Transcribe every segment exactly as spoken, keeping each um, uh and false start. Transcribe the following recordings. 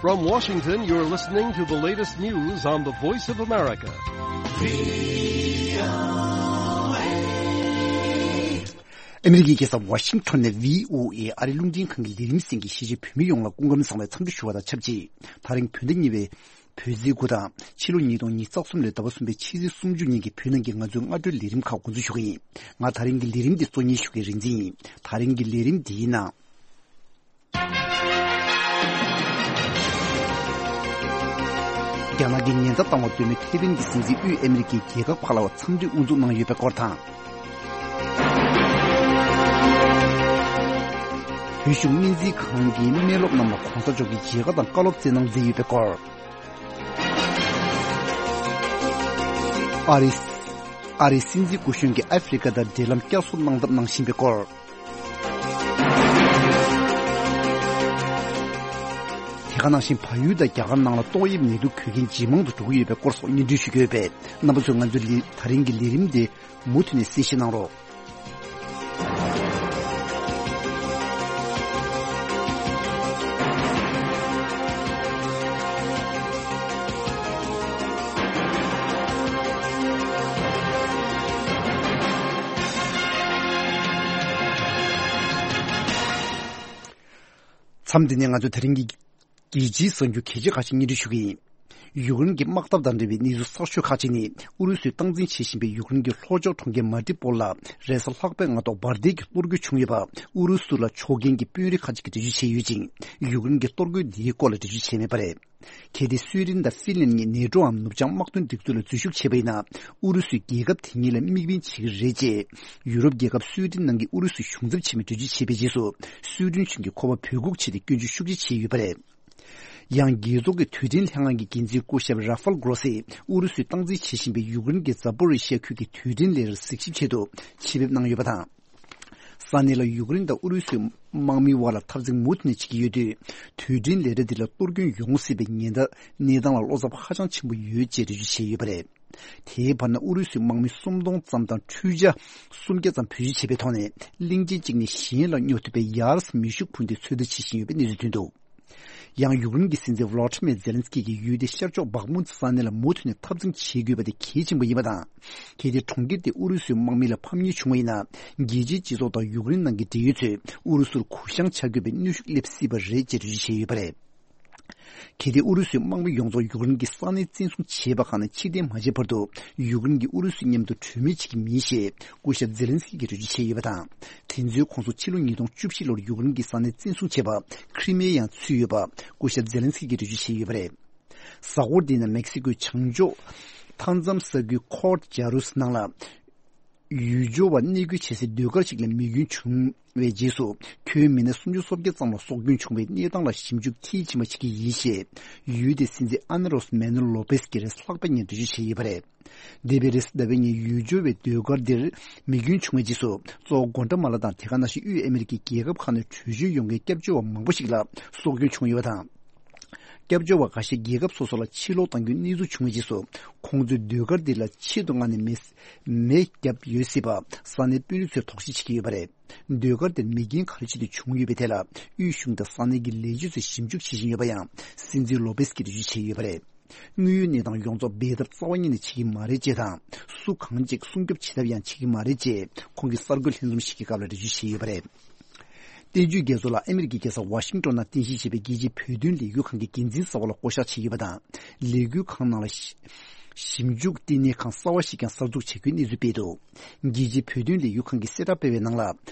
From Washington, you're listening to the latest news on the Voice of America. ཨ་མི་རི་ཀའི་རྒྱལ་ས་ཝ་ཤིང་ཊོན་ནས་བྷི་ཨོ་ཨེ་ཨ་རིའི་རླུང་འཕྲིན་ཁང་གི་ལས་རིམ་གསན་མཁན་གྱི་གཞིས་བྱེས་བོད་མི་ཡོངས་ལ་སྐུ་ཁམས་བཟང་བའི་འཚམས་འདྲི་ཞུ་བ་དང་ཆབས་ཅིག་ད་རིང་བོད་ཟླ་གཉིས་པའི་བོད་ཟླའི་དགུ་དང་ཕྱི་ལོ་ཉིས་སྟོང་ཉི་ཤུ་རྩ་གསུམ་ལོའི་ཟླ་བ་གསུམ་པའི་ཕྱི་ཚེས་སུམ་ཅུ་ཉིན་གྱི་བོད་ནང་གི་ང་ཚོའི་སྔ་དྲོའི་ལས་རིམ་ཁག་འགོ་འཛུགས་ཞུ་གི་ཡིན། ང་ད་རིང་གི་ལས་རིམ་འདི་གཙོ་གཉེར་ཞུ་མཁན་རིག་འཛིན་ཡིན། ད་རིང་གི་ལས་རིམ་འདིའི་ནང་། རྒྱ་ནག་གིས་ཉེན་བརྡ་བཏང་བ་ལྟོས་མེད་ཐའེ་ཝན་གྱི་སྲིད་འཛིན་དབུས་ཨ་མི་རི་ཀའི་རྒྱལ་ཁབ་ཁག་ལ་འཚམས་འདྲི་དབུ་འཛུགས་གནང་ཡོད་པའི་སྐོར་དང་། བོད་གཞུང་སྨན་རྩིས་ཁང་གིས་སྨན་སློབ་རྣམས་ལ་གོང་ས་མཆོག་གི་མཇལ་ཁ་དང་བཀའ་སློབ་སྩལ་གནང་མཛད་ཡོད་པའི་སྐོར། ཨ་རིའི་ཨ་རིའི་སྲིད་འཛིན་སྐུ་གཞོན་གྱིས་ཨ་ཧྥེ་རི་ཁ་དང་འབྲེལ་ལམ་བསྐྱར་གསོ་གནང་ཐབས་གནང་བཞིན་པའི་སྐོར། དེ་ག་ནང་བཞིན་བལ་ཡུལ་དང་རྒྱ་གར་ནང་ལ་ཏོག་དབྱིབས་ནད་དུག་འགོས་མཁན་ཇེ་མང་དུ་འགྲོ་གི་ཡོད་པའི་སྐོར་སོགས་སྙན་སྒྲོན་ཞུ་གི་ཡོད་པས། རྣམ་པ་ཚོས་ང་ཚོའི་ལི་ད་རིང་གི་ལས་རིམ་དེ་མུ་མཐུད་ནས་གསན་བཞེས་གནང་རོགས། མཚམས་འདི་ནས་ང་ཚོས་ད་རིང་གི་རྒྱལ་སྤྱིའི་གསར་འགྱུར་གལ་ཆེ་ཁག་ཅིག་སྙན་སྒྲོན་ཞུ་གི་ཡིན། ཡུཀ་རེན་གྱི་དམག་འཐབ་དང་འབྲེལ་བའི་གནས་ཚུལ་གསར་ཤོས་ཁག་ཅིག་ནི། ཨུ་རུ་སུས་སྟངས་འཛིན་བྱེད་བཞིན་པའི་ཡུཀ་རེན་གྱི་ལྷོ་ཕྱོགས་གྲོང་ཁྱེར་མ་རི་པོལ་ལ་རེས་གཟའ་ལྷག་པའི་སྔ་ཐོག་འབར་མདེལ་གྱི་གཏོར་རྒོལ་བྱུང་ཡོད་པ། ཨུ་རུ་སུ་ལ་ཕྱོགས་འགལ་གྱི་དཔོན་རིགས་ཁག་ཅིག་གིས་འགྲེལ་བརྗོད་བྱས་ཡོད་ཅིང་། ཡུཀ་རེན་གྱིས་གཏོར་རྒོལ་འདིའི་སྐོར་ལ་འགྲེལ་བརྗོད་བྱས་མེད་པ་རེད། གལ་ཏེ་སུའེ་ཌེན་དང་ཧྥིན་ལན་གཉིས་ནེ་ཊོའམ་ནུབ་བྱང་དམག་དོན་སྒྲིག་འཛུགས་ལ་འཛུལ་ཞུགས་བྱས་པ་ཡིན་ན། ཨུ་རུ་སུས་རྒྱལ་ཁབ་དེ་གཉིས་ལ་དམིགས་འབེན་བྱེད་ཀྱི་རེད་ཅེས། ཡུ་རོབ་རྒྱལ་ཁབ་སུའེ་ཌེན་ནང་གི་ཨུ་རུ་སུའི་གཞུང་ཚབ་ཆེན་མོས་འགྲེལ་བརྗོད་བྱས་པའི་རྗེས་སུ། སུའེ་ཌེན་གཞུང་གིས་ཁོ་པ་འབོད་འགུག་བྱས་ཏེ་སྐྱོན་བརྗོད་ཤུགས་ཆེ་བྱས་ཡོད་པ་རེད། ཡང་རྒྱལ་ཚོགས་ཀྱི་རྡུལ་ཕྲན་ལྷན་ཁང་གི་འགན་འཛིན་སྐུ་ཞབས་ར་ཧྥལ་གྷོ་རོ་སིས་ཨུ་རུ་སུས་སྟངས་འཛིན་བྱེད་བཞིན་པའི་ཡུཀ་རེན་གྱི་ཛ་པོ་རི་ཤི་ཡ་ཁུལ་གྱི་རྡུལ་ཕྲན་ལས་རར་གཟིགས་ཞིབ་ཆེད་དུ་ཆེད་ཕེབས་གནང་ཡོད་པ་དང་། ས་གནས་ལ་ཡུཀ་རེན་དང་ཨུ་རུ་སུའི་དམག་མིའི་དབར་ལ་འཐབ་འཛིང་མུ་མཐུད་ནས་བྱེད་ཀྱི་ཡོད་དུས། རྡུལ་ཕྲན་ལས་ར་འདི་ལ་གཏོར་སྐྱོན་ཡོང་སྲིད་པའི་ཉེན་བརྡ་གནས་སྟངས་ལ་བློ་འཚབ་ཧ་ཅང་ཆེན་པོ་ཡོད་ཅེས་འགྲེལ་བརྗོད་བྱས་ཡོད་པ་རེད། དེའི་བར་ན་ཨུ་རུ་སུའི་དམག་མི་སུམ་སྟོང་ཙམ་དང་འཕྲུལ་ཆས་སུམ་བརྒྱ་ཙམ་བེད་སྤྱོད་བྱས་པའི་ཐོག་ནས། གླིང་ཆེན་གཅིག་ནས་གཞན་ལ་སྙོབ་ཐུབ་པའི་ཡར་མེ་ཤུགས་འཕུར་མདེལ་ཚོད་ལྟ་བྱེད་བཞིན་ཡོད་པའི་གནས་ཚུལ་ཐོན་འདུག་ཡང་ཡུཀ་རེན་གྱི་སྲིད་འཛིན་ཝོ་ལོ་ཏི་མེར་ཛེ་ལན་སི་ཀི་གིས་ཡུལ་དེའི་ཤར་ཕྱོགས་བག་མུན་ས་གནས་ལ་མུ་མཐུད་ནས་འཐབ་འཛིང་བྱེད་དགོས་པ་དེ་གལ་ཆེན་པོ་ཡིན་པ་དང་། གལ་ཏེ་གྲོང་ཁྱེར་དེ་ཨུ་རུ་སུའི་དམག་མི་ལ་ཕམ་ཉེས་བྱུང་བ་ཡིན་ན། རྒྱལ་སྤྱིའི་སྤྱི་ཚོགས་དང་ཡུཀ་རེན་ནང་གི་འབྲེལ་ཡོད་ཚོས་ཨུ་རུ་སུར་གུ་བཤངས་བྱ་དགོས་པའི་གནོན་ཤུགས་སླེབས་སྲིད་པ་རེད་ཅེས་འགྲེལ་བརྗོད་བྱས་ཡོད་པ་རེད། གལ་ཏེ་ཨུ་རུ་སུའི་དམག་མི་ཡོངས་རྫོགས་ཡུཀ་རེན་གྱི་ས་གནས་བཙན་བཟུང་བྱས་པ་ཁག་ནས་ཕྱིར་འཐེན་མ་བྱས་བར་དུ། ཡུཀ་རེན་གྱིས་ཨུ་རུ་སུ་མཉམ་དུ་གྲོས་མོལ་བྱེད་ཀྱི་མིན་ཞེས་སྐུ་ཞབས་ཛེ་ལན་སི་ཀི་གིས་འགྲེལ་བརྗོད་བྱས་ཡོད་པ་དང་། དེ་ཚོའི་ཁོངས་སུ་ཕྱི་ལོ་ཉིས་སྟོང་བཅུ་བཞི་ལོར་ཡུཀ་རེན་གྱི་ས་གནས་བཙན་བཟུང་བྱས་པ་ཁྲི་མེ་ཡང་ཚུད་ཡོད་པ་སྐུ་ཞབས་ཛེ་ལན་སི་ཀི་གིས་འགྲེལ་བརྗོད་བྱས་ཡོད་པ་རེད། གཟའ་འཁོར་འདིའི་ནང་མེག་སི་ཀོའི་བྱང་ཕྱོགས་མཐའ་མཚམས་ས་ཁུལ་ཁོར་ཇ་རུས་ནང་ལ། ཡུལ་སྐྱོར་བ་གནས་སྐོར་བྱེད་སའི་ཟློས་གར་ཞིག་ལ་མེ་སྐྱོན་བྱུང་བའི་རྗེས་སུ། ཁྱོན་མི་སྣ་སུམ་ཅུ་སོ་བརྒྱད་ཙམ་ལ་སྲོག་སྐྱོན་བྱུང་བའི་གནས་སྟངས་ལ་ཞིབ་འཇུག་མཐིལ་ཕྱིན་པ་བྱེད་ཀྱི་ཡིན་ཞེས། ཡུལ་དེའི་སྲིད་འཛིན་ཨ་ན་རོས་མེ་ནོ་ལོ་པེས་ཀྱིས་རེས་ལྷག་པའི་ཉིན་འགྲེལ་བརྗོད་བྱས་ཡོད་པ་རེད། འདས་པའི་རེས་གཟའ་ཟླ་བའི་ཉིན་ཡུལ་སྐྱོར་བའི་ཟློས་གར་འདིར་མེ་སྐྱོན་བྱུང་བའི་རྗེས་སུ། གཙོ་བོ་གོ་ཏ་མ་ལ་དང་དེ་ག་ནང་བཞིན་དབུས་ཨ་མི་རི་ཀའི་རྒྱལ་ཁབ་ཁག་ནས་བྲོས་བྱོལ་ཡོང་མཁན་སྐྱབས་བཅོལ་བ་མང་པོ་ཞིག་ལ་སྲོག་སྐྱོན་བྱུང་ཡོད་པ་དང་། སྐྱབས་བཅོལ་བ་འགའ་ཤས་རྒྱལ་ཁབ་སོ་སོ་ལ་ཕྱིར་ལོག་གཏང་རྒྱུའི་གནས་ཚུལ་བྱུང་བའི་རྗེས་སུ། ཁོང་ཚོས་ཟློས་གར་འདི་ལ་ཆེད་དུ་མངགས་ནས་མེ་མེ་བརྒྱབ་ཡོད་སྲིད་པ་ས་གནས་དཔོན་རིགས་ཚོས་དོགས་གཞི་བྱེད་ཀྱི་ཡོད་པ་རེད། ཟློས་གར་དེར་མེ་རྐྱེན་ག་རེ་བྱས་ཏེ་བྱུང་ཡོད་པའི་ཐད་ལ། དབུས་གཞུང་དང་ས་གནས་ཀྱི་ལས་བྱེད་ཚོས་ཞིབ་འཇུག་བྱེད་བཞིན་ཡོད་པ་ཡང་སྲིད་འཛིན་ལོ་པེས་ཀྱིས་འགྲེལ་བརྗོད་བྱས་ཡོད་པ་རེད། དངོས་ཡོད་གནས་སྟངས་ཡོངས་རྫོགས་འབད་འཐབ་རྩ་བ་ཉིད་ནས་བྱེད་ཀྱི་མ་རེད་ཅེས་དང་། སུ་གང་གཅིག་སྲུང་སྐྱོབ་བྱེད་ཐབས་ཡང་བྱེད་ཀྱི་མ་རེད་ཅེས། ཁོང་གིས་གསར་འགོད་ལྷན་འཛོམས་ཤིག་གི་སྐབས་ལ་འགྲེལ་བརྗོད་བྱས་ཡོད་པ་རེད། བསྟན་བཅོས་རྒྱ་མཚོ་ལགས་ཨ་མི་རི་ཀའི་རྒྱལ་ས་ཝ་ཤིང་ཊོན་ནང་རྟེན་གཞི་བྱས་པའི་རྒྱལ་སྤྱིའི་བོད་དོན་ལས་འགུལ་ཁང་གི་འགན་འཛིན་གསར་པ་ལ་བསྐོ་གཞག་བྱས་ཡོད་པ་དང་། ལས་འགུལ་ཁང་ནང་ལ་ཞིབ་འཇུག་ལྟེ་གནས་ཁང་གསར་པ་ཞིག་ཀྱང་གསར་འཛུགས་བྱ་རྒྱུའི་གནས་ཚུལ་སྤེལ་འདུག་རྒྱལ་སྤྱིའི་བོད་དོན་ལས་འགུལ་ཁང་གིས་གསལ་བསྒྲགས་སྤེལ་བའི་ནང་ལ།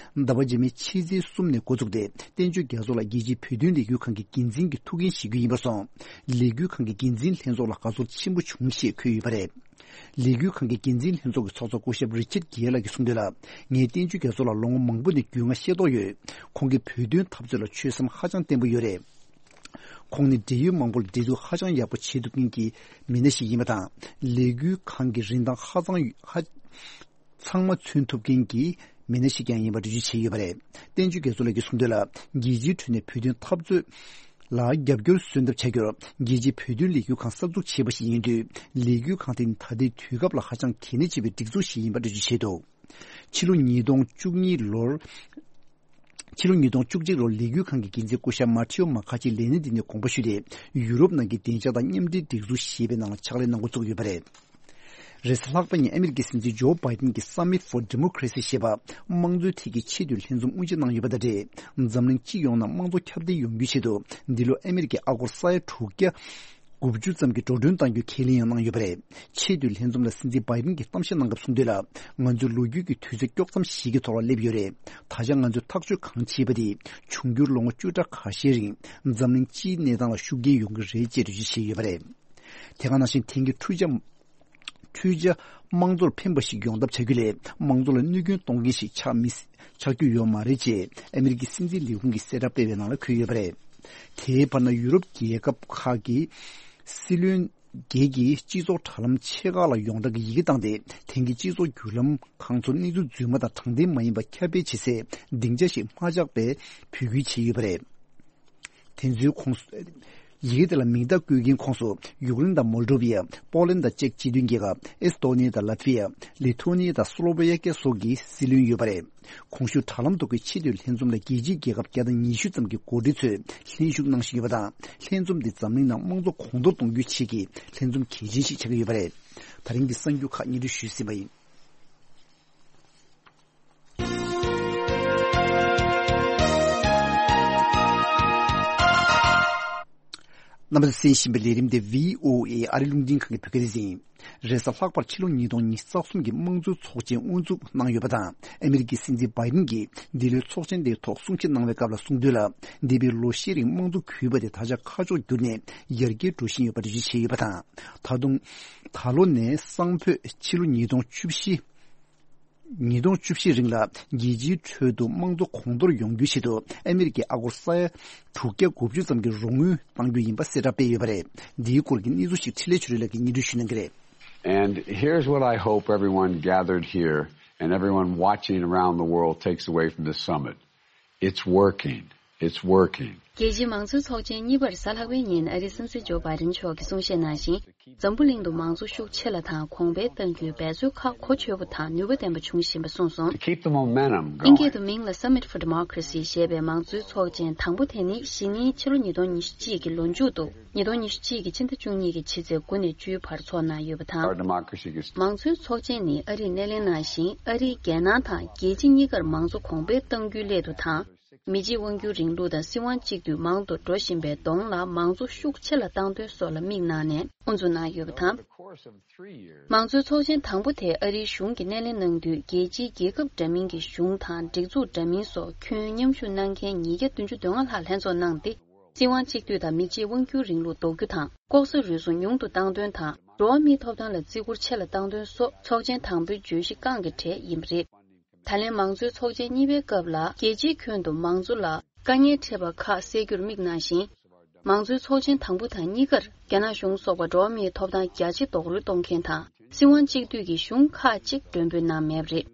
ཟླ་བ་རྗེས་མའི་ཕྱི་ཚེས་གསུམ་ནས་འགོ་བཙུགས་ཏེ། བསྟན་བཅོས་རྒྱ་མཚོ་ལགས་རྒྱལ་སྤྱིའི་བོད་དོན་ལས་འགུལ་ཁང་གི་འགན་འཛིན་གྱི་ཐུགས་འགན་བཞེས་རྒྱུ་ཡིན་པར་སོང་། ལས་འགུལ་ཁང་གི་འགན་འཛིན་ལྷན་ཚོགས་ལ་དགའ་ཚོར་ཆེན་པོ་བྱུང་ཞེས་འཁོད་ཡོད་པ་རེད། ལས་འགུལ་ཁང་གི་འགན་འཛིན་ལྷན་ཚོགས་ཀྱི་ཚོགས་གཙོ་སྐུ་ཞབས་རི་ཆར་གྷེ་ལགས་ཀྱིས་གསུངས་དོན་ལ། ངས་བསྟན་བཅོས་རྒྱ་མཚོ་ལ་ལོ་ངོ་མང་པོ་ནས་རྒྱུས་མངའ་ཤེས་རྟོགས་ཡོད། ཁོང་གིས་བོད་དོན་འཐབ་རྩོད་ལ་ཆོད་སེམས་ཧ་ཅང་བརྟན་པོ་ཡོད་རེད། ཁོང་ནི་འབྲེལ་ཡོད་མང་པོ་ལ་འབྲེལ་གཏུག་ཧ་ཅང་ཡག་པོ་བྱེད་ཐུབ་མཁན་གྱི་མི་སྣ་ཞིག་ཡིན་པ་དང་། ལས་འགུལ་ཁང་གི་རིན་ཐང་ཧ་ཅང་ཧ་ཚང་མ་མཚོན་ཐུབ་མཁན་གྱི་མི་སྣ་ཞིག་ཀྱང་ཡིན་པ་འགྲེལ་བརྗོད་བྱས་ཡོད་པ་རེད། བསྟན་བཅོས་རྒྱ་མཚོ་ལགས་ཀྱིས་གསུངས་དོན་ལ། རྒྱལ་སྤྱིའི་ཁྲོད་ནས་བོད་དོན་འཐབ་རྩོད་ལ་རྒྱབ་སྐྱོར་སོན་ཐབས་བྱ་རྒྱུར། རྒྱལ་སྤྱིའི་བོད་དོན་ལས་འགུལ་ཁང་གསར་འཛུགས་བྱས་པ་ཞིག་ཡིན་དུས། ལས་འགུལ་ཁང་དེ་ནི་ད་ལྟའི་དུས་སྐབས་ལ་ཧ་ཅང་གལ་གནད་ཆེ་བའི་སྒྲིག་འཛུགས་ཤིག་ཡིན་པ་འགྲེལ་བརྗོད་བྱས་འདུག་ཕྱི་ལོ་ཉིས་སྟོང་བཅུ་གཉིས་ལོར་ ཕྱི་ལོ་ཉིས་སྟོང་བཅུ་གཅིག་ལོར་ལས་འགུལ་ཁང་གི་འགན་འཛིན་སྐུ་ཞབས་མ་ཐེའོ་མ་ཁ་ཆེའི་ལས་གནས་འདི་ནས་དགོངས་པ་ཞུས་ཏེ། ཡུ་རོབ་ནང་གི་བདེ་འཇགས་དང་མཉམ་འབྲེལ་སྒྲིག་འཛུགས་ཞེས་པའི་ནང་ལ་ཕྱག་ལས་གནང་འགོ་བཙུགས་ཡོད་པ་རེད། རེས་གཟའ་ལྷག་པ་ཉིན་ཨ་མི་རི་ཀའི་སྲིད་འཛིན་ཇོ་བྷའི་ཏིན་གྱིས་Summit for Democracy ཞེས་པ་དམངས་གཙོའི་ཐད་ཀྱི་ཆེས་མཐོའི་ལྷན་འཛོམས་དབུ་འབྱེད་གནང་ཡོད་པ་དང་འབྲེལ། འཛམ་གླིང་སྤྱི་ཡོངས་ནང་དམངས་གཙོ་ཁྱབ་གདལ་ཡོང་རྒྱུའི་ཆེད་དུ། འདི་ལོ་ཨ་མི་རི་ཀའི་ཨ་སྒོར་ས་ཡ་དྲུག་བརྒྱ་དགུ་བཅུ་ཙམ་གྱི་འགྲོ་གྲོན་གཏང་རྒྱུའི་ཁས་ལེན་ཡང་གནང་ཡོད་པ་རེད། ཆེས་མཐོའི་ལྷན་འཛོམས་ལ་སྲིད་འཛིན་བྷའི་ཏིན་གྱིས་གཏམ་བཤད་གནང་སྐབས་གསུངས་དོན་ལ། ང་ཚོས་ལོ་རྒྱུས་ཀྱི་དུས་ཚོད་དཀྱོག་མཚམས་ཤིག་གི་ཐོག་ལ་སླེབས་ཡོད་རེད། ད་ཆ་ང་ཚོས་ཐག་གཅོད་གང་བྱས་པ་དེ་འབྱུང་འགྱུར་ལོ་ངོ་བཅུ་ཕྲག་ཁ་ཤས་རིང་འཛམ་གླིང་སྤྱིའི་གནས་སྟངས་ལ་ཤུགས་རྐྱེན་ཡོང་གི་རེད་ཅེས་འགྲེལ་བརྗོད་བྱས་ཡོད་པ་རེད། དེ་ག་ནང་བཞིན་དེང་གི་འཕྲུལ་ཆ། འཕྲུལ་ཆ་དམངས་གཙོར་ཕན་པ་ཞིག་ཡོང་ཐབས་བྱ་རྒྱུ་ལས་དམངས་གཙོ་ལ་གནོད་སྐྱོན་གཏོང་མཁན་ཞིག་ཆགས་མི་ཆགས་རྒྱུ་ཡོད་མ་རེད་ཅེས་ཨ་མི་རི་ཀའི་སྲིད་འཛིན་ལས་ཁུངས་ཀྱིས་གསལ་བསྒྲགས་སྤེལ་བའི་ནང་ལ་འཁོད་ཡོད་པ་རེད། དེའི་བར་ན་ཡུ་རོབ་རྒྱལ་ཁབ་ཁག་གི་སྲིད་བློན་བརྒྱད་ཀྱིས་སྤྱི་ཚོགས་དྲ་ལམ་ཆེ་ཁག་ལ་ཡོངས་གྲགས་ཀྱི་ཡི་གེ་བཏང་སྟེ། དེང་གི་སྤྱི་ཚོགས་བརྒྱུད་ལམ་ཁང་ཚོ་གནས་ཚུལ་རྫུན་མ་དང་དྲང་བདེན་མ་ཡིན་པ་ཁྱབ་སྤེལ་བྱེད་སའི་སྡིངས་ཆ་ཞིག་མ་ཆགས་པའི་འབོད་སྐུལ་བྱས་ཡོད་པ་རེད། དེ་ཚོའི་ཁོངས་སུ། ཡི་གེ་དེ་ལ་མིང་རྟགས་བཀོད་མཁན་ཁོངས་སུ་ཡུཀ་རེན་དང་མོལ་ཌོ་ཝི་ཡ། པོ་ལན་དང་ཅེཀ་སྤྱི་མཐུན་རྒྱལ་ཁབ། ཨེ་སི་ཏོ་ནི་ཡ་དང་ལ་ཏི་ཝི་ཡ། ལི་ཐོ་ནི་ཡ་དང་སློ་བེ་ཡ་ཀི་སོགས་ཀྱི་སྲིད་བློན་ཡོད་པ་རེད། གོང་ཞུས་དྲ་ལམ་ཐོག་གི་ཆེས་མཐོའི་ལྷན་འཛོམས་ལ་རྒྱལ་སྤྱིའི་རྒྱལ་ཁབ་བརྒྱ་དང་ཉི་ཤུ་ཙམ་གྱི་འགོ་ཁྲིད་ཚོས་ལྷན་ཞུགས་གནང་བཞིན་ཡོད་པ་དང་། ལྷན་འཛོམས་འདི་འཛམ་གླིང་ནང་དམངས་གཙོ་གོང་མཐོར་གཏོང་རྒྱུའི་ཆེད་ཀྱི་ལྷན་འཛོམས་གལ་ཆེན་ཞིག་ཆགས་ཀྱི་ཡོད་པ་རེད། ད་རིང་གི་གསར་འགྱུར་ཁག་སྙན་སྒྲོན་ཞུས་ཟིན་པ་ཡིན། རྣམ་པ་ཚོས་གསན་བཞིན་པའི་ལས་རིམ་དེ་བྷི་ཨོ་ཨེ་ཨ་རི་རླུང་འཕྲིན་ཁང་གི་བོད་སྐད་སྡེ་ཚན་ཡིན། རེས་གཟའ་ལྷག་པར་ཕྱི་ལོ་ཉིས་སྟོང་ཉི་ཤུ་རྩ་གསུམ་གྱི་དམངས་གཙོའི་ཚོགས་ཆེན་དབུ་འཛུགས་གནང་ཡོད་པ་དང་། ཨ་མི་རི་ཀའི་སྲིད་འཛིན་བྷའི་ཏིན་གྱིས་འདི་ལོའི་ཚོགས་ཆེན་དེའི་ཐོག་གསུང་བཤད་གནང་བའི་སྐབས་ལ་གསུངས་དོན་ལ། འདས་པའི་ལོ་ཤས་རིང་དམངས་གཙོ་གུས་པ་དེ་ད་ཆ་ཁ་ཕྱོགས་བསྒྱུར་ནས་ཡར་རྒྱས་འགྲོ་བཞིན་ཡོད་པ་འགྲེལ་བརྗོད་བྱས་ཡོད་པ་དང་། ད་དུང་། ད་ལོ་ནས་སང་ཕོད་ཕྱི་ལོ་ཉིས་སྟོང་བཅུ་བཞི། ཉིས་སྟོང་བཅུ་བཞི་རིང་ལ་རྒྱལ་སྤྱིའི་ཁྲོད་དུ་དམངས་གཙོ་གོང་མཐོར་ཡོང་རྒྱུའི་ཆེད་དུ་ཨ་མི་རི་ཀའི་ཨ་སྒོར་ས་ཡ་དྲུག་བརྒྱ་དགུ་བཅུ་ཙམ་གྱི་རོགས་དངུལ་གཏང་རྒྱུ་ཡིན་པ་གསལ་བསྒྲགས་སྤེལ་ཡོད་པ་རེད། འདིའི་སྐོར་གྱི་གནས་ཚུལ་ཞིག་འཕྲིན་ལས་ཆོས་སྒྲོན་ལགས་ཀྱིས་སྙན་སྒྲོན་ཞུ་གནང་གི་རེད། And here's what I hope everyone gathered here and everyone watching around the world takes away from this summit. It's working. It's working. རྒྱལ་སྤྱིའི་མང་གཙོའི་ཚོགས་ཆེན་གཉིས་པར་གཟའ་ལྷག་པའི་ཉིན་ཨ་རིའི་སྲིད་འཛིན་ཇོ་བྷའི་ཏིན་མཆོག་གིས་གསུང་བཤད་གནང་ཞིང་། འཛམ་བུ་གླིང་དུ་མང་གཙོ་ཤུགས་ཆེ་ལ་དང་གོང་འཕེལ་གཏང་རྒྱུའི་འབད་རྩོལ་ཁག་གོ་ཆོད་པོ་དང་ནུས་པ་ལྡན་པ་འབྱུང་བཞིན་པ་གསུངས་སོང་། To keep the momentum going. དབྱིན་སྐད་དུ་མིང་ལ་Summit for Democracy ཞེས་པའི་མང་གཙོའི་ཚོགས་ཆེན་དང་པོ་དེ་ནི་གཞེས་ནིང་ཕྱི་ལོ་ཉིས་སྟོང་ཉི་ཤུ་གཅིག་གི་ལོ་མཇུག་ཏུ་ཉིས་སྟོང་ཉི་ཤུ་གཅིག་གི་ཕྱི་ཟླ་བཅུ་གཉིས་ཀྱི་ཕྱི་ཚེས་དགུ་ནས་བཅུའི་བར་འཚོགས་གནང་ཡོད་པ་དང་། Our democracy is མང་གཙོའི་ཚོགས་ཆེན་ནི་ཨ་རིས་སྣེ་ལེན་གནང་ཞིང་། ཨ་རིའི་རྒྱལ་ནང་དང་རྒྱལ་སྤྱི་གཉིས་ཀར་མང་གཙོ་གོང་འཕེལ་གཏང་རྒྱུའི་སླད་དུ་དང་། མི་གཅིག་དབང་སྒྱུར་རིང་ལུགས་དང་སྲིད་དབང་གཅིག་སྡུད་མང་དུ་འགྲོ་བཞིན་པའི་གདོང་ལ་མང་གཙོ་ཤུགས་ཆེ་ལ་བཏང་དོན་སོགས་ལ་དམིགས་གནང་ནས་དབུ་འཛུགས་གནང་ཡོད་པ་དང་། མང་གཙོའི་ཚོགས་ཆེན་དང་པོ་དེ་ཨ་རིའི་གཞུང་གིས་སྣེ་ལེན་གནང་དུས། རྒྱལ་སྤྱིའི་རྒྱལ་ཁབ་འདྲ་མིན་གྱི་གཞུང་དང་སྒྲིག་འཛུགས་འདྲ་མིན་སོགས་ཁྱོན་མཉམ་ཞུགས་གནང་མཁན་ཉིས་བརྒྱ་བདུན་ཅུ་དོན་ལྔ་ལྷག་ལྷན་ཚོགས་གནང་སྟེ། སྲིད་དབང་གཅིག་སྡུད་དང་མི་གཅིག་དབང་སྒྱུར་རིང་ལུགས་ལྡོག་རྒྱུ་དང་། ལྐོག་ཟ་རུལ་སུངས་ཉུང་དུ་གཏང་དོན་དང་། འགྲོ་བ་མིའི་ཐོབ་ཐང་ལ་བརྩི་བཀུར་ཆེ་ལ་གཏང་དོན་སོགས་ཚོགས་ཆེན་དང་པོའི་བརྗོད་གཞི་རྐང་གི་གྲས་ཡིན་པ་རེད། ད་ལན་མང་གཙོའི་ཚོགས་ཆེན་གཉིས་པའི་སྐབས་ལ། རྒྱལ་སྤྱིའི་ཁྱོན་དུ་མང་གཙོ་ལ་དཀའ་ངལ་འཕྲད་པ་ཁག་སེལ་རྒྱུར་དམིགས་གནང་ཞིང་། མང་གཙོའི་ཚོགས་ཆེན་དང་པོ་དང་གཉིས་ཀར་རྒྱ་ནག་གཞུང་སོགས་པ་འགྲོ་བ་མིའི་ཐོབ་ཐང་རྒྱ་ཆེ་རྡོག་རོལ་གཏོང་མཁན་དང་། སྲིད་དབང་གཅིག་སྡུད་ཀྱི་གཞུང་ཁག་ཅིག་མགྲོན་འབོད་གནང་མེད་པ་རེད།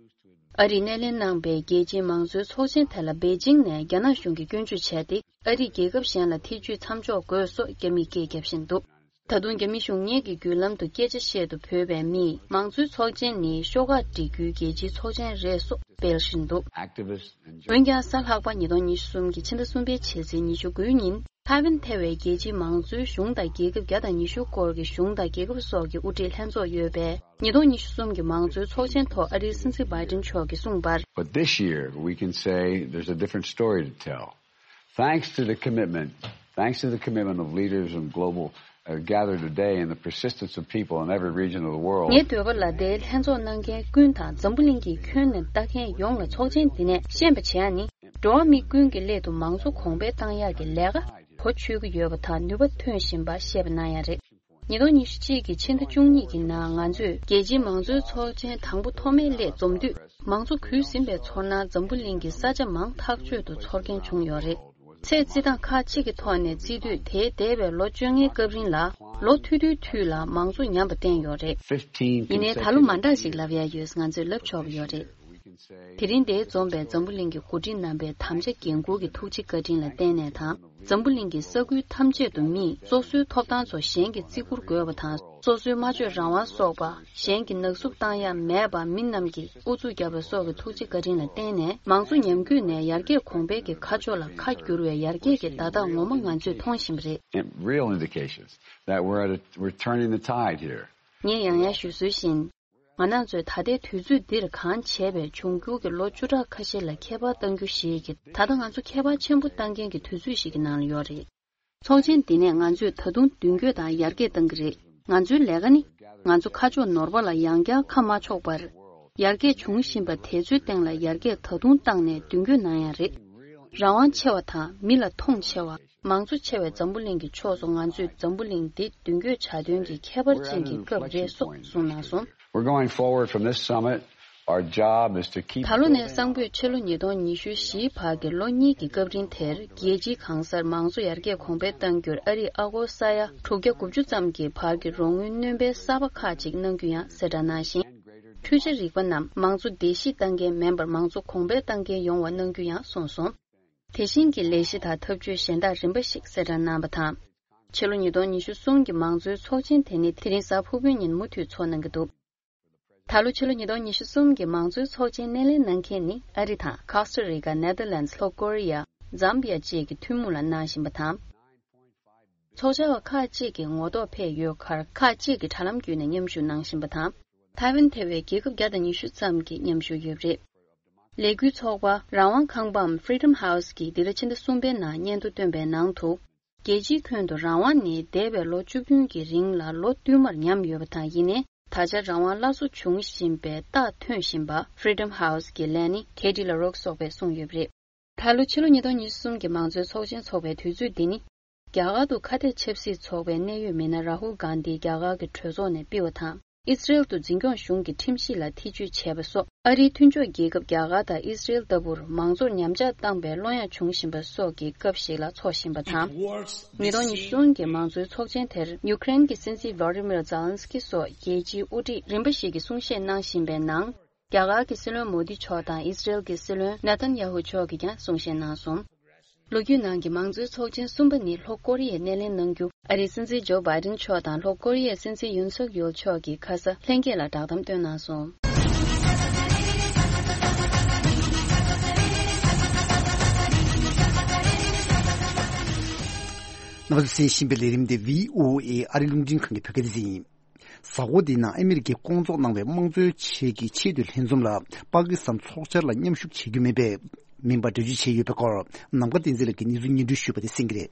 ཨ་རིས་སྣེ་ལེན་གནང་པའི་རྒྱལ་སྤྱིའི་མང་གཙོའི་ཚོགས་ཆེན་དེ་ལ་པེ་ཅིང་ནས་རྒྱ་ནག་གཞུང་གིས་སྐྱོན་བརྗོད་བྱས་ཏེ། ཨ་རིས་རྒྱལ་ཁབ་གཞན་ལ་ཐེ་ཇུས་མཚམས་འཇོག་དགོས་སོགས་རྒྱ་མིས་སྐད་བརྒྱབ་བཞིན་འདུག་ད་དུང་རྒྱ་མི་གཞུང་གཉེར་གྱི་བརྒྱུད་ལམ་དུ་སྐད་ཆ་བཤད་དུ་བོས་པའི་མིས། མང་གཙོའི་ཚོགས་ཆེན་ནི་ཤོག་ཁག་སྒྲིག་རྒྱུའི་རྒྱལ་སྤྱིའི་ཚོགས་ཆེན་རེད་སོགས་སྤེལ་བཞིན་འདུག་འོན་ཀྱང་། གཟའ་ལྷག་པ་ཉིས་སྟོང་ཉི་ཤུ་གསུམ་གྱི་ཕྱི་ཟླ་གསུམ་པའི་ཕྱི་ཚེས་ཉི་ཤུ་དགུའི་ཉིན། ཐའེ་ཝན་ཐེ་བའི་རྒྱལ་སྤྱིའི་མང་གཙོའི་གཞུང་དང་རྒྱལ་ཁབ་བརྒྱ་དང་ཉི་ཤུ་སྐོར་གྱི་གཞུང་དང་རྒྱལ་ཁབ་སོགས་ཀྱི་དབུ་ཁྲིད་ལྷན་ཚོགས་ཡོད་པའི་ཉིས་སྟོང་ཉི་ཤུ་གསུམ་གྱི་མང་གཙོའི་ཚོགས་ཆེན་ཐོག་ཨ་རིའི་སྲིད་འཛིན་བྷའི་ཏིན་མཆོག་གིས་གསུངས་པར། But this year, we can say there's a different story to tell. Thanks to the commitment, thanks to the commitment of leaders and global, uh, gathered today and the persistence of people in every region of the world. ངའི་འདོད་པ་ལ། དེའི་ལྷན་ཚོགས་གནང་མཁན་ཀུན་དང་། འཛམ་བུ་གླིང་གི་ཁྱོན་ནས་ལྟ་མཁན་ཡོངས་ལ་ཚོགས་ཆེན་འདི་ནས་ཤེས་པ་བྱས་ནི། འགྲོ་བ་མི་ཀུན་གྱི་སླད་དུ་མང་གཙོ་གོང་འཕེལ་གཏང་ཡག་གི་ལས་ཀ་གོ་ཆོད་ཀྱི་ཡོད་པ་དང་ནུས་པ་ཐོན་བཞིན་པ་ཤེས་པ་གནང་ཡག་རེད། ཉིས་སྟོང་ཉི་ཤུ་གཅིག་གི་ཕྱི་ཟླ་བཅུ་གཉིས་ཀྱི་ནང་ང་ཚོས་རྒྱལ་སྤྱིའི་མང་གཙོའི་ཚོགས་ཆེན་དང་པོ་ཐོག་མའི་སླད་འཛོམས་དུས། མང་གཙོ་གུད་ཟིན་པའི་ཚོར་སྣང་འཛམ་བུ་གླིང་གི་ས་ཆ་མང་ཐག་ཆོད་དུ་ཚོར་མཁན་བྱུང་ཡོད་རེད། ཚེ་བརྩི་སྟངས་ཁག་ཅིག་གི་ཐོག་ནས་བརྩི་དུས། དེའི་འདས་པའི་ལོ་བཅོ་ལྔའི་སྐབས་རིང་ལ་ལོ་ཐུང་ཐུང་དུས་ལ་མང་གཙོ་ཉམས་པ་བསྟན་ཡོད་རེད། ཡིན་ནའི་ད་ལོ་མ་འདྲ་ཞིག་ལབ་ཡ་ཡོད། ང་ཚོས་ལབ་ཆོག་པ་ཡོད་རེད། དེ་རིང་འདིར་འཛོམས་པའི་འཛམ་བུ་གླིང་གི་འགོ་ཁྲིད་རྣམ་པའི་དམ་བཅའ་འགན་འཁུར་གྱི་ཐུགས་རྗེ་བཀའ་དྲིན་ལ་བརྟེན་ནས་དང་། འཛམ་བུ་གླིང་གི་ས་ཁུལ་ཐམས་ཅད་དུ་མིས་སོ་སོའི་ཐོབ་ཐང་ཚོ་གཞན་གྱིས་བརྩི་བཀུར་དགོས་པ་དང་། སོ་སོའི་སྨྲ་བརྗོད་རང་དབང་སོགས་པ་གཞན་གྱིས་ནག་བསུབ་བཏང་ཡ་མེད་པ། མི་རྣམས་ཀྱིས་ཨུ་ཚུགས་བརྒྱབ་པ་སོགས་ཀྱི་ཐུགས་རྗེ་བཀའ་དྲིན་ལ་བརྟེན་ནས། མང་གཙོ་ཉམས་རྒུད་ནས་ཡར་རྒྱས་གོང་འཕེལ་གྱི་ཁ་ཕྱོགས་ལ་ཁ་བསྒྱུར་བའི་ཡར་རྒྱས་ཀྱི་བརྡ་རྟགས་ངོ་མ་ང་ཚོས་མཐོང་བཞིན་པ་རེད། Real indications that we're at a, we're turning the tide here. ངས་ཡང་ཡང་ཞུ་སྲོལ་བཞིན། ང་རང་ཚོས་ད་ལྟའི་དུས་ཚོད་འདིར་གང་བྱས་པའི་འབྱུང་འགྱུར་གྱི་ལོ་བཅུ་ཕྲག་ཁ་ཤས་ལ་ཁྱད་པར་གཏང་རྒྱུ་ཞིག་གིས། ད་ལྟ་ང་ཚོ་ཁྱད་པར་ཆེན་པོ་གཏང་མཁན་གྱི་དུས་ཚོད་ཞིག་གི་ནང་ལ་ཡོད་རེད། ཚོགས་ཆེན་འདི་ནས་ང་ཚོས་ད་དུང་མདུན་སྐྱོད་དང་ཡར་རྒྱས་གཏང་གི་རེད། ང་ཚོའི་ལས་ཀ་ནི། ང་ཚོ་ཁ་ཕྱོགས་ནོར་བ་ལ་ཡང་བསྐྱར་ཁ་མ་ཕྱོགས་པར། ཡར་རྒྱས་འབྱུང་བཞིན་པ་དེ་ཚོའི་སྟེང་ལ་ཡར་རྒྱས་ད་དུང་བཏང་ནས་མདུན་སྐྱོད་གནང་ཡ་རེད། རང་དབང་ཆེ་བ་དང་མི་ལ་མཐོང་ཆེ་བ། མང་གཙོ་ཆེ་བའི་འཛམ་བུ་གླིང་གི་ཕྱོགས་སུ་ང་ཚོས་འཛམ་བུ་གླིང་འདི་མདུན་སྐྱོད་བྱ་དོན་གྱི་ཁྱད་པར་ཅན་གྱི་སྐབས་རེད་སོགས་གསུངས་གནང་སོང་། We're going forward from this summit. Our job is to keep ད་ལོ་ནས་གསང་ཕོད་ཕྱི་ལོ་ཉིས་སྟོང་ཉི་ཤུ་བཞིའི་བར་གྱི་ལོ་གཉིས་ཀྱི་སྐབས་རིང་དེར། རྒྱལ་སྤྱིའི་གང་སར་མང་གཙོ་ཡར་རྒྱས་གོང་འཕེལ་གཏང་རྒྱུར་ཨ་རིས་ཨ་སྒོར་ས་ཡ་དྲུག་བརྒྱ་དགུ་བཅུ་ཙམ་གྱི་བར་གྱི་རོགས་དངུལ་སྣོན་སྤེལ་གསར་པ་ཁག་ཅིག་གནང་རྒྱུ་ཡང་གསལ་བསྒྲགས་གནང་ཞིང་། འཕྲུལ་ཆ་རིག་པ་རྣམས་མང་གཙོ་བརྡལ་བཤིག་གཏང་མཁན་མིན་པར་མང་གཙོ་གོང་འཕེལ་གཏང་མཁན་ཡོང་བ་གནང་རྒྱུ་ཡང་གསུངས་སོང་། དེ་བཞིན་གྱི་ལས་གཞི་དང་ཐབས་ཇུས་གཞན་དག་རིམ་པ་ཞིག་གསལ་བསྒྲགས་གནང་བ་དང་། ཕྱི་ལོ་ཉིས་སྟོང་ཉི་ཤུ་གསུམ་གྱི་མང་གཙོའི་ཚོགས་ཆེན་དེ་ནི་དེ་རིང་གཟའ་ཕུར་བུའི་ཉིན་མུ་མཐུད་འཚོགས་གནང་གི་འདུག་ད་ལོ་ཕྱི་ལོ་ཉིས་སྟོང་ཉི་ཤུ་གསུམ་གྱི་མང་གཙོའི་ཚོགས་ཆེན་སྣེ་ལེན་གནང་མཁན་ནི་ཨ་རི་དང་ཀོ་སྟ་རི་ཀ། ནེ་དར་ལེནྜ། ལྷོ་ཀོ་རི་ཡ། ཛམ་བི་ཡ་བཅས་ཀྱི་ཐུན་མོང་ལ་གནང་བཞིན་པ་དང་། ཚོགས་བཅར་བ་ཁག་ཅིག་གིས་ངོ་ཐོག་ཕེབས་ཡོད་ཁར། ཁག་ཅིག་གིས་དྲ་ལམ་བརྒྱུད་ནས་མཉམ་ཞུགས་གནང་བཞིན་པ་དང་། ཐའེ་ཝན་ཐེ་བའི་རྒྱལ་ཁབ་བརྒྱ་དང་ཉི་ཤུ་ཙམ་གྱིས་མཉམ་ཞུགས་ཡོད་པ་རེད། ལས་འགུལ་ཚོགས་པ་རང་དབང་ཁང་པའམ་Freedom House གིས་འདི་ཟླ་ཕྱི་ཟླ་གསུམ་པའི་ནང་སྙན་ཐོ་བཏོན་པའི་ནང་དུ། རྒྱལ་སྤྱིའི་ཁྱོན་དུ་རང་དབང་ནི་འདས་པའི་ལོ་བཅུ་བདུན་གྱི་རིང་ལ་ལོ་བསྟུད་མར་ཉམས་ཡོད་པ་དང་། ཡིན་ནའི་ད་ཆ་རང་དབང་སླར་གསོ་འབྱུང་བཞིན་པའི་རྟགས་ཐོན་བཞིན་པ་Freedom House གི་ལས་སྣེ་Katie LaRocque སོགས་པས་གསུངས་ཡོད་པ་རེད། ད་ལོ་ཕྱི་ལོ་ཉིས་སྟོང་ཉི་ཤུ་གསུམ་གྱི་མང་གཙོའི་ཚོགས་ཆེན་འཚོགས་པའི་དུས་ཚོད་འདི་ནི། རྒྱ་གར་དུ་ཁ་གཏད་ཆབ་སྲིད་ཚོགས་པའི་གནད་ཡོད་མི་སྣ་རཱ་ཧུལ་གྷན་དྷི་རྒྱ་གར་གྱི་གྲོས་ཚོགས་ནས་ཕུད་པ་དང་། ཨི་སི་རེལ་དུ་འཛིན་སྐྱོང་གཞུང་གི་ཁྲིམས་གཞི་ལ་ཐེ་བྱུས་བྱས་པ་སོགས། ཨ་རིའི་མཐུན་ཕྱོགས་རྒྱལ་ཁབ་རྒྱ་གར་དང་ཨི་སི་རེལ་ལྟ་བུར་མང་གཙོར་ཉམས་ཆག་བཏང་བའི་བློ་ཡང་བྱུང་བཞིན་པ་སོགས་ཀྱི་སྐབས་ཤིག་ལ་འཚོགས་བཞིན་པ་དང་། ཉིས་སྟོང་ཉི་ཤུ་གསུམ་གྱི་མང་གཙོའི་ཚོགས་ཆེན་དེར་ཡུ་ཀེ་རེན་གྱི་སྲིད་འཛིན་ཝ་ལ་ཌི་མིར་ཛེ་ལན་སི་ཀི་སོགས་རྒྱལ་སྤྱིའི་དབུ་ཁྲིད་རིམ་པ་ཞིག་གིས་གསུང་བཤད་གནང་བཞིན་པའི་ནང་། རྒྱ་གར་གྱི་སྲིད་བློན་མོ་དི་མཆོག་དང་ཨི་སི་རེལ་གྱི་སྲིད་བློན་ནེ་ཐན་ཡ་ཧུ་མཆོག་གིས་ཀྱང་གསུང་བཤད་གནང་སོང་། ལོ་རྒྱུས་ནང་གི་མང་གཙོའི་ཚོགས་ཆེན་གསུམ་པ་ནི་ལྷོ་ཀོ་རི་ཡས་སྣེ་ལེན་གནང་རྒྱུ། ཨ་རིའི་སྲིད་འཛིན་ཇོ་བྷའི་ཌེན་མཆོག་དང་ལྷོ་ཀོ་རི་ཡའི་སྲིད་འཛིན་ཡུན་སུག་ཡོལ་མཆོག་གིས་ཁ་ས་ལྷན་རྒྱས་ལ་བསྒྲགས་གཏམ་བཏོན་གནང་སོང་། རྣམ་པ་ཚོས་གསན་བཞིན་པའི་ལས་རིམ་དེ་བྷི་ཨོ་ཨེ་ཨ་རིའི་རླུང་འཕྲིན་ཁང་གི་བོད་སྐད་སྡེ་ཚན་ཡིན། གཟའ་འཁོར་འདིའི་ནང་ཨ་མི་རི་ཀས་བསྐོང་ཚོགས་གནང་བའི་དམངས་གཙོའི་ཆེད་ཀྱི་ཆེས་མཐོའི་ལྷན་འཛོམས་ལ་པ་ཀི་སི་ཐན་ཚོགས་བཅར་ལ་མཉམ་ཞུགས་བྱེད་རྒྱུ་མིན་པའི་མིན་པ་འགྲེལ་བརྗོད་བྱས་ཡོད་པའི་སྐོར། ནམ་མཁའ་བསྟན་འཛིན་ལགས་ཀྱིས་གནས་ཚུལ་སྙན་སྒྲོན་ཞུས་པ་དེ་གསན་གྱི་རེད།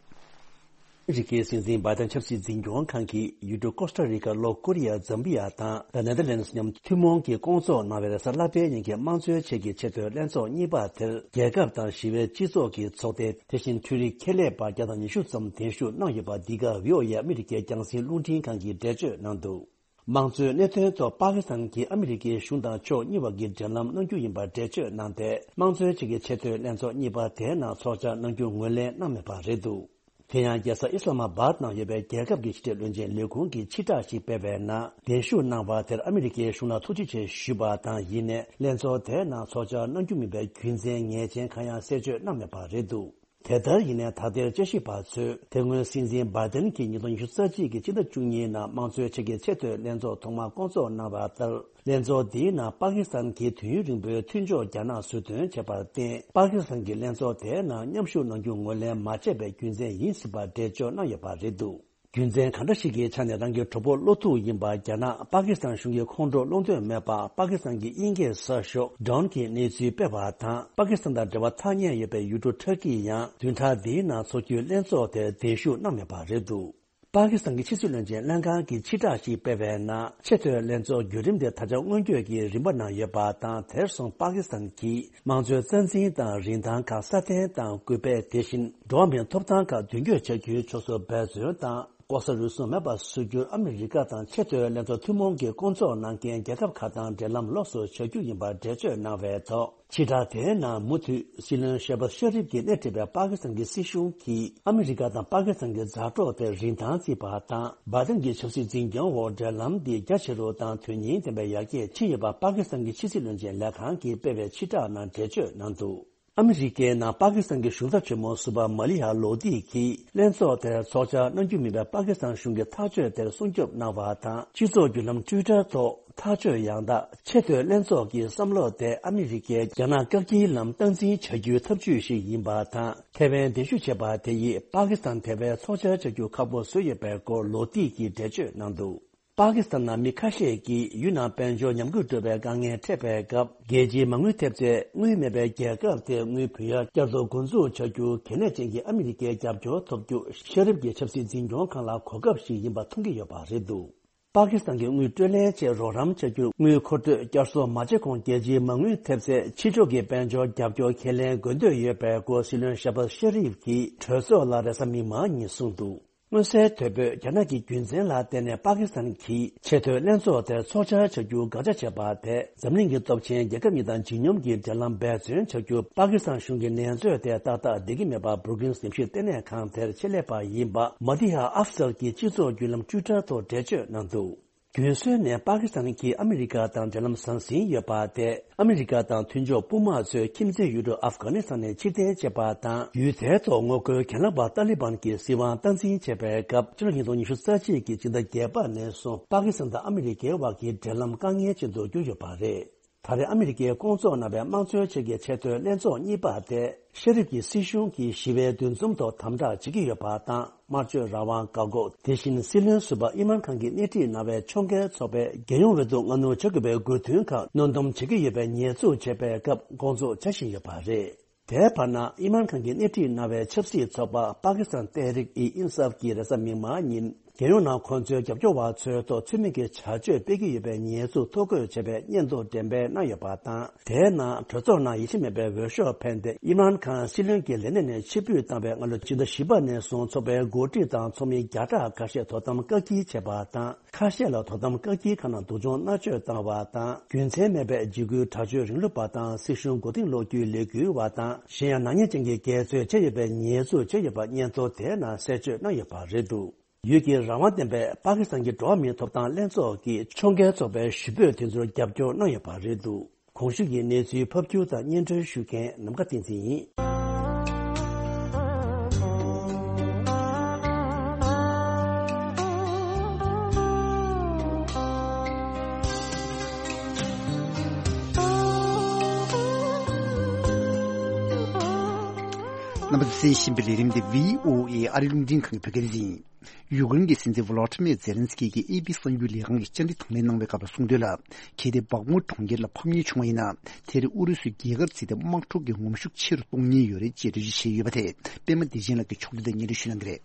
ཨ་མི་རི་ཀའི་སྲིད་འཛིན་བྷའི་ཏན་ཆབ་སྲིད་འཛིན་སྐྱོང་ཁང་གིས་ཡུལ་གྲུ་ཀོ་སྟ་རི་ཀ། ལྷོ་ཀོ་རི་ཡ། ཛམ་བི་ཡ་དང་The Netherlands མཉམ་ཐུན་མོང་གིས་བསྐོང་ཚོགས་གནང་བའི་རེས་གཟའ་ལྷག་པའི་ཉིན་གྱི་དམངས་གཙོའི་ཆེད་ཀྱི་ཆེས་མཐོའི་ལྷན་ཚོགས་གཉིས་པ་དེར། རྒྱལ་ཁབ་དང་ཞི་བའི་སྤྱི་ཚོགས་ཀྱི་ཚོགས་སྡེ། དེ་བཞིན་འཕྲུལ་རིག་ཁེ་ལས་པ་བརྒྱ་དང་ཉི་ཤུ་ཙམ་གདན་ཞུ་གནང་ཡོད་པ། འདི་ག་བྷི་ཨོ་ཨེ་ཨ་མི་རི་ཀའི་རྒྱང་སྲིང་རླུང་འཕྲིན་ཁང་གིས་འགྲེལ་བརྗོད་གནང་འདུག། དམངས་གཙོའི་གནད་དོན་ཐོག་པ་ཀི་སི་ཐན་གྱིས་ཨ་མི་རི་ཀའི་གཞུང་དང་ཕྱོགས་གཉིས་བར་གྱི་འབྲེལ་ལམ་གནང་རྒྱུ་ཡིན་པར་འགྲེལ་བརྗོད་གནང་སྟེ། དམངས་གཙོའི་ཆེད་ཀྱི་ཆེས་མཐོའི་ལྷན་ཚོགས་གཉིས་པ་དེའི་ནང་ཚོགས་བཅར་གནང་རྒྱུ་ངོས་ལེན་གནང་མེད་པ་རེད་འདུག། དེ་ཡང་རྒྱལ་ས་ཨི་སི་ལ་མ་བཱད་ནང་ཡོད་པའི་རྒྱལ་ཁབ་ཀྱི་ཕྱི་དྲིལ་བློན་ཆེན་ལས་ཁུངས་ཀྱིས་ཕྱི་བསྒྲགས་ཤིག་སྤེལ་བའི་ནང་། གདན་ཞུ་གནང་བ་དེར་ཨ་མི་རི་ཀའི་གཞུང་ལ་ཐུགས་རྗེ་ཆེ་ཞུས་པ་དང་། ཡིན་ནའི་ལྷན་ཚོགས་དེའི་ནང་ཚོགས་བཅར་གནང་རྒྱུ་མིན་པའི་རྒྱུ་མཚན་ངེས་ཅན་གང་ཡང་གསལ་བརྗོད་གནང་མེད་པ་རེད་འདུག། དེ་ལྟར་ཡིན་ནའི་ད་ལྟའི་དཔྱད་ཞིབ་པ་ཚོས་དེ་སྔོན་སྲིད་འཛིན་བྷའི་ཏན་གྱིས་ཉིས་སྟོང་ཉི་ཤུ་རྩ་གཅིག་གི་ཕྱི་ཟླ་བཅུ་གཉིས་ནང་དམངས་གཙོའི་ཆེད་ཀྱི་ཆེས་མཐོའི་ལྷན་ཚོགས་ཐོག་མ་བསྐོང་ཚོགས་གནང་བ་ལྟར། ལྷན་ཚོགས་འདིའི་ནང་པ་ཀི་སི་ཐན་གྱི་དུས་ཡུན་རིང་པོའི་མཐུན་ཕྱོགས་རྒྱ་ནག་ཟུར་འདོན་བྱས་པར་བརྟེན། པ་ཀི་སི་ཐན་གྱི་ལྷན་ཚོགས་དེའི་ནང་མཉམ་ཞུགས་གནང་རྒྱུ་ངོས་ལེན་མ་བྱས་པའི་རྒྱུ་མཚན་ཡིན་སྲིད་པ་འགྲེལ་བརྗོད་གནང་ཡོད་པ་རེད་འདུག། རྒྱུ་མཚན་གང་འདྲ་ཞིག་གི་ཆ་ནས་རང་གི་གྲོགས་པོ་བློ་ཐུག་ཡིན་པ་རྒྱ་ནག་པ་ཀི་སི་ཐན་གཞུང་གི་ཁོང་ཁྲོ་སློང་འདོད་མེད་པ། པ་ཀི་སི་ཐན་གྱི་དབྱིན་སྐད་གསར་ཤོག་Dawn གིས་གནས་ཚུལ་སྤེལ་བ་དང་། པ་ཀི་སི་ཐན་དང་འབྲེལ་བ་ཐག་ཉེ་ཡོད་པའི་ཡུལ་གྲུ་ཊར་ཀི་ཡིས་ཡང་བདུན་ཕྲག་འདིའི་ནང་འཚོགས་རྒྱུའི་ལྷན་ཚོགས་དེར་གདན་ཞུ་གནང་མེད་པ་རེད་འདུག། པ་ཀི་སི་ཐན་གྱི་ཕྱི་སྲིད་བློན་ཆེན་ལྷན་ཁང་གིས་ཕྱི་བསྒྲགས་ཤིག་སྤེལ་བའི་ནང་། ཆེས་མཐོའི་ལྷན་ཚོགས་བརྒྱུད་རིམ་དེ་ད་ཆ་སྔོན་སྐྱོད་ཀྱི་རིམ་པ་ནང་ཡོད་པ་དང་། དེར་སོང་པ་ཀི་སི་ཐན་གྱིས་དམངས་གཙོའི་རྩ་འཛིན་དང་རིན་ཐང་ཁག་སྲ་བརྟན་དང་སྐུལ་སྤེལ། དེ་བཞིན་འགྲོ་བ་མིའི་ཐོབ་ཐང་ཁག་མདུན་སྐྱོད་བྱ་རྒྱུའི་ཕྱོགས་སུ་འབད་བརྩོན་དང་། ལྐོག་ཟ་རུལ་སུངས་མེད་པར་བཟོ་རྒྱུར་ཨ་མི་རི་ཀ་དང་ཆེས་མཐོའི་ལྷན་ཚོགས་ཐུན་མོང་གི་སྐོང་ཚོགས་གནང་མཁན་རྒྱལ་ཁབ་ཁག་དང་འབྲེལ་ལམ་ལོགས་སུ་བྱ་རྒྱུ་ཡིན་པར་འགྲེལ་བརྗོད་གནང་བའི་ཐོག་ཕྱི་དྲགས་དེའི་ནང་མུ་མཐུད་སྲིད་བློན་ཤེ་བྷ་ཤེ་རིབ་ཀྱིས་སྣེ་ཁྲིད་པའི་པ་ཀི་སི་ཐན་གྱི་སྲིད་གཞུང་གིས་ཨ་མི་རི་ཀ་དང་པ་ཀི་སི་ཐན་གྱི་མཛའ་གྲོགས་དེར་རིན་ཐང་བརྩིས་པ་དང་། འབའ་ཐན་གྱི་ཆབ་སྲིད་འཛིན་སྐྱོང་འོག་འབྲེལ་ལམ་འདི་རྒྱ་ཆེ་རུ་དང་དོན་སྙིང་ལྡན་པའི་ཡར་རྒྱས་ཕྱིན་ཡོད་པ་པ་ཀི་སི་ཐན་གྱི་ཕྱི་སྲིད་བློན་ཆེན་ལས་ཁང་གིས་སྤེལ་བའི་ཕྱི་བསྒྲགས་ནང་འགྲེལ་བརྗོད་གནང་འདུག་ཨ་མི་རི་ཀའི་ནང་པ་ཀི་སི་ཐན་གྱི་གཞུང་ཚབ་ཆེན་མོ་ཟུར་པ་མ་ལི་ཡ་ལོ་ཏི་གིས་ལྷན་ཚོགས་དེར་ཚོགས་བཅར་གནང་རྒྱུ་མིན་པའི་པ་ཀི་སི་ཐན་གཞུང་གི་ཐག་གཅོད་དེར་སྲུང་སྐྱོབ་གནང་བ་དང་། སྤྱི་ཚོགས་བརྒྱུད་ལམ་ཊུའི་ཊར་ཐོག་ཐག་གཅོད་ཡང་དག་ཆེས་མཐོའི་ལྷན་ཚོགས་ཀྱི་བསམ་བློ་དེ་ཨ་མི་རི་ཀས་རྒྱ་ནག་བཀག་སྐྱིལ་ལམ་སྟངས་འཛིན་བྱ་རྒྱུའི་ཐབས་ཇུས་ཤིག་ཡིན་པ་དང་། ཐེ་ཝན་གདན་ཞུ་བྱས་པ་དེ་ཡིས་པ་ཀི་སི་ཐན་དེ་བས་ཚོགས་བཅར་བྱ་རྒྱུ་ཁག་པོ་བཟོས་ཡོད་པའི་སྐོར་ལོ་ཏི་གིས་འགྲེལ་བརྗོད་གནང་འདུག་པ་ཀི་སི་ཐན་ནང་མི་ཁ་ཤས་ཀྱིས་ཡུལ་ནང་དཔལ་འབྱོར་ཉམས་རྒུད་འགྲོ་བའི་དཀའ་ངལ་འཕྲད་པའི་སྐབས། རྒྱལ་སྤྱིའི་མ་དངུལ་ཐེབས་རྩས་དངུལ་མེད་པའི་རྒྱལ་ཁབ་དེར་དངུལ་བུན་གཡར་བསྐྱར་དུ་འགོ་འཛུགས་བྱ་རྒྱུ་གལ་གནད་ཅན་གྱི་ཨ་མི་རི་ཀའི་རྒྱབ་སྐྱོར་ཐོབ་རྒྱུ་ཤེ་རིབ་ཀྱི་ཆབ་སྲིད་འཛིན་སྐྱོང་ཁང་ལ་གོ་སྐབས་ཤིག་ཡིན་པ་མཐོང་གི་ཡོད་པ་རེད་འདུག་པ་ཀི་སི་ཐན་གྱི་དངུལ་སྤྲོད་ལེན་ཆེད་རོགས་རམ་བྱ་རྒྱུར་དངུལ་མཁོ་སྤྲོད་བསྐྱར་གསོ་མ་བྱས་གོང་རྒྱལ་སྤྱིའི་མ་དངུལ་ཐེབས་རྩས་ཕྱི་ཕྱོགས་ཀྱི་དཔལ་འབྱོར་རྒྱབ་སྐྱོར་ཁས་ལེན་དགོས་འདོད་ཡོད་པའི་སྐོར་སྲིད་བློན་ཤེ་བྷ་ཤེ་རིབ་ཀྱིས་གྲོས་ཚོགས་ལ་རེས་གཟའ་མིག་དམར་ཉིན་གསུངས་འདུག་མངོན་གསལ་དོད་པོས་རྒྱ་ནག་གི་རྒྱུ་མཚན་ལ་བརྟེན་ནས་པ་ཀི་སི་ཐན་གྱིས་ཆེས་མཐོའི་ལྷན་ཚོགས་དེར་ཚོགས་བཅར་བྱ་རྒྱུ་དགག་བྱ་བྱས་པ་དེས་འཛམ་གླིང་གི་སྟོབས་ཆེན་རྒྱལ་ཁབ་གཉིས་དང་ལྗིད་སྙོམས་ཀྱི་འབྲེལ་ལམ་འབད་བརྩོན་བྱ་རྒྱུ། པ་ཀི་སི་ཐན་གཞུང་གི་ནན་བརྗོད་དེ་ཏག་ཏག་བསྡད་ཀྱི་མེད་པ་བྷུ་རུ་ཀིངས་ཉམས་ཞིབ་ལྟེ་གནས་ཁང་དེར་ཆེད་ལས་པ་ཡིན་པ་མ་ཏི་ཧ་ཨབ་སལ་གྱིས་སྤྱི་ཚོགས་བརྒྱུད་ལམ་ཊུའི་ཊར་ཐོག་འགྲེལ་བརྗོད་གནང་འདུག་རྒྱུན་སྲོལ་ནས་པ་ཀི་སི་ཐན་གྱིས་ཨ་མི་རི་ཀ་དང་འབྲེལ་ལམ་ཟང་ཟིང་ཡོད་པ་དེ། ཨ་མི་རི་ཀ་དང་མཐུན་ཕྱོགས་དཔུང་དམག་ཚོས་ཁྱིམ་མཚེས་ཡུལ་གྲུ་ཨབ་གྷ་ནི་སི་ཐན་ནས་ཕྱིར་འཐེན་བྱས་པ་དང་། ཡུལ་དེའི་ཐོག་ངོ་རྒོལ་གྱེན་ལངས་པ་ཏཱ་ལི་བན་གྱིས་སྲིད་དབང་སྟངས་འཛིན་བྱས་པའི་སྐབས། ཕྱི་ལོ་ཉིས་སྟོང་ཉི་ཤུ་རྩ་གཅིག་གི་སྤྱི་ཟླ་བརྒྱད་པ་ནས་བཟུང་པ་ཀི་སི་ཐན་དང་ཨ་མི་རི་ཀའི་དབར་གྱི་འབྲེལ་ལམ་དཀའ་ངལ་ཅན་དུ་གྱུར་ཡོད་པ་རེད། ད་རེས་ཨ་མི་རི་ཀས་སྐོང་ཚོགས་གནང་བའི་དམངས་གཙོའི་ཆེད་ཀྱི་ཆེས་མཐོའི་ལྷན་ཚོགས་གཉིས་པ་དེ། ཤེ་རིབ་ཀྱི་སྲིད་གཞུང་གིས་ཞི་བའི་འདུ་འཛོམས་ཐོག་དམ་དྲག་བྱེད་ཀྱི་ཡོད་པ་དང་། སྨྲ་བརྗོད་རང་དབང་བཀག་འགོག་དེ་བཞིན་སྲིད་བློན་ཟུར་པ་ཨི་མཱན་ཁཱན་གྱིས་སྣེ་ཁྲིད་གནང་བའི་ཕྱོགས་འགལ་ཚོགས་པས་རྒྱལ་ཡོངས་འོས་བསྡུ་སྔ་སྣུར་བྱ་དགོས་པའི་དགོས་འདུན་ཁག་གནོན་སྡོམ་བྱེད་ཀྱི་ཡོད་པའི་ཉེས་འཛུགས་བྱས་པའི་སྐབས་སྐོང་ཚོགས་བྱ་བཞིན་ཡོད་པ་རེད། དེའི་བར་ན། ཨི་མཱན་ཁཱན་གྱིས་སྣེ་ཁྲིད་གནང་བའི་ཆབ་སྲིད་ཚོགས་པ་པ་ཀི་སི་ཐན་ཏེ་རིག་ཨི་ཨིན་སཱབ་ཀྱིས་རེས་གཟའ་མིག་དམར་ཉིན། རྒྱལ་ཡོངས་ནང་ཁོང་ཚོའི་རྒྱབ་སྐྱོར་བ་ཚོའི་ཐོག་ཚུལ་མིན་གྱི་བྱ་སྤྱོད་སྤེལ་གྱི་ཡོད་པའི་ཉེས་འཛུགས་ཐོ་འགོད་བྱས་པའི་སྙན་ཐོ་འགྲེམས་སྤེལ་གནང་ཡོད་པ་དང་། དེའི་ནང་གྲོས་ཚོགས་ནང་ཡིད་ཆེས་མེད་པའི་འོས་ཤོག་འཕེན་ཏེ། ཨི་མཱན་ཁཱན་སྲིད་བློན་གྱི་ལས་གནས་ནས་ཕྱིར་འབུད་བཏང་བའི་སྔ་ལོ་སྤྱི་ཟླ་བཞི་པ་ནས་བཟུང་ཚོགས་པའི་འགོ་ཁྲིད་དང་ཚོགས་མི་བརྒྱ་ཕྲག་ཁ་ཤས་དོ་དམ་བཀག་སྐྱིལ་བྱས་པ་དང་། ཁ་ཤས་ལ་དོ་དམ་བཀག་སྐྱིལ་ཁང་ནང་སྡུག་སྦྱོང་མནར་གཅོད་བཏང་བ་དང་། རྒྱུ་མཚན་མེད་པའི་འཇིགས་སྐུལ་དྲག་སྤྱོད་རིང་ལུགས་པ་དང་། སྲིད་གཞུང་མགོ་རྟིང་སློག་རྒྱུའི་ལས་འགུལ་བ་དང་། གཞན་ཡང་ནག་ཉེས་ཅན་གྱི་འགལ་རྩོད་བྱས་ཡོད་པའི་ཉེས་འཛུགས་བྱས་ཡོད་པ་སྙན་ཐོ་དེའི་ནང་གསལ་བརྗོད་གནང་ཡོད་པ་རེད་འདུག་ཡུལ་གྱི་རང་དབང་ལྡན་པའི་པ་ཀི་སི་ཐན་གྱི་འགྲོ་བ་མིའི་ཐོབ་ཐང་ལྷན་ཚོགས་ཀྱིས་ཕྱོགས་འགལ་ཚོགས་པའི་ཞུ་འབོད་དེ་ཚོར་རྒྱབ་སྐྱོར་གནང་ཡོད་པ་རེད་འདུག་གོང་ཞུས་ཀྱི་གནས་ཚུལ་ཕབ་སྒྱུར་དང་སྙན་སྒྲོན་ཞུ་མཁན་ནམ་མཁའ་བསྟན་འཛིན་ཡིན། རྣམ་པ་ཚོས་གསན་བཞིན་པའི་ལས་རིམ་འདི་བྷི་ཨོ་ཨེ་ཨ་རིའི་རླུང་འཕྲིན་ཁང་གི་བོད་སྐད་སྡེ་ཚན་ཡིན། ཡུཀ་རེན་གྱི་སྲིད་འཛིན་ཝོ་ལོ་ཏི་མེ་ཛེ་ལན་སི་ཀི་གིས་ཨེ་པི་གསར་འགྱུར་ལས་ཁང་གི་བཅར་འདྲི་དང་ལེན་གནང་བའི་སྐབས་ལ་གསུངས་དོན་ལ། གལ་ཏེ་སྦག་མུ་གྲོང་ཁྱེར་ལ་ཕམ་ཉེས་བྱུང་བ་ཡིན་ན། དེར་ཨུ་རུ་སུས་རྒྱལ་ཁབ་བརྩིས་ཏེ་དམག་འཁྲུག་གི་ངོམ་ཤུགས་ཆེ་རུ་གཏོང་ཉེན་ཡོད་རེད་ཅེས་འགྲེལ་བརྗོད་བྱས་ཡོད་པ་དེ་པད་མ་བདེ་ཆེན་ལགས་ཀྱིས་ཕྱོགས་བསྡུས་དང་སྙན་སྒྲོན་ཞུ་གནང་གི་རེད།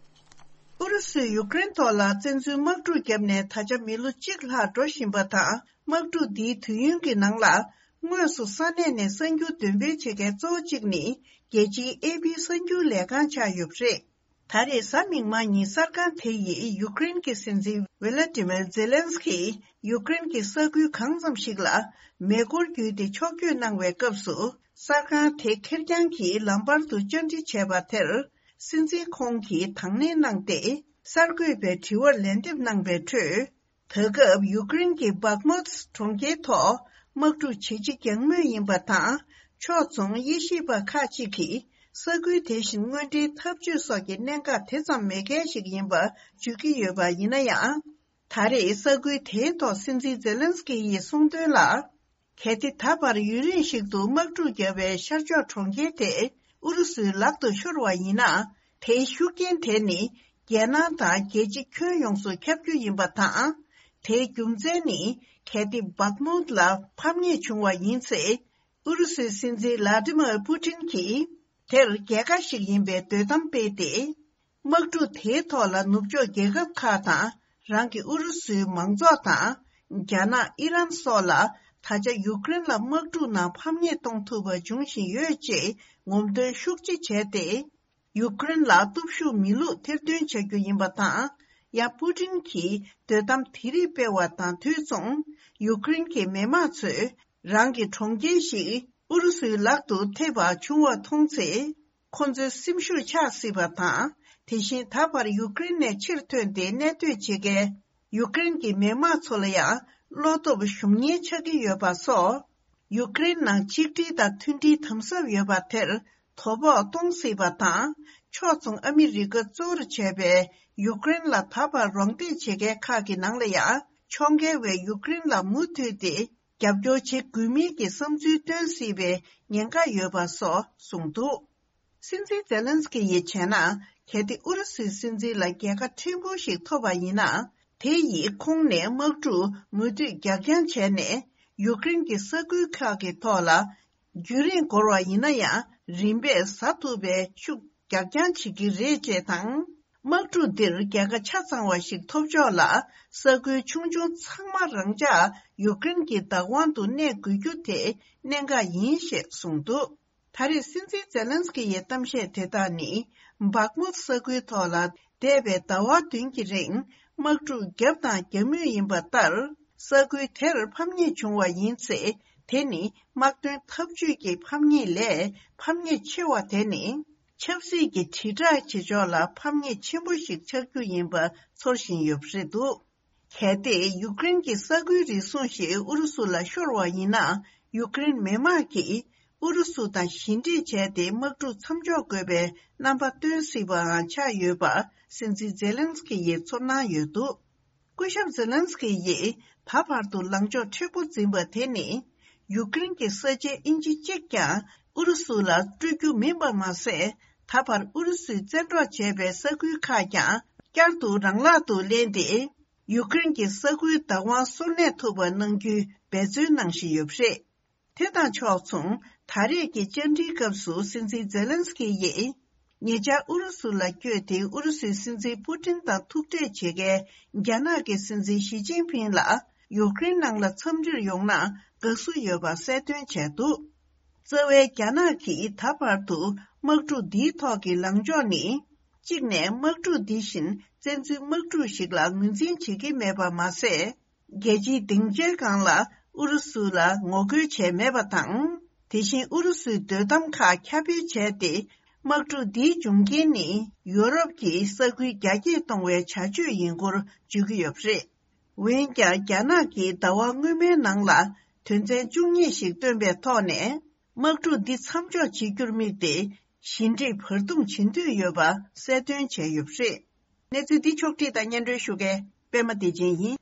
ཨུ་རུ་སུས་ཡུཀ་རེན་ཐོག་ལ་བཙན་འཛུལ་དམག་འཁྲུག་བརྒྱབ་ནས་ད་ཆ་མི་ལོ་གཅིག་ལྷག་འགྲོ་བཞིན་པ་དང་། དམག་འཁྲུག་འདིའི་དུས་ཡུན་གྱི་ནང་ལ། དངོས་སུ་ས་གནས་ནས་གསར་འགྱུར་འདོན་སྤེལ་བྱེད་མཁན་གཙོ་བོ་གཅིག་ནི། རྒྱལ་སྤྱིའི་ཨེ་པི་གསར་འགྱུར་ལས་ཁང་ཆགས་ཡོད་པ་རེད། ད་རེས་གཟའ་མིག་དམར་ཉིན་གསར་ཁང་དེ་ཡིས་ཡུཀ་རེན་གྱི་སྲིད་འཛིན་ཝེ་ལ་ཏི་མེར་ཛེ་ལན་སི་ཀིས་ཡུཀ་རེན་གྱི་ས་ཁུལ་གང་འཚམ་ཞིག་ལ་མེ་འཁོར་བརྒྱུད་དེ་ཕྱོགས་བསྐྱོད་གནང་བའི་སྐབས་སུ། གསར་ཁང་དེ་ཁེར་རྐྱང་གིས་ལམ་བར་དུ་བཅར་འདྲི་བྱས་པ་དེར། སྲིད་འཛིན་ཁོང་གིས་དང་ལེན་གནང་སྟེ། གསར་འགོད་པའི་དྲི་བར་ལན་འདེབས་གནང་བའི་ཁྲོད། ད་སྐབས་ཡུཀ་རེན་གྱི་བྷག་མུད་གྲོང་ཁྱེར་ཐོག་དམག་འཁྲུག་ཇེ་ཆེ་རྒྱག་མུས་ཡིན་པ་དང་། ཕྱོགས་མཚུངས་དབྱེ་ཞིབ་པ་ཁག་ཅིག་གིས་ས་ཁུལ་དེ་བཞིན་དངོས་འབྲེལ་འཐབ་ཇུས་སོགས་ཀྱི་གནད་འགག་དེ་ཙམ་མེད་མཁན་ཞིག་ཡིན་པ་བརྗོད་ཀྱི་ཡོད་པ་ཡིན་ན་ཡང་། ད་རེས་ས་ཁུལ་དེའི་ཐོག་སྲིད་འཛིན་ཛེ་ལན་སི་ཀི་ཡིས་གསུངས་དོན་ལ། གལ་ཏེ་ད་བར་ཡུན་རིང་ཞིག་ཏུ་དམག་འཁྲུག་བརྒྱབ་པའི་ཤར་ཕྱོགས་གྲོང་ཁྱེར་དེ་ཨུ་རུ་སུའི་ལག་ཏུ་ཤོར་བ་ཡིན་ན། དེའི་ཤུགས་རྐྱེན་དེ་ནི་རྒྱལ་ནང་དང་རྒྱལ་སྤྱི་ཁྱོན་ཡོངས་སུ་ཁྱབ་རྒྱུ་ཡིན་པ་དང་། དེའི་རྒྱུ་མཚན་ནི་གལ་ཏེ་བག་མུད་ལ་ཕམ་ཉེས་བྱུང་བ་ཡིན་ཚེ། ཨུ་རུ་སུའི་སྲིད་འཛིན་ལ་ཏི་མར་པུ་ཏིན་གྱིས་དེར་རྒྱལ་ཁ་ཞིག་ཡིན་པའི་འདོད་གཏམ་སྤེལ་ཏེ། དམག་འཁྲུག་དེའི་ཐོག་ལ་ནུབ་ཕྱོགས་རྒྱལ་ཁབ་ཁག་དང་། རང་གི་ཨུ་རུ་སུའི་མང་ཚོགས་དང་། རྒྱ་ནག་ཨི་རན་སོགས་ལ་ད་ཆ་ཡུཀ་རེན་ལ་དམག་འཁྲུག་ནང་ཕམ་ཉེས་གཏོང་ཐུབ་པ་འབྱུང་བཞིན་ཡོད་ཅེས་ངོམ་སྟོན་ཤུགས་ཆེ་བྱས་ཏེ། ཡུཀ་རེན་ལ་སྟོབས་ཤུགས་མེད་ལུགས་ཐེར་འདོན་བྱ་རྒྱུ་ཡིན་པ་དང་། ཡང་པུ་ཏིན་གྱིས་དོ་དམ་དེ་རིགས་སྤེལ་བ་དང་དུས་མཚུངས། ཡུཀ་རེན་གྱི་མི་དམངས་ཚོས་རང་གི་གྲོང་ཁྱེར་ཞིག་ཨུ་རུ་སུའི་ལག་ཏུ་ཐེབས་པ་བྱུང་བ་མཐོང་ཚེ། ཁོ་ཚོའི་སེམས་ཤུགས་ཆག་སྲིད་པ་དང་། དེ་བཞིན་ད་བར་ཡུཀ་རེན་ནས་ཕྱིར་ཐོན་ཏེ་གནས་སྡོད་བྱེད་མཁན་ཡུཀ་རེན་གྱི་མི་དམངས་ཚོ་ལ་ཡང་བློ་སྟོབས་ཞུམ་ཉེན་ཆགས་ཀྱི་ཡོད་པ་སོགས། ཡུཀ་རེན་ནང་ཆིག་སྒྲིལ་དང་མཐུན་སྒྲིལ་དམ་ཟབ་ཡོད་པ་དེར་དོ་ཕོག་གཏོང་སྲིད་པ་དང་། ཕྱོགས་མཚུངས་ཨ་མི་རི་ཀ་གཙོ་བོར་བྱས་པའི་ཡུཀ་རེན་ལ་ད་བར་རོགས་འདེགས་བྱེད་མཁན་ཁག་གི་ནང་ལ་ཡང་ཕྱོགས་འགལ་བས་ཡུཀ་རེན་ལ་མུ་མཐུད་དེ་རྒྱབ་སྐྱོར་བྱེད་དགོས་མིན་གྱི་བསམ་ཚུལ་བཏོན་སྲིད་པའི་ཉེན་ཁ་ཡོད་པ་སོགས་གསུངས་འདུག། སྲིད་འཛིན་ཛེ་ལན་སི་ཀི་ཡིས་བྱས་ན། གལ་ཏེ་ཨུ་རུ་སུའི་སྲིད་འཛིན་ལ་རྒྱལ་ཁ་ཕྲན་བུ་ཞིག་ཐོབ་པ་ཡིན་ན། དེ་ཡིས་ཁོང་ནས་དམག་འཁྲུག་མུ་མཐུད་རྒྱག་རྐྱང་བྱས་ནས། ཡུཀ་རེན་གྱི་ས་ཁུལ་ཁག་གི་ཐོག་ལ། རྒྱུན་རིང་འགོར་བ་ཡིན་ན་ཡང་རིམ་པས་ཟ་ཐུབ་པའི་ཤུགས་རྒྱག་རྐྱང་བྱེད་ཀྱི་རེད་ཅེས་དང་། དམག་འཁྲུག་འདིར་རྒྱལ་ཁ་ཆ་ཚང་བ་ཞིག་ཐོབ་ཕྱོགས་ལ། ས་ཁུལ་ཆུང་ཆུང་ཚང་མ་རང་འཇགས་ཡུཀ་རེན་གྱི་བདག་དབང་དུ་གནས་དགོས་རྒྱུ་དེ་གནད་འགག་ཡིན་ཞེས་གསུངས་འདུག། ད་རེས་སྲིད་འཛིན་ཛེ་ལན་སི་ཀི་ཡི་གཏམ་བཤད་དེ་དག་ནི། བག་མུད་ས་ཁུལ་ཐོག་ལ་འདས་པའི་ཟླ་བ་བདུན་གྱི་རིང་དམག་འཁྲུག་བརྒྱབ་དང་རྒྱག་མུས་ཡིན་པ་ལྟར། ས་ཁུལ་དེར་ཕམ་ཉེས་བྱུང་བ་ཡིན་ཚེ། དེ་ནི་དམག་དོན་འཐབ་ཇུས་ཀྱི་ཕམ་ཉེས་ལས་ཕམ་ཉེས་ཆེ་བ་དེ་ནི། ཆབ་སྲིད་ཀྱི་དྲིལ་བསྒྲགས་བྱེད་ཕྱོགས་ལ་ཕམ་ཉེས་ཆེན་པོ་ཞིག་ཆགས་རྒྱུ་ཡིན་པ་ཚོར་བཞིན་ཡོད་པ་རེད་འདུག། གལ་ཏེ་ཡུཀ་རེན་གྱི་ས་ཁུལ་རེ་ཟུང་ཞིག་ཨུ་རུ་སུ་ལ་ཤོར་བ་ཡིན་ན། ཡུཀ་རེན་མི་དམངས་ཀྱིས་ཨུ་རུ་སུ་དང་ཞི་འགྲིག་བྱས་ཏེ་དམག་འཁྲུག་མཚམས་འཇོག་དགོས་པའི་རྣམ་པ་སྟོན་སྲིད་པའང་ཆགས་ཡོད་པ་སྲིད་འཛིན་ཛེ་ལན་སི་ཀི་ཡིས་ཚོར་སྣང་ཡོད་འདུག། སྐུ་ཞབས་ཛེ་ལན་སི་ཀི་ཡིས་ད་བར་དུ་ལངས་ཕྱོགས་མཁྲེགས་པོ་འཛིན་པ་དེ་ནི། ཡུཀ་རེན་གྱི་ས་ཆའི་ཨིན་ཅི་གཅིག་ཀྱང་ཨུ་རུ་སུ་ལ་སྤྲོད་རྒྱུ་མིན་པ་མ་ཟད། ད་བར་ཨུ་རུ་སུས་བཙན་འཕྲོག་བྱས་པའི་ས་ཁུལ་ཁག་ཀྱང་བསྐྱར་དུ་རང་ལག་ཏུ་ལེན་ཏེ། ཡུཀ་རེན་གྱི་ས་ཁུལ་བདག་དབང་སོར་གནས་ཐུབ་པ་གནང་རྒྱུའི་འབད་བརྩོན་གནང་བཞིན་ཡོད་པ་རེད། དེ་དང་ཕྱོགས་མཚུངས། ད་རེས་ཀྱི་བཅར་འདྲིའི་སྐབས་སུ་སྲིད་འཛིན་ཛེ་ལན་སི་ཀི་ཡིས། ཉེ་ཆར་ཨུ་རུ་སུ་ལ་བསྐྱོད་དེ་ཨུ་རུ་སུའི་སྲིད་འཛིན་པུ་ཏིན་དང་ཐུག་འཕྲད་བྱེད་མཁན་རྒྱ་ནག་གི་སྲིད་འཛིན་ཞི་ཅིན་ཕིང་ལ་ཡུཀ་རེན་ནང་ལ་འཚམས་འདྲིར་ཡོང་ན་དགའ་བསུ་ཡོད་པ་གསལ་སྟོན་བྱས་འདུག། རྩ་བའི་རྒྱ་ནག་གིས་ད་བར་དུ་དམག་འཁྲུག་འདིའི་ཐོག་གི་ལངས་ཕྱོགས་ནི། གཅིག་ནས་དམག་འཁྲུག་འདི་བཞིན་བཙན་འཛུལ་དམག་འཁྲུག་ཞིག་ལ་ངོས་འཛིན་བྱེད་ཀྱི་མེད་པ་མ་ཟད། རྒྱལ་སྤྱིའི་སྡིངས་ཆའི་སྒང་ལ་ཨུ་རུ་སུ་ལ་ངོ་རྒོལ་བྱས་མེད་པ་དང་། དེ་བཞིན་ཨུ་རུ་སུའི་དོ་དམ་ཁག་ཁྱབ་སྤེལ་བྱས་ཏེ། དམག་འཁྲུག་འདིའི་འབྱུང་རྐྱེན་ནི་ཡོ་རོབ་ཀྱི་ས་ཁུལ་རྒྱ་སྐྱེད་གཏོང་བའི་བྱ་སྤྱོད་ཡིན་སྐོར་བརྗོད་ཀྱི་ཡོད་པ་རེད། འོན་ཀྱང་། རྒྱ་ནག་གིས་ཟླ་བ་སྔོན་མའི་ནང་ལ་དོན་ཚན་བཅུ་གཉིས་ཤིག་བཏོན་པའི་ཐོག་ནས། དམག་འཁྲུག་འདི་མཚམས་འཇོག་བྱེད་རྒྱུར་དམིགས་ཏེ། ཞི་འགྲིག་བར་འདུམ་བྱེད་འདོད་ཡོད་པ་གསལ་སྟོན་བྱས་ཡོད་པ་རེད། གནས་ཚུལ་འདི་ཕྱོགས་བསྒྲིགས་དང་སྙན་སྒྲོན་ཞུ་མཁན་པད་མ་བདེ་ཆེན་ཡིན།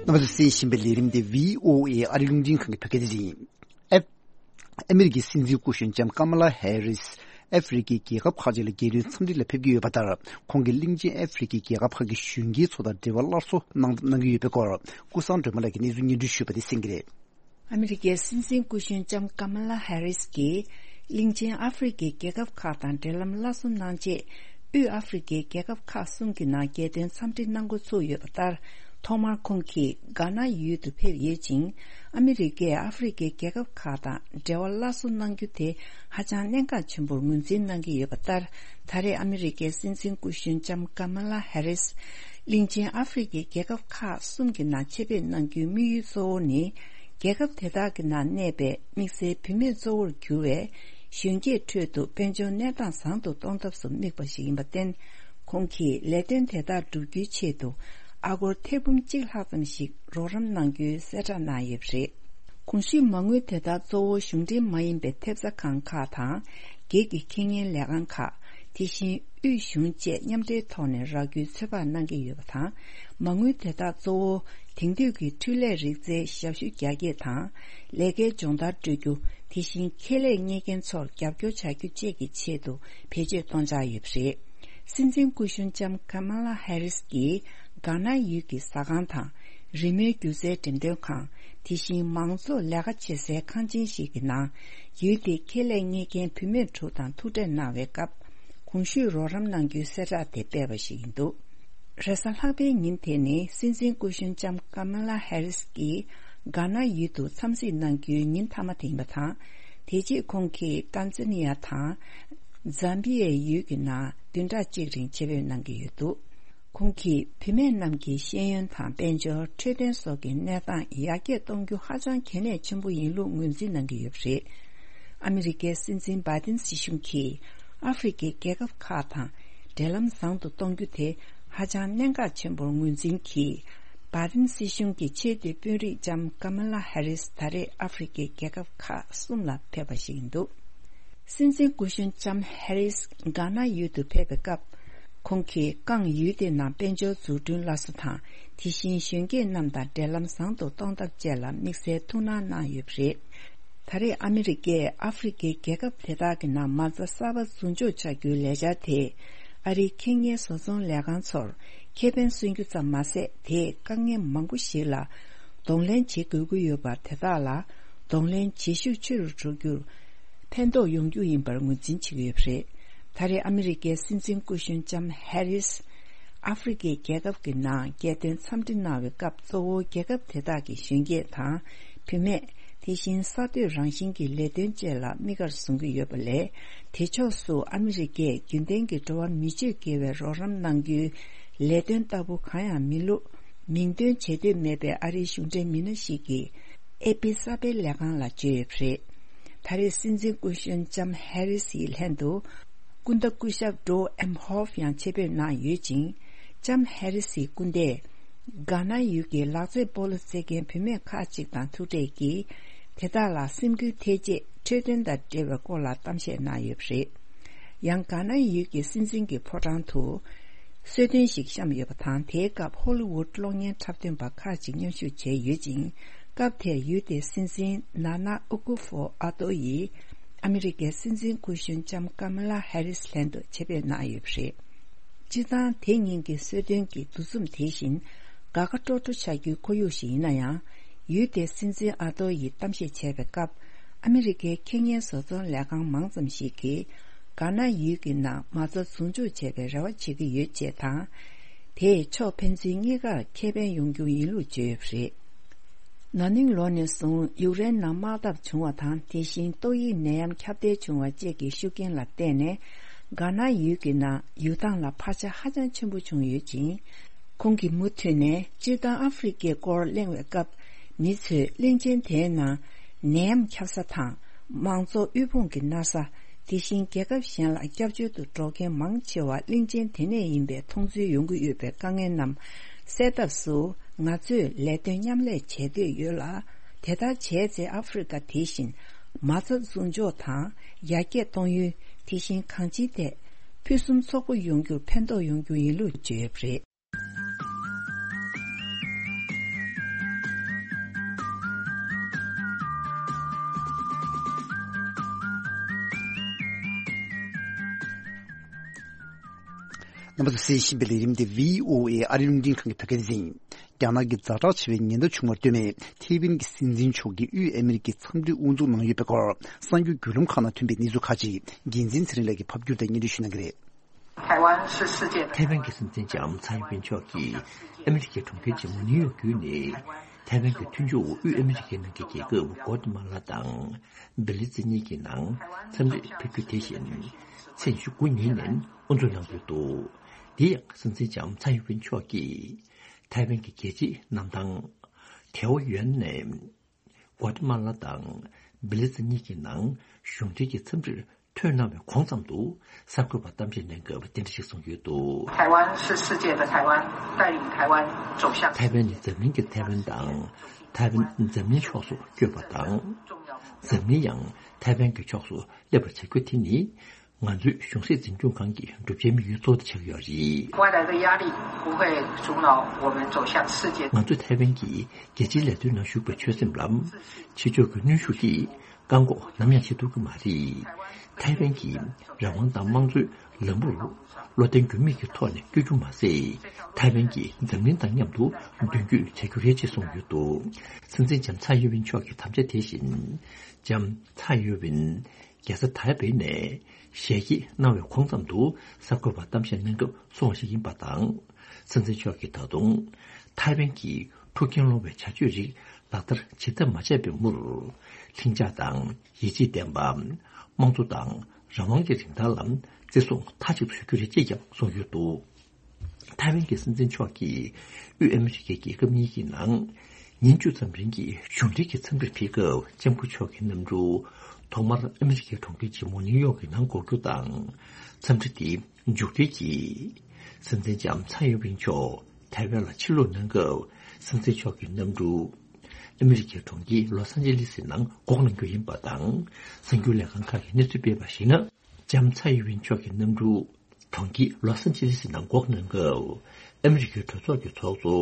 རྣམ་པ་ཚོས་གསན་བཞིན་པའི་ལས་རིམ་འདི་བྷི་ཨོ་ཨེ་ཨ་རི་རླུང་འཕྲིན་ཁང་གི་བོད་སྐད་སྡེ་ཚན་ཡིན། ཨ་ཨ་མི་རི་ཀའི་སྲིད་འཛིན་སྐུ་གཞོན་ལྕམ་ཀ་མ་ལ་ཧེ་རིས། ཨ་ཧྥེ་རི་ཁའི་རྒྱལ་ཁབ་ཁག་ཅིག་ལ་རྒྱལ་དོན་འཚམས་འདྲི་ལ་ཕེབས་ཀྱི་ཡོད་པ་ལྟར། ཁོང་གིས་གླིང་ཆེན་ཨ་ཧྥེ་རི་ཁའི་རྒྱལ་ཁབ་ཁག་གི་གཞོན་སྐྱེས་ཚོ་དང་འབྲེལ་བ་སླར་གསོ་གནང་གནང་གི་ཡོད་པའི་སྐོར། ཀུན་བཟང་སྒྲོལ་མ་ལགས་ཀྱིས་གནས་ཚུལ་སྙན་སྒྲོན་ཞུས་པ་དེ་གསན་གྱི་རེད། ཨ་མི་རི་ཀའི་སྲིད་འཛིན་སྐུ་གཞོན་ལྕམ་ཀ་མ་ལ་ཧེ་རིས་ཀྱིས། གླིང་ཆེན་ཨ་ཧྥེ་རི་ཁའི་རྒྱལ་ཁབ་ཁག་དང་འབྲེལ་ལམ་སླར་གསོ་གནང་རྗེས། དབུས་ཨ་ཧྥེ་རི་ཁའི་རྒྱལ་ཁབ་ཁག་གསུམ་གྱི་ནང་རྒྱལ་དོན་འཚམས་འདྲི་གནང་འགོ་ཚུགས་ཡོད་པ་ལྟར། ཐོག་མར་ཁོང་གིས་གྷ་ན་ཡུལ་དུ་ཕེབས་ཡོད་ཅིང་། ཨ་མི་རི་ཀས་ཨ་ཧྥེ་རི་ཁའི་རྒྱལ་ཁབ་ཁག་དང་འབྲེལ་བ་སླར་གསོ་གནང་རྒྱུ་དེ་ཧ་ཅང་གནད་འགག་ཆེན་པོར་ངོས་འཛིན་གནང་གི་ཡོད་པ་ལྟར། ད་རེས་ཨ་མི་རི་ཀའི་སྲིད་འཛིན་སྐུ་གཞོན་ལྕམ་ཀ་མ་ལ་ཧེ་རིས། གླིང་ཆེན་ཨ་ཧྥེ་རི་ཁའི་རྒྱལ་ཁབ་ཁག་གསུམ་གྱི་ནང་ཆེད་ཕེབས་གནང་རྒྱུའི་དམིགས་ཡུལ་གཙོ་བོ་ནི། རྒྱལ་ཁབ་དེ་དག་གི་ནང་གནས་པའི་དམིགས་བསལ་བུད་མེད་གཙོ་བོར་གྱུར་བའི་གཞོན་སྐྱེས་ཁྲོད་དུ་དཔལ་འབྱོར་གནས་སྟངས་བཟང་དུ་གཏོང་ཐབས་སུ་དམིགས་པ་ཞིག་ཡིན་པར་བརྟེན། ཁོང་གིས་ལས་དོན་དེ་དག་བསྒྲུབ་རྒྱུའི་ཆེད་དུ་ཨ་སྒོར་ཐེར་འབུམ་གཅིག་ལྷག་ཙམ་ཞིག་རོགས་རམ་གནང་རྒྱུའི་གསལ་བསྒྲགས་གནང་ཡོད་པ་རེད། གོང་ཞུས་མ་དངུལ་དེ་དག་གཙོ་བོ་གཞུང་འབྲེལ་མ་ཡིན་པའི་ཐེབས་རྩ་ཁང་ཁག་དང་། སྒེར་གྱི་ཁེ་གཉེར་ལས་ཁང་ཁག་དེ་བཞིན་དབུས་གཞུང་བཅས་མཉམ་འབྲེལ་ཐོག་ནས་རག་རྒྱུའི་ཚོད་དཔག་གནང་གི་ཡོད་པ་དང་། མ་དངུལ་དེ་དག་གཙོ་བོ་དེང་དུས་ཀྱི་འཕྲུལ་ལས་རིག་རྩལ་ཞབས་ཞུ་རྒྱ་སྐྱེད་དང་། ལས་ཀའི་སྦྱོང་བརྡར་སྤྲོད་རྒྱུ། དེ་བཞིན་ཁེ་ལས་གཉེར་མཁན་ཚོར་རྒྱབ་སྐྱོར་བྱ་རྒྱུ་བཅས་ཀྱི་ཆེད་དུ་བེད་སྤྱོད་གཏོང་འཆར་ཡོད་པ་རེད། སྲིད་འཛིན་སྐུ་གཞོན་ལྕམ་ཀ་མ་ལ་ཧེ་རིས་ཀྱིས་གྷ་ན་ཡུལ་གྱི་ཟ་ཁང་དང་། རི་མོའི་སྒྱུ་རྩལ་འགྲེམས་སྟོན་ཁང་། དེ་བཞིན་མང་ཚོགས་ལས་ཀ་བྱེད་སའི་ཁང་ཆེན་ཞིག་གི་ནང་། ཡུལ་དེའི་ཁེ་ལས་གཉེར་མཁན་བུད་མེད་དྲུག་དང་ཐུག་འཕྲད་གནང་བའི་སྐབས། གོང་ཞུས་རོགས་རམ་གནང་རྒྱུའི་གསལ་བསྒྲགས་དེ་སྤེལ་བ་ཞིག་ཡིན་འདུག། རེས་གཟའ་ལྷག་པའི་ཉིན་དེ་ནི་སྲིད་འཛིན་སྐུ་གཞོན་ལྕམ་ཀ་མ་ལ་ཧེ་རིས་ཀྱིས་གྷ་ན་ཡུལ་དུ་འཚམས་གཟིགས་གནང་རྒྱུའི་ཉིན་མཐའ་མ་དེ་ཡིན་པ་དང་། དེ་རྗེས་ཁོང་གིས་ཏན་ཛ་ནི་ཡ་དང་ཛམ་བི་ཡའི་ཡུལ་གྱི་ནང་བདུན་ཕྲག་གཅིག་རིང་ཆེད་ཕེབས་གནང་གི་ཡོད་འདུག་ཁོང་གིས་བུད་མེད་རྣམས་ཀྱི་ཤེས་ཡོན་དང་དཔལ་འབྱོར། འཕྲོད་བསྟེན་སོགས་ཀྱི་གནས་སྟངས་ཡར་རྒྱས་གཏོང་རྒྱུ་ཧ་ཅང་གལ་གནད་ཆེན་པོ་ཡིན་ལུགས་ངོས་འཛིན་གནང་གི་ཡོད་པ་རེད། ཨ་མི་རི་ཀའི་སྲིད་འཛིན་བྷའི་ཏིན་སྲིད་གཞུང་གིས་ཨ་ཧྥེ་རི་ཁའི་རྒྱལ་ཁབ་ཁག་དང་འབྲེལ་ལམ་བཟང་དུ་གཏོང་རྒྱུ་དེ་ཧ་ཅང་གནད་འགག་ཆེན་པོར་ངོས་འཛིན་གྱིས། བྷའི་ཏིན་སྲིད་གཞུང་གི་ཆེས་མཐོའི་དཔོན་རིགས་ལྕམ་ཀ་མ་ལ་ཧེ་རིས་ད་རེས་ཨ་ཧྥེ་རི་ཁའི་རྒྱལ་ཁབ་ཁག་གསུམ་ལ་ཕེབས་པ་ཞིག་ཡིན་འདུག་སྲིད་འཛིན་སྐུ་གཞོན་ལྕམ་ཧེ་རིས་གྷ་ན་ཡུལ་དུ་ཕེབས་པའི་སྐབས། ཁོང་གིས་ཀང་ཡུལ་དེའི་ནང་དཔལ་འབྱོར་འཛུགས་སྐྲུན་སླར་གསོ་དང་། དེ་བཞིན་གཞོན་སྐྱེས་རྣམས་དང་འབྲེལ་ལམ་བཟང་དུ་གཏོང་ཐབས་བཅས་ལ་དམིགས་བསལ་ཐུགས་སྣང་གནང་ཡོད་པ་རེད། ད་རེས་ཨ་མི་རི་ཀས་ཨ་ཧྥེ་རི་ཁའི་རྒྱལ་ཁབ་དེ་དག་གི་ནང་མ་རྩ་གསར་པ་འཛུགས་འཇོག་བྱ་རྒྱུའི་ལས་འཆར་དེས། ཨ་རིའི་ཁེ་གཉེར་བཟོ་ཚོང་ལས་ཁང་ཚོར་ཁེ་ཕན་སོན་རྒྱུ་ཙམ་མ་ཟད། དེས་དཀའ་ངལ་མང་པོ་ཞིག་ལ་གདོང་ལེན་བྱེད་དགོས་ཀྱི་ཡོད་པ་དེ་དག་ལ་གདོང་ལེན་བྱེད་ཤུགས་ཆེ་རུ་འགྲོ་རྒྱུར་ཕན་ཐོགས་ཡོང་རྒྱུ་ཡིན་པར་ངོས་འཛིན་བྱེད་ཀྱི་ཡོད་པ་རེད། ད་རེས་ཨ་མི་རི་ཀའི་སྲིད་འཛིན་སྐུ་གཞོན་ལྕམ་ཧེ་རིས་ཨ་ཧྥེ་རི་ཁའི་རྒྱལ་ཁབ་ཀྱི་ནང་རྒྱལ་དོན་འཚམས་འདྲི་གནང་བའི་སྐབས། གཙོ་བོ་རྒྱལ་ཁབ་དེ་དག་གི་གཞོན་སྐྱེས་དང་བུད་མེད། དེ་བཞིན་གསར་གཏོད་རང་བཞིན་གྱི་ལས་དོན་བཅས་ལ་དམིགས་ཀར་བཟུང་གི་ཡོད་པ་ལས། དེ་ཕྱོགས་སུ་ཨ་མི་རི་ཀས་རྒྱུན་ལྡན་གྱི་འགྲོ་བ་མི་སྤྱོད་དགེ་བའི་རོགས་རམ་གནང་རྒྱུའི་ལས་དོན་ལྟ་བུ་གང་ཡང་མིན་ལུགས། མིང་འདོན་བྱེད་འདོད་མེད་པའི་ཨ་རིའི་གཞུང་འབྲེལ་མི་སྣ་ཞིག་གིས་ཨེ་པི་གསར་སྤེལ་ལས་ཁང་ལ་བརྗོད་ཡོད་པ་རེད། ད་རེས་སྲིད་འཛིན་སྐུ་གཞོན་ལྕམ་ཧེ་རི་སིའི་ལྷན་དུ། སྐུ་ཟླ་སྐུ་ཞབས་ཌོ་ཨེམ་ཧོབ་ཡང་ཆེད་ཕེབས་གནང་ཡོད་ཅིང་། ལྕམ་ཧེ་རི་སིའི་སྐུ་ཟླས། གྷ་ན་ཡུལ་གྱི་ལག་རྩེད་སྤོ་ལོ་རྩེད་མཁན་བུད་མེད་ཁག་ཅིག་དང་ཐུག་འཕྲད་ཀྱིས། དེ་དག་ལ་སེམས་འགུལ་ཐེབས་ཆེད་འཕྲོད་བསྟེན་དང་འབྲེལ་བའི་སྐོར་ལ་གཏམ་བཤད་གནང་ཡོད་པ་རེད། ཡང་གྷ་ན་ཡུལ་གྱི་སྲིད་འཛིན་གྱི་ཕོ་བྲང་དུ། གསོལ་སྟོན་ཞིག་བཤམས་ཡོད་པ་དང་། དེའི་སྐབས་ཧོ་ལི་ཝུད་གློག་བརྙན་འཁྲབ་སྟོན་པ་ཁག་ཅིག་མཉམ་ཞུགས་བྱས་ཡོད་ཅིང་། སྐབས་དེར་ཡུལ་དེའི་སྲིད་འཛིན་ན་ན་ཨུ་ཀུ་ཧྥོ་ཨ་ཏོ་ཡིས་ཨ་མི་རི་ཀའི་སྲིད་འཛིན་སྐུ་གཞོན་ལྕམ་ཀ་མ་ལ་ཧེ་རིས་ལྷན་དུ་ཆེད་ཕེབས་གནང་ཡོད་པ་རེད། སྤྱིར་བཏང་དེ་ཉིན་གྱི་གསོལ་སྟོན་གྱི་འདུ་འཛོམས་དེ་བཞིན་དགའ་དགའ་སྤྲོ་སྤྲོ་ཆགས་རྒྱུའི་ཁོར་ཡུག་ཞིག་ཡིན་ན་ཡང་། ཡུལ་དེའི་སྲིད་འཛིན་ཨ་ཏོ་ཡིས་གཏམ་བཤད་བྱས་པའི་སྐབས། ཨ་མི་རི་ཀའི་ཁེ་གཉེར་བཟོ་ཚོང་ལས་ཁང་མང་ཙམ་ཞིག་གིས་གྷ་ན་ཡུལ་གྱི་ནང་མ་རྩ་འཛུགས་འཇོག་བྱེད་པའི་རེ་བ་བྱེད་ཀྱི་ཡོད་ཅེས་དང་། དེས་ཕྱོགས་ཕན་ཚུན་གཉིས་ཀར་ཁེ་ཕན་ཡོང་རྒྱུ་ཡིན་ལུགས་བརྗོད་ཡོད་པ་རེད། ན་ནིང་ལོ་ནས་བཟུང་ཡུཀ་རེན་ནང་དམག་འཐབ་བྱུང་བ་དང་། དེ་བཞིན་ཏོག་དབྱིབས་ནད་ཡམས་ཁྱབ་གདལ་བྱུང་བ་བཅས་ཀྱི་ཤུགས་རྐྱེན་ལ་བརྟེན་ནས། གྷ་ན་ཡུལ་གྱི་ནང་ཡུལ་ཐང་ལ་འཕར་ཆ་ཧ་ཅང་ཆེན་པོ་བྱུང་ཡོད་ཅིང་། ཁོང་གིས་མུ་མཐུད་ནས་སྤྱིར་བཏང་ཨ་ཧྥེ་རི་ཁའི་སྐོར་གླེང་བའི་སྐབས། མི་ཚོས་གླིང་ཆེན་དེའི་ནང་ནད་ཡམས་ཁྱབ་ས་དང་། མང་ཚོགས་དབུལ་ཕོངས་ཀྱིས་མནར་ས། དེ་བཞིན་རྒྱལ་ཁབ་གཞན་ལ་སྐྱབས་བཅོལ་དུ་འགྲོ་མཁན་མང་ཆེ་བ་གླིང་ཆེན་དེ་ནས་ཡིན་པའི་མཐོང་ཚུལ་ཡོང་གི་ཡོད་པའི་དཀའ་ངལ་རྣམས་སེལ་ཐབས་སུ། ང་ཚོས་ལས་དོན་མཉམ་ལས་བྱེད་འདོད་ཡོད་ལ། དེ་ལྟར་བྱས་ཚེ་ཨ་ཧྥེ་རི་ཁ་དེ་བཞིན་མ་རྩ་འཛུགས་འཇོག་དང་ཡར་རྒྱས་གཏོང་ཡུལ། དེ་བཞིན་གང་ཅིའི་ཐད་ཕུན་སུམ་ཚོགས་པོ་ཡོང་རྒྱུར་ཕན་ཐོགས་ཡོང་རྒྱུ་ཡིན་ལུགས་བརྗོད་ཡོད་པ་རེད། རྣམ་པ་ཚོ་གསན་བཞིན་པའི་ལས་རིམ་འདི་བྷི་ཨོ་ཨེ་ཨ་རིའི་རླུང་འཕྲིན་ཁང་གི་བོད་སྐད་སྡེ་ཚན་ཡིན། རྒྱ་ནག་གི་ཛ་དྲག་ཆེ་བའི་ཉེན་བརྡ་བྱུང་བར་ལྟོས་ནས། ཐའེ་ཝན་གྱི་སྲིད་འཛིན་མཆོག་གིས་དབུས་ཨ་མི་རི་ཀའི་འཚམས་འདྲི་དབུ་འཛུགས་གནང་ཡོད་པའི་སྐོར། གསར་འགྱུར་བརྒྱུད་ལམ་ཁག་ནང་ཐོན་པའི་གནས་ཚུལ་ཁག་ཅིག་འགན་འཛིན་ཚེ་རིང་ལགས་ཀྱིས་ཕབ་བསྒྱུར་དང་སྙན་སྒྲོན་ཞུ་གནང་གི་རེད། ཐའེ་ཝན་གྱི་སྲིད་འཛིན་ལྕམ་ཚའེ་ཡིན་ཝེན་མཆོག་གིས་ཨ་མི་རི་ཀའི་གྲོང་ཁྱེར་ཆེན་མོ་ནིའུ་ཡོག་བརྒྱུད་ནས། ཐའེ་ཝན་གྱི་མཐུན་ཕྱོགས་འོག་དབུས་ཨ་མི་རི་ཀའི་ནང་གི་རྒྱལ་ཁབ་གོ་ཏི་མ་ལ་དང་བེ་ལི་ཛི་གཉིས་ཀྱི་ནང་འཚམས་འདྲིར་ཕེབས་རྒྱུ་དེ་བཞིན་ཚེས་ཉི་ཤུ་དགུ་ཉིན་ནས་དབུ་འཛུགས་གནང་གི་འདུག་དེ་ཡང་སྲིད་འཛིན་ལྕམ་ཚའེ་ཡིན་ཝེན་མཆོག་གིས་ཐའེ་ཝན་གྱི་རྒྱལ་སྤྱིའི་གནམ་ཐང་ཐེའོ་ཡོན་ནས། གོ་ཏི་མ་ལ་དང་བེ་ལི་ཛི་གཉིས་ཀྱི་ནང་གཞུང་འབྲེལ་གྱི་འཚམས་འདྲིར་ཐོན་གནང་བའི་གོང་ཙམ་དུ། གསར་འགོད་པར་གཏམ་བཤད་གནང་སྐབས་འདི་འདྲ་ཞིག་གསུངས་ཡོད་འདུག 台湾是世界的台湾，带领台湾走向 ཐའེ་ཝན་ནི་འཛམ་གླིང་གི་ཐའེ་ཝན་དང་། ཐའེ་ཝན་འཛམ་གླིང་ཕྱོགས་སུ་བསྐྱོད་པ་དང་། འཛམ་གླིང་ཡང་ཐའེ་ཝན་གྱི་ཕྱོགས་སུ་སླེབས་པར་བྱ་རྒྱུ་དེ་ནི། ང་ཚོའི་གཞུང་སྲིད་འཛིན་སྐྱོང་ཁང་གི་བསྒྲུབ་བྱའི་དམིགས་ཡུལ་གཙོ་བོ་དེ་ཆགས་ཡོད་རེད། 未来的压力不会阻挠我们走向世界。 ང་ཚོ་ཐའེ་ཝན་གྱིས་རྒྱལ་སྤྱིའི་ལས་དོན་ནང་ཞུགས་པའི་ཆོད་སེམས་ལ། ཕྱི་ཕྱོགས་ཀྱི་གནོན་ཤུགས་ཀྱིས་བཀག་འགོག་ནམ་ཡང་བྱེད་ཐུབ་ཀྱི་མ་རེད། ཐའེ་ཝན་གྱིས་རང་དབང་དང་དམངས་གཙོའི་ལམ་བུར་བློ་བརྟན་འགྱུར་མེད་ཀྱི་ཐོག་ནས་བསྐྱོད་རྒྱུ་མ་ཟད། ཐའེ་ཝན་གྱིས་འཛམ་གླིང་དང་མཉམ་དུ་མདུན་སྐྱོད་བྱ་རྒྱུ་རེད་ཅེས་གསུངས་ཡོད་འདུག་སྲིད་འཛིན་ལྕམ་ཚའེ་ཡིན་ཝེན་མཆོག་གི་དམ་བཅའ་དེ་བཞིན། ལྕམ་ཚའེ་ཡིན་ཝེན་རྒྱལ་ས་ཐའེ་པེ་ནས་ཞལ་གྱེས་གནང་བའི་གོང་ཙམ་དུ་གསར་འགོད་པར་གཏམ་བཤད་གནང་སྐབས་གསུངས་པ་ཞིག་ཡིན་པ་དང་། སྲིད་འཛིན་མཆོག་གིས་ད་དུང་ཐའེ་ཝན་གྱིས་ཐུགས་འགན་སློང་བའི་བྱ་སྤྱོད་རིགས་ལག་བསྟར་ཇི་ལྟར་མ་བྱས་པའི་མུར། ལྷིང་འཇགས་དང་ཡིད་ཆེས་ལྡན་པ། དམངས་གཙོ་དང་རང་དབང་གི་རིན་ཐང་ལ་བརྩི་སྲུང་མཐའ་གཅིག་ཏུ་ཞུ་རྒྱུ་རེད་ཅེས་ཀྱང་གསུངས་ཡོད་འདུག་ཐའེ་ཝན་གྱི་སྲིད་འཛིན་མཆོག་གིས་དབུས་ཨ་མི་རི་ཀའི་རྒྱལ་ཁབ་གཉིས་ཀྱི་ནང་ཉིན་བཅུ་ཙམ་རིང་གི་གཞུང་འབྲེལ་གྱི་འཚམས་འདྲིར་ཕེབས་སྐབས། ལྕམ་སྐུ་མཆོག་གི་གནམ་གྲུ་ཐོག་མར་ཨ་མི་རི་ཀའི་གྲོང་ཁྱེར་ཆེན་མོ་ནིའུ་ཡོག་གི་ནང་འགོར་རྒྱུ་དང་། འཚམས་འདྲི་དེ་མཇུག་སྒྲིལ་གྱིས། སྲིད་འཛིན་ལྕམ་ཚའེ་ཡིན་ཝིན་མཆོག་ཐའེ་ཝན་ལ་ཕྱིར་ལོག་གནང་སྐབས། སྲིད་འཛིན་མཆོག་གི་གནམ་གྲུ་ཨ་མི་རི་ཀའི་གྲོང་ཁྱེར་ལོ་སན་ཅི་ལི་སི་ནང་འགོག་གནང་རྒྱུ་ཡིན་པ་དང་། གསར་འགྱུར་ལས་ཁང་ཁག་གིས་གནས་ཚུལ་སྤེལ་བར་གཞིགས་ན། ལྕམ་ཚའེ་ཡིན་ཝིན་མཆོག་གི་གནམ་གྲུ་གྲོང་ཁྱེར་ལོ་སན་ཅི་ལི་སི་ནང་འགོག་གནང་སྐབས། ཨ་མི་རི་ཀའི་གྲོས་ཚོགས་ཀྱི་ཚོགས་གཙོ་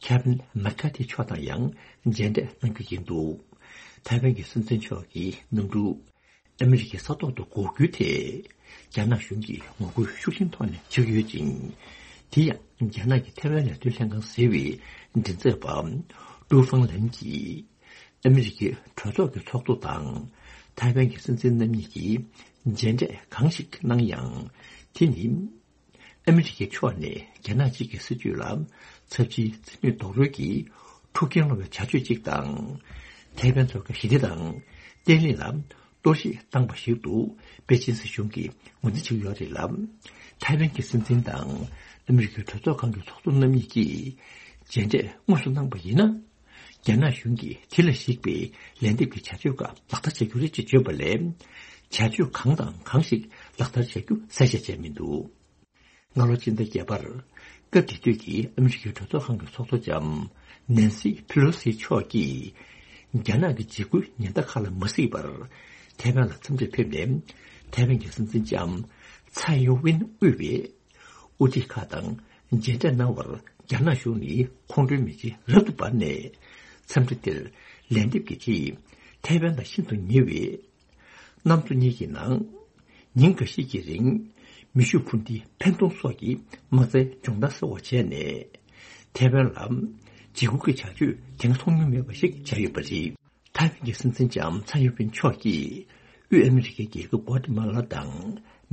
ཁེ་ཝིན་མེག་ཁ་ཐི་མཆོག་དང་ཡང་མཇལ་འཕྲད་གནང་རྒྱུ་ཡིན་འདུག་ཐའེ་ཝན་གྱི་སྲིད་འཛིན་མཆོག་གི་གནམ་གྲུ་ཨ་མི་རི་ཀའི་ས་ཐོག་ཏུ་འགོག་རྒྱུའི་ཐད། རྒྱ་ནག་གཞུང་གིས་ངོ་རྒོལ་ཤུགས་ཆེན་ཐོག་ནས་བྱེད་ཀྱི་ཡོད་ཅིང་། དེ་ཡང་རྒྱ་ནག་གི་ཐའེ་ཝན་ལས་དོན་ལྷན་ཁང་ཟེར་བའི་མགྲིན་ཚབ་པ་ཀྲུའུ་ཧྥང་ལན་གྱིས། ཨ་མི་རི་ཀའི་གྲོས་ཚོགས་ཀྱི་ཚོགས་གཙོ་དང་ཐའེ་ཝན་གྱི་སྲིད་འཛིན་རྣམ་གཉིས་ཀྱིས་མཇལ་འཕྲད་གང་ཞིག་གནང་ཡང་། དེ་ནི་ཨ་མི་རི་ཀའི་ཕྱོགས་ནས་རྒྱ་ནག་གཅིག་གི་སྲིད་ཇུས་ལ་ཚབས་ཆེའི་རྩིས་མེད་རྡོག་རོལ་གྱིས་ཐུགས་འགན་སློང་བའི་བྱ་སྤྱོད་ཅིག་དང་། ཐའེ་ཝན་ཐོག་གི་ཞི་བདེ་དང་བརྟན་ལྷིང་ལ་གཏོར་བཤིག་བཏང་པ་ཞིག་ཏུ་པེ་ཅིན་སྲིད་གཞུང་གིས་ངོས་འཛིན་བྱེད་ཀྱི་ཡོད་རེད་ལ། ཐའེ་ཝན་གྱི་སྲིད་འཛིན་དང་ཨ་མི་རི་ཀའི་གྲོས་ཚོགས་ཁང་གི་ཚོགས་གཙོ་རྣམ་གཉིས་ཀྱིས་མཇལ་འཕྲད་དངོས་སུ་གནང་པ་ཡིན་ན། རྒྱ་ནག་གཞུང་གིས་དེ་ལ་གཞིགས་པའི་ལན་འདེབས་ཀྱི་བྱ་སྤྱོད་ཁག་ལག་བསྟར་བྱ་རྒྱུ་རེད་ཅེས་བརྗོད་པ་ལས། བྱ་སྤྱོད་གང་དང་གང་ཞིག་ལག་བསྟར་བྱ་རྒྱུ་གསལ་བཤད་བྱས་མི་འདུག་སྔ་ལོ་ཕྱི་ཟླ་བརྒྱད་པར། སྐབས་དེ་དུས་ཀྱི་ཨ་མི་རི་ཀའི་གྲོས་ཚོགས་ཁང་གི་ཚོགས་གཙོ་ལྕམ་ནན་སི་ཕི་ལོ་སི་མཆོག་གིས། རྒྱ་ནག་གི་འཇིགས་སྐུལ་ཉེན་བརྡ་ཁག་ལ་མ་གཟིགས་པར། ཐའེ་ཝན་ལ་འཚམས་འདྲིར་ཕེབས་ནས། ཐའེ་ཝན་གྱི་སྲིད་འཛིན་ལྕམ་ཚའེ་ཡིན་ཝིན་དབུས་པའི་དབུ་ཁྲིད་ཁག་དང་མཇལ་འཕྲད་གནང་བར། རྒྱ་ནག་གཞུང་ནས་ཁོང་ཁྲོའི་མེ་ལྕེ་རབ་ཏུ་འབར་ནས། འཚམས་འདྲི་དེར་ལན་འདེབས་ཀྱི་ཆེད། ཐའེ་ཝན་དང་ཤིན་ཏུ་ཉེ་བའི་གནམ་མཚོ་གཉིས་ཀྱི་ནང་། ཉིན་འགའ་ཤས་ཀྱི་རིང་། མེ་ཤུགས་འཕུར་མདེལ་འཕེན་གཏོང་སོགས་ཀྱི་དམག་རྩལ་སྦྱོང་བརྡར་གསར་བ་བྱས་ནས། ཐའེ་ཝན་ལ་འཇིགས་སྐུལ་གྱི་བྱ་སྤྱོད་དེ་སྔ་མཐོང་མྱོང་མེད་པ་ཞིག་བྱས་ཡོད་པ་རེད། ཐའེ་ཝན་གྱི་སྲིད་འཛིན་ལྕམ་ཚའེ་ཡིན་ཝིན་མཆོག་གིས་དབུས་ཨ་མི་རི་ཀའི་རྒྱལ་ཁབ་གོ་ཏི་མ་ལ་དང་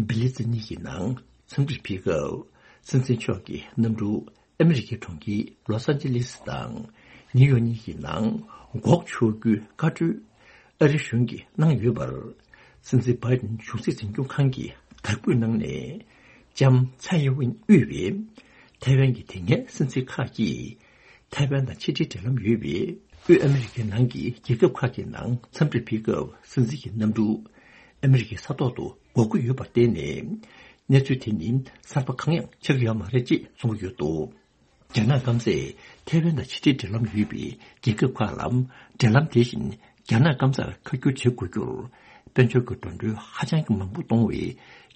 བྷི་ལི་ཙི་གཉིས་ཀྱི་ནང་འཚམས་འདྲིར་ཕེབས་སྐབས། སྲིད་འཛིན་མཆོག་གི་གནམ་གྲུ་ཨ་མི་རི་ཀའི་གྲོང་ཁྱེར་ལོ་སན་ཅི་ལི་སི་དང་ནིའུ་ཡོག་གཉིས་ཀྱི་ནང་འགོག་ཆོག་རྒྱུའི་བཀའ་འཁྲོལ་ཨ་རི་གཞུང་གིས་གནང་ཡོད་པར། སྲིད་འཛིན་བྷའི་ཌེན་གཞུང་སྲིད་འཛིན་སྐྱོང་ཁང་གིས་དག་འབུལ་གནང་ནས། ལྕམ་ཚའེ་ཡིན་ཝིན་དབུས་པའི་ཐའེ་ཝན་གྱི་དེ་སྔའི་སྲིད་འཛིན་ཁག་གིས། ཐའེ་ཝན་དང་ཕྱི་འབྲེལ་འབྲེལ་ལམ་ཡོད་པའི་དབུས་ཨ་མི་རི་ཀའི་ནང་གི་རྒྱལ་ཁབ་ཁག་གི་ནང་འཚམས་འདྲིར་ཕེབས་སྐབས། སྲིད་འཛིན་གྱི་གནམ་གྲུ་ཨ་མི་རི་ཀའི་ས་ཐོག་ཏུ་འགོག་གི་ཡོད་པར་བརྟེན་ནས། གནས་ཚུལ་དེ་ནི་གསར་པ་གང་ཡང་ཆགས་ཀྱི་ཡོད་མ་རེད་ཅེས་གསུང་གི་ཡོད་འདུག་རྒྱ་ནག་སྐམ་སས་ཐའེ་ཝན་དང་ཕྱི་འབྲེལ་འབྲེལ་ལམ་ཡོད་པའི་རྒྱལ་ཁབ་ཁག་ལ། འབྲེལ་ལམ་དེ་བཞིན་རྒྱ་ནག་སྐམ་སར་ཁ་བསྒྱུར་བྱེད་དགོས་རྒྱུར། དཔལ་འབྱོར་གྱི་འགྲོ་གྲོན་ཧ་ཅང་གི་མང་པོ་གཏོང་བའི་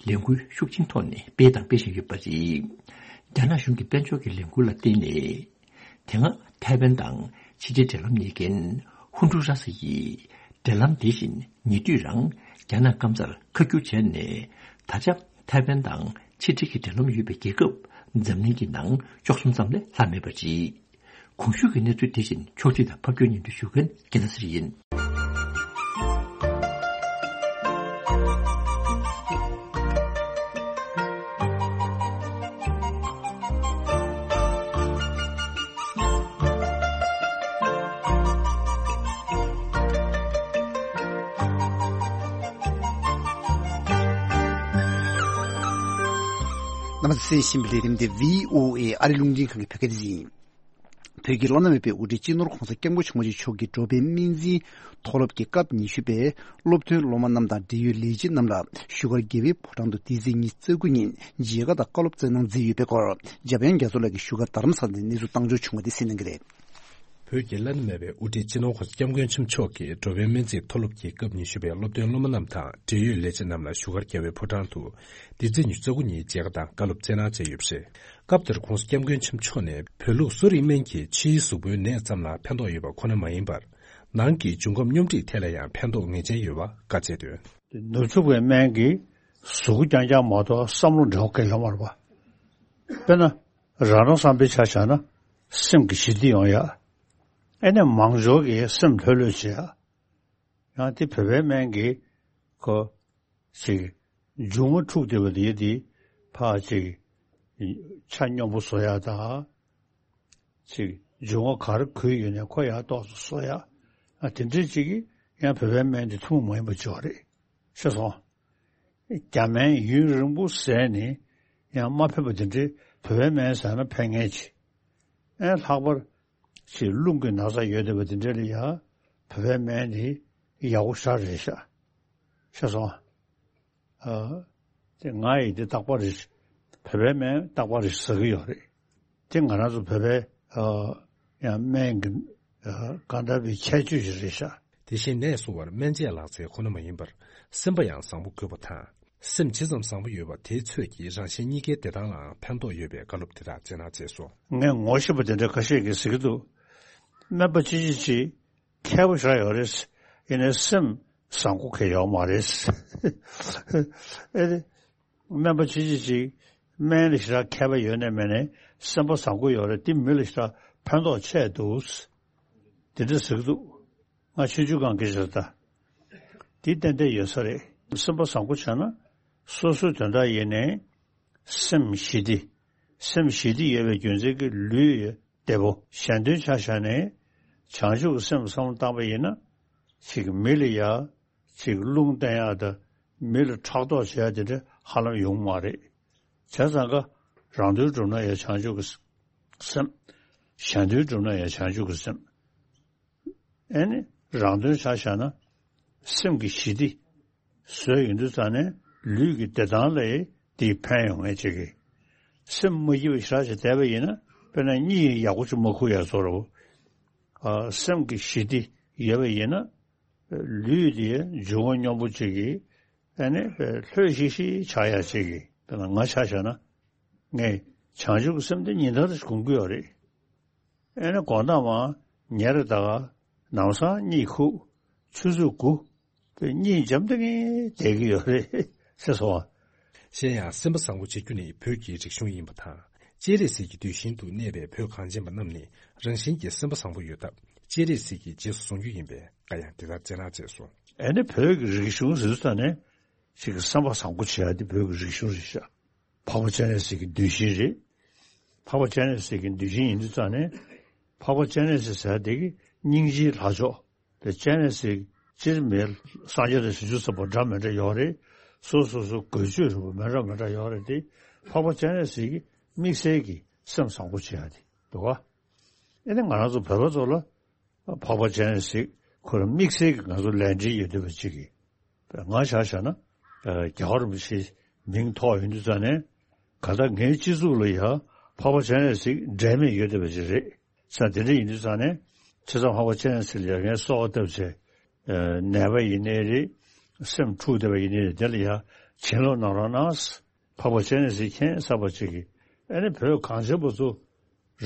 ལས་འགུལ་ཤུགས་ཆེན་ཐོག་ནས་སྤེལ་དང་སྤེལ་བཞིན་ཡོད་པ་རེད། རྒྱ་ནག་གཞུང་གི་དཔལ་འབྱོར་གྱི་ལས་འགུལ་ལ་བརྟེན་ནས། དེ་སྔ་ཐའེ་ཝན་དང་ཕྱི་འབྲེལ་འབྲེལ་ལམ་གཉིས་ཀྱིས། ཧུན་ཀྲུའུ་ར་སི་ཡིས་འབྲེལ་ལམ་དེ་བཞིན་ཉེ་དུས་རང་རྒྱ་ནག་སྐམ་སར་ཁ་བསྒྱུར་བྱས་ནས། ད་ཆ་ཐའེ་ཝན་དང་ཕྱི་འབྲེལ་གྱི་འབྲེལ་ལམ་ཡོད་པའི་རྒྱལ་ཁབ་འཛམ་གླིང་གི་ནང་བཅུ་གསུམ་ཙམ་ལས་ལྷག་མེད་པ་རེད། གོང་ཞུས་ཀྱི་གནས་ཚུལ་དེ་བཞིན་ཕྱོགས་སྒྲིག་དང་ཕབ་སྒྱུར་སྙན་སྒྲོན་ཞུ་མཁན་རྒྱལ་ལ་སྲས་ཡིན། རྣམ་པ་ཚོས་གསན་བཞིན་པའི་ལས་རིམ་འདི་བྷི་ཨོ་ཨེ་ཨ་རི་རླུང་འཕྲིན་ཁང་གི་བོད་སྐད་སྡེ་ཚན་ཡིན། བོད་ཀྱི་བླ་ན་མེད་པའི་དབུ་ཁྲིད་སྤྱི་ནོར་༧གོང་ས་༧སྐྱབས་མགོན་ཆེན་པོ་མཆོག་གི་འགྲོ་ཕན་སྨན་རྩིས་མཐོ་སློབ་ཀྱི་སྐབས་ཉི་ཤུ་པའི་སློབ་ཐོན་སློབ་མ་རྣམས་དང་འབྲེལ་ཡོད་ལས་བྱེད་རྣམས་ལ་བཞུགས་སྒར་རྒྱལ་བའི་ཕོ་བྲང་དུ་འདི་ཚེས་ཉི་ཤུ་རྩ་དགུ་ཉིན་མཇལ་ཁ་དང་བཀའ་སློབ་སྩལ་གནང་མཛད་ཡོད་པའི་སྐོར། འཇམ་དབྱངས་རྒྱ་མཚོ་ལགས་ཀྱིས་བཞུགས་སྒར་རྡ་རམ་ས་ལ་ནས་གནས་ཚུལ་བཏང་འབྱོར་བྱུང་བ་དེ་གསན་གནང་གི་རེད། བོད་ཀྱི་བླ་ན་མེད་པའི་དབུ་ཁྲིད་སྤྱི་ནོར་༧གོང་ས་༧སྐྱབས་མགོན་ཆེན་པོ་མཆོག་གིས་འགྲོ་ཕན་སྨན་རྩིས་མཐོ་སློབ་ཀྱི་སྐབས་ཉི་ཤུ་པའི་སློབ་ཐོན་སློབ་མ་རྣམས་དང་འབྲེལ་ཡོད་ལས་བྱེད་རྣམས་ལ་བཞུགས་སྒར་རྒྱལ་བའི་ཕོ་བྲང་དུ་འདི་ཚེས་ཉི་ཤུ་རྩ་དགུ་ཉིན་མཇལ་ཁ་དང་བཀའ་སློབ་སྩལ་གནང་བྱས་ཡོད་པ་རེད། སྐབས་དེར་༧གོང་ས་༧སྐྱབས་མགོན་ཆེན་པོ་མཆོག་ནས་བོད་ལུགས་གསོ་རིག་སྨན་གྱིས་ཕྱིའི་གཟུགས་པོའི་ནད་ཙམ་ལ་ཕན་ཐོགས་ཡོད་པ་ཁོ་ན་མ་ཡིན་པར། ནང་གི་འབྱུང་ཁམས་སྙོམས་སྒྲིག་ཐད་ལ་ཡང་ཕན་ཐོགས་ངེས་ཅན་ཡོད་པ་བཀའ་སྩལ་དོན། ནུབ་ཕྱོགས་པའི་སྨན་གྱིས་གཟུགས་པོ་རྐྱང་རྐྱང་མ་གཏོགས་བསམ་བློ་འབྲེལ་བ་གང་ཡང་ཡོད་མ་རེད་པ། དཔེར་ན། རང་རང་བསམ་པའི་ཆ་བཞག་ན་སེམས་ཀྱི་ཞི་བདེ་ཡོང་ཡ། ཨེ་ནས་མང་ཚོགས་ཀྱི་སེམས་ལྷོད་ལྷོད་བྱེད་ཡ། ཡང་དེ་བོད་པའི་སྨན་གྱིས་ཁོ་ཅིག་མཇུག་མ་འཁྲུགས་བསྡད་པ་དེ་དེ་ཕར་ཅིག་ ཆ་སྙོམས་པོ་བཟོ་ཡག་དང་། ཅིག་འབྱུང་བ་ག་རེ་འཁོལ་ཡོད་ནའི་ཁོ་ཡར་ཏོག་ཙམ་བཟོ་ཡག་ཨ་དེ་འདྲས་ཅིག་གིས་ཡང་བོད་པའི་སྨན་དེ་ཐུན་མོང་མ་ཡིན་པ་ཅིག་རེད། ཤེས་སོང་། རྒྱ་སྨན་ཡུན་རིང་པོ་བཟས་ནས་ཡང་མ་ཕན་པ་དེ་འདྲས་བོད་པའི་སྨན་ཟ་ན་ཕན་ངེས་ཅིག་ཨེ་ལྷག་པར་ཅིག་རླུང་གི་ན་ཚ་ཡོད་བསྡད་པ་དེ་འདྲས་ལ་ཡ་བོད་པའི་སྨན་དེ་ཡག་པོ་ཞེ་དྲག་རེད་ཤག་ཤེས་སོང་། ཨ། དེ་ང་ཡིས་དེ་རྟག་པར་རེ་བོད་པའི་སྨན་རྟག་པར་རེ་ཟ་གི་ཡོད་རེད། དེ་ང་རང་ཚོ་བོད་པའི་ཨ། ཡང་སྨན་གྱི་ཨ། གང་ལྟར་བའི་ཁྱད་ཆོས་ཤིག་རེད་ཤག་དེ་བཞིན་ནད་གསོ་བར་སྨན་དཔྱད་ལག་རྩལ་ཁོ་ན་མ་ཡིན་པར་སེམས་པ་ཡང་བཟང་པོ་དགོས་པ་དང་། སེམས་ཇི་ཙམ་བཟང་པོ་ཡོད་པ་དེའི་ཚོད་ཀྱིས་རང་གཞན་གཉིས་ཀའི་བདེ་ཐང་ལའང་ཕན་ཐོགས་ཡོད་པའི་བཀའ་སློབ་དེ་དག་སྩལ་གནང་མཛད་སོ། ངས་ངོ་ཤེས་པ་དེ་འདྲ་ཁ་ཤས་ཀྱིས་ཟེར་གྱི་འདུག་སྨན་པ་ཅི་ཅི་ཅི། མཁས་པོ་ཞེ་དྲག་ཡོད་རེད། ཡིན་ནའི་སེམས་བཟང་པོ་གང་ཡང་ཡོད་མ་རེད། ཨེ་རེད། སྨན་པ་ཅི་ཅི་ཅི། སྨན་ལ་ཞེ་དྲག་མཁས་པ་ཡོད་ནའི་མེད་ནའི་སེམས་པ་བཟང་པོ་ཡོད་རེད། དེ་མི་ལ་ཞེ་དྲག་ཕན་ཐོགས་ཆེ་འདུག་དེ་འདྲ་ཟེར་གྱི་འདུག་ང་ཆུང་ཆུང་སྒང་གི་ཞེ་དྲག་དེ་ཏན་ཏན་ཡོད་ས་རེད། སེམས་པ་བཟང་པོ་བྱས་ན་སོ་སོའི་དོན་དག་ཡིན་ནའི་སེམས་ཞི་བདེ། སེམས་ཞི་བདེ་ཡོད་པའི་རྒྱུ་མཚན་གྱིས་ལུས་བདེ་པོ། གཞན་དོན་ཆ་བཞག་ནས་བྱང་ཆུབ་ཀྱི་སེམས་བསམ་བློ་བཏང་པ་ཡིན་ན། ཅིག་མི་ལ་ཡ། ཅིག་རླུང་བསྟན་ཡག་དང་མི་ལ་ཕྲག་དོག་བྱེད་ཡག་དེ་འདྲ་ཧ་ལམ་ཡོང་མ་རེད། བྱས་ཙང་ཀ་རང་དོན་སྒྲུབ་ན་ཡང་བྱང་ཆུབ་ཀྱི་སེམས། གཞན་དོན་སྒྲུབ་ན་ཡང་བྱང་ཆུབ་ཀྱི་སེམས། ཨེ་ནི་རང་དོན་ཆ་བཞག་ན་སེམས་ཀྱི་ཞི་བདེ་བཟོས་ཡོང་དུས་ཙང་ནས་ལུས་ཀྱི་བདེ་ཐང་ལ་དེ་ཕན་ཡོང་ངེས་ཅིག་གི། སེམས་མ་སྐྱིད་པ་ཞེ་དྲག་ཅིག་བསྡད་པ་ཡིན་ན་དཔེར་ན་གཉིད་ཡག་པོ་ཅིག་མ་ཁུག་ཡག་བཟོ་འདྲ་པོ། སེམས་ཀྱི་ཞི་བདེ་ཡོད་པ་ཡིན་ན་ལུས་དེ་འབྱུང་བ་སྙོམས་པོ་ཅིག་གི། ཨེ་ནི་ལྷོད་ཤིག་ཤིག་ཆགས་ཡག་ཅིག་གི། དཔེར་ན་ང་ཆ་བཞག་ན། ངས་བྱང་ཆུབ་ཀྱི་སེམས་དེ་ཉིན་ལྟར་སྒོམ་གྱི་ཡོད་རེད། ཨེ་ནི་དགོང་དག་མ་ཉལ་རེ་ད་ག་ནམ་སང་གཉིད་ཁུག་ཆུ་ཚོད་དགུ། དཔེ་གཉིད་འཇམ་ཐིང་ངེ་བསྡད་ཀྱི་ཡོད་རེད་ཟེར་སོང་བ། གཞན་ཡང་སེམས་པ་བཟང་པོ་བྱེད་རྒྱུ་ནི་བོད་ཀྱི་རིག་གཞུང་ཡིན་པ་དང་། སྤྱན་རས་གཟིགས་ཀྱི་གདུལ་ཞིང་དུ་གནས་པའི་བོད་གངས་ཅན་པ་རྣམས་ནི་རང་བཞིན་གྱིས་སེམས་པ་བཟང་པོ་ཡོད་སྟབས་སྤྱན་རས་གཟིགས་ཀྱིས་རྗེས་སུ་བཟུང་རྒྱུ་ཡིན་པའི་བཀའ་ཡང་དེ་ལྟར་སྩལ་གནང་མཛད་སོ། ཨེ་ནི་བོད་ཀྱི་རིག་གཞུང་ཟེར་དུས་ཙང་ནས་ཅིག་གི་བསམ་པ་བཟང་པོ་བྱེད་ཡ་དེ་བོད་ཀྱི་རིག་གཞུང་རེད་ཤག་འཕགས་པ་སྤྱན་རས་གཟིགས་ཀྱི་གདུལ་ཞིང་རེད། འཕགས་པ་སྤྱན་རས་གཟིགས་ཀྱི་གདུལ་ཞིང་ཡིན་དུས་ཙང་ནས། འཕགས་པ་སྤྱན་རས་གཟིགས་ཟེར་དེ་གི་སྙིང་རྗེའི་ལྷ་མཆོག་དེ་སྤྱན་རས་གཟིགས་སྤྱིར་མེད་སངས་རྒྱས་དང་བྱང་ཆུབ་སེམས་དཔའ་འདྲ་མི་འདྲ་ཡོད་རེད། སོ་སོ་སོ་འགོས་ཆོས་རིག་པ་མི་འདྲ་མི་འདྲ་ཡོད་རེད་དེ། འཕགས་པ་སྤྱན་རས་གཟིགས་ཀྱི་དམིགས་བསལ་གྱི་སེམས་བཟང་པོ་བྱེད་ཡ་དེ་འདུག་ག་ཨེ་ནི་ང་རང་ཚོ་བོད་པ་ཚོ་ལ། འཕགས་པ་སྤྱན་རས་གཟིགས་ཁོ་རང་དམིགས་བསལ་གྱི་ང་ཚོ་ལས་འབྲེལ་ཡོད་བསྡད་པ་ཅིག་གི། ང་ཆ་བཞག་ན། རྒྱལ་བ་རིན་པོ་ཆེའི་མིང་ཐོགས་ཡོང་དུས་ཙང་ནས། གང་ལྟར་ངའི་སྤྱི་གཙུག་ལ་ཡང་འཕགས་པ་སྤྱན་རས་གཟིགས་འབྲལ་མེད་ཡོད་བསྡད་པ་ཅིག་རེད། ས་དེ་འདྲ་ཡིན་དུས་ཙང་ནས། བྱས་ཙང་འཕགས་པ་སྤྱན་རས་གཟིགས་ལ་ཡང་ངས་གསོལ་བ་བཏབ་བྱས། ནད་པ་ཡིན་ནའི་རེད། སེམས་འཁྲུགས་བསྡད་པ་ཡིན་ནའི་རེད། དེ་ལ་ཡང་བྱིན་རླབས་གནང་རོགས་གནང་། འཕགས་པ་སྤྱན་རས་གཟིགས་མཁྱེན་གསར་པ་ཅིག་གིས། ཨེ་ནི་བོད་གངས་ཅན་པ་ཚོ་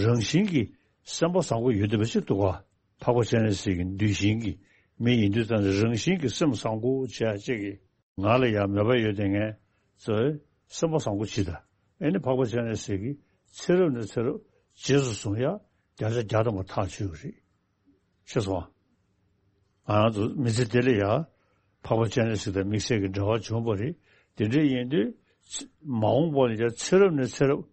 རང་བཞིན་གྱིས་སེམས་པ་བཟང་པོ་ཡོད་བསྡད་པ་ཅིག་འདུག་ག་འཕགས་པ་སྤྱན་རས་གཟིགས་ཀྱི་གདུལ་ཞིང་གི་མི་ཡིན་དུས་ཙང་ནས་རང་བཞིན་གྱིས་སེམས་བཟང་པོ་བྱེད་ཡ་ཅིག་གིས། ང་ལ་ཡང་མོས་པ་ཡོད་དེ་ངས་ཚོས་སེམས་པ་བཟང་པོ་བྱེད་ད། ཨེ་ནི་འཕགས་པ་སྤྱན་རས་གཟིགས་ཀྱི་ཚེ་རབས་ནས་ཚེ་རབས་རྗེས་སུ་བཟུང་ཡ་བརྒྱ་ཆ་བརྒྱ་ཐམ་པ་ཐག་ཆོད་ཀྱི་རེད། ཤེས་སོང་ཨ། ང་རང་ཚོ་མི་ཚེ་འདི་ལ་ཡ་འཕགས་པ་སྤྱན་རས་གཟིགས་དང་དམིགས་བསལ་གྱི་འབྲེལ་བ་བྱུང་བ་རེད། དེ་འདྲ་ཡིན་དུས་ཚེ་མ་འོངས་པ་ལ་ཡ་ཚེ་རབས་ནས་ཚེ་རབས་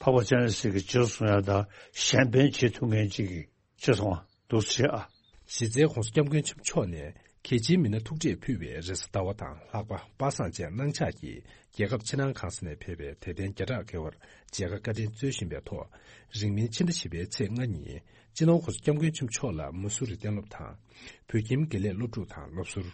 འཕགས་པ་སྤྱན་རས་གཟིགས་ཀྱི་རྗེས་སུ་བཟུང་ཡ་དང་གཞན་ཕན་བྱེད་ཐུབ་མཁན་ཅིག་གི་ཤེས་སོང་ཨ། འདུག་སེ་བྱེད་ཨ། གཞི་རྩའི་༸གོང་ས་༸སྐྱབས་མགོན་ཆེན་པོ་མཆོག་ནས་གལ་ཆེའི་མི་སྣ་ཐུག་འཕྲད་ཕུལ་བའི་རེས་གཟའ་ཟླ་བ་དང་ལྷག་པ་པ་སངས་བཅས་གནང་འཆར་གྱིས་རྒྱལ་ཁབ་ཕྱི་ནང་གང་ས་ནས་ཕེབས་པའི་དད་ལྡན་བརྒྱ་ཕྲག་བརྒལ་བར་མཇལ་ཁ་བཀའ་དྲིན་སྩོལ་བཞིན་པའི་ཐོག་རིང་མིན་ཕྱི་ཟླ་བཞི་པའི་ཚེས་ལྔ་ཉིན་སྤྱི་ནོར་༸གོང་ས་༸སྐྱབས་མགོན་ཆེན་པོ་མཆོག་ལ་མ་སུ་རི་གཏན་སློབ་དང་། བོད་ཁྱིམ་དགེ་ལས་སློབ་ཕྲུག་དང་སློབ་ཟུར།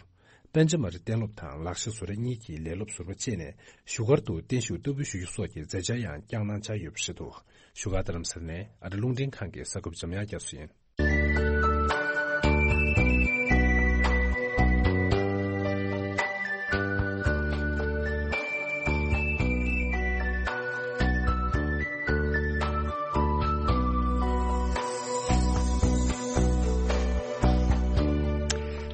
པཎ་ཆ་མ་རི་གཏན་སློབ་དང་ལག་ཤེས་བཟོ་གྲྭ་གཉིས་ཀྱི་ལས་སློབ་ཟུར་པ་བཅས་ནས་བཞུགས་སྒར་དུ་བརྟན་བཞུགས་བསྟར་འབུལ་ཞུ་རྒྱུ་སོགས་ཀྱི་མཛད་འཆར་ཡང་བསྐྱངས་གནང་འཆར་ཡོད་པ་རེད་འདུག་བཞུགས་སྒར་རྡ་རམ་ས་ལ་ནས་ཨ་རི་རླུང་འཕྲིན་ཁང་གི་གསར་འགོད་པ་འཇམ་དབྱངས་རྒྱ་མཚོ་ཡིན།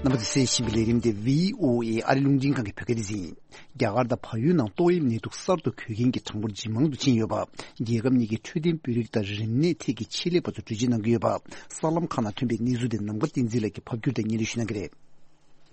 རྣམ་པ་ཚོས་གསན་བཞིན་པའི་ལས་རིམ་དེ་བྷི་ཨོ་ཨེ་ཨ་རི་རླུང་འཕྲིན་ཁང་གི་བོད་སྐད་སྡེ་ཚན་ཡིན། རྒྱ་གར་དང་བལ་ཡུལ་ནང་ཏོག་དབྱིབས་ནད་དུག་གསར་དུ་འགོས་མཁན་གྱི་གྲངས་འབོར་ཇེ་མང་དུ་ཕྱིན་ཡོད་པ། རྒྱལ་ཁབ་གཉིས་ཀྱི་འཕྲོད་བསྟེན་དཔོན་རིགས་དང་རིམས་ནད་ཐད་ཀྱི་ཆེད་ལས་པ་ཚོ་གྲོས་བྱེད་གནང་གི་ཡོད་པ། གསར་ལམ་ཁག་ནང་ཐོན་པའི་གནས་ཚུལ་དེ་ནམ་མཁའ་བསྟན་འཛིན་ལགས་ཀྱིས་ཕབ་སྒྱུར་དང་སྙན་སྒྲོན་ཞུ་གནང་གི་རེད།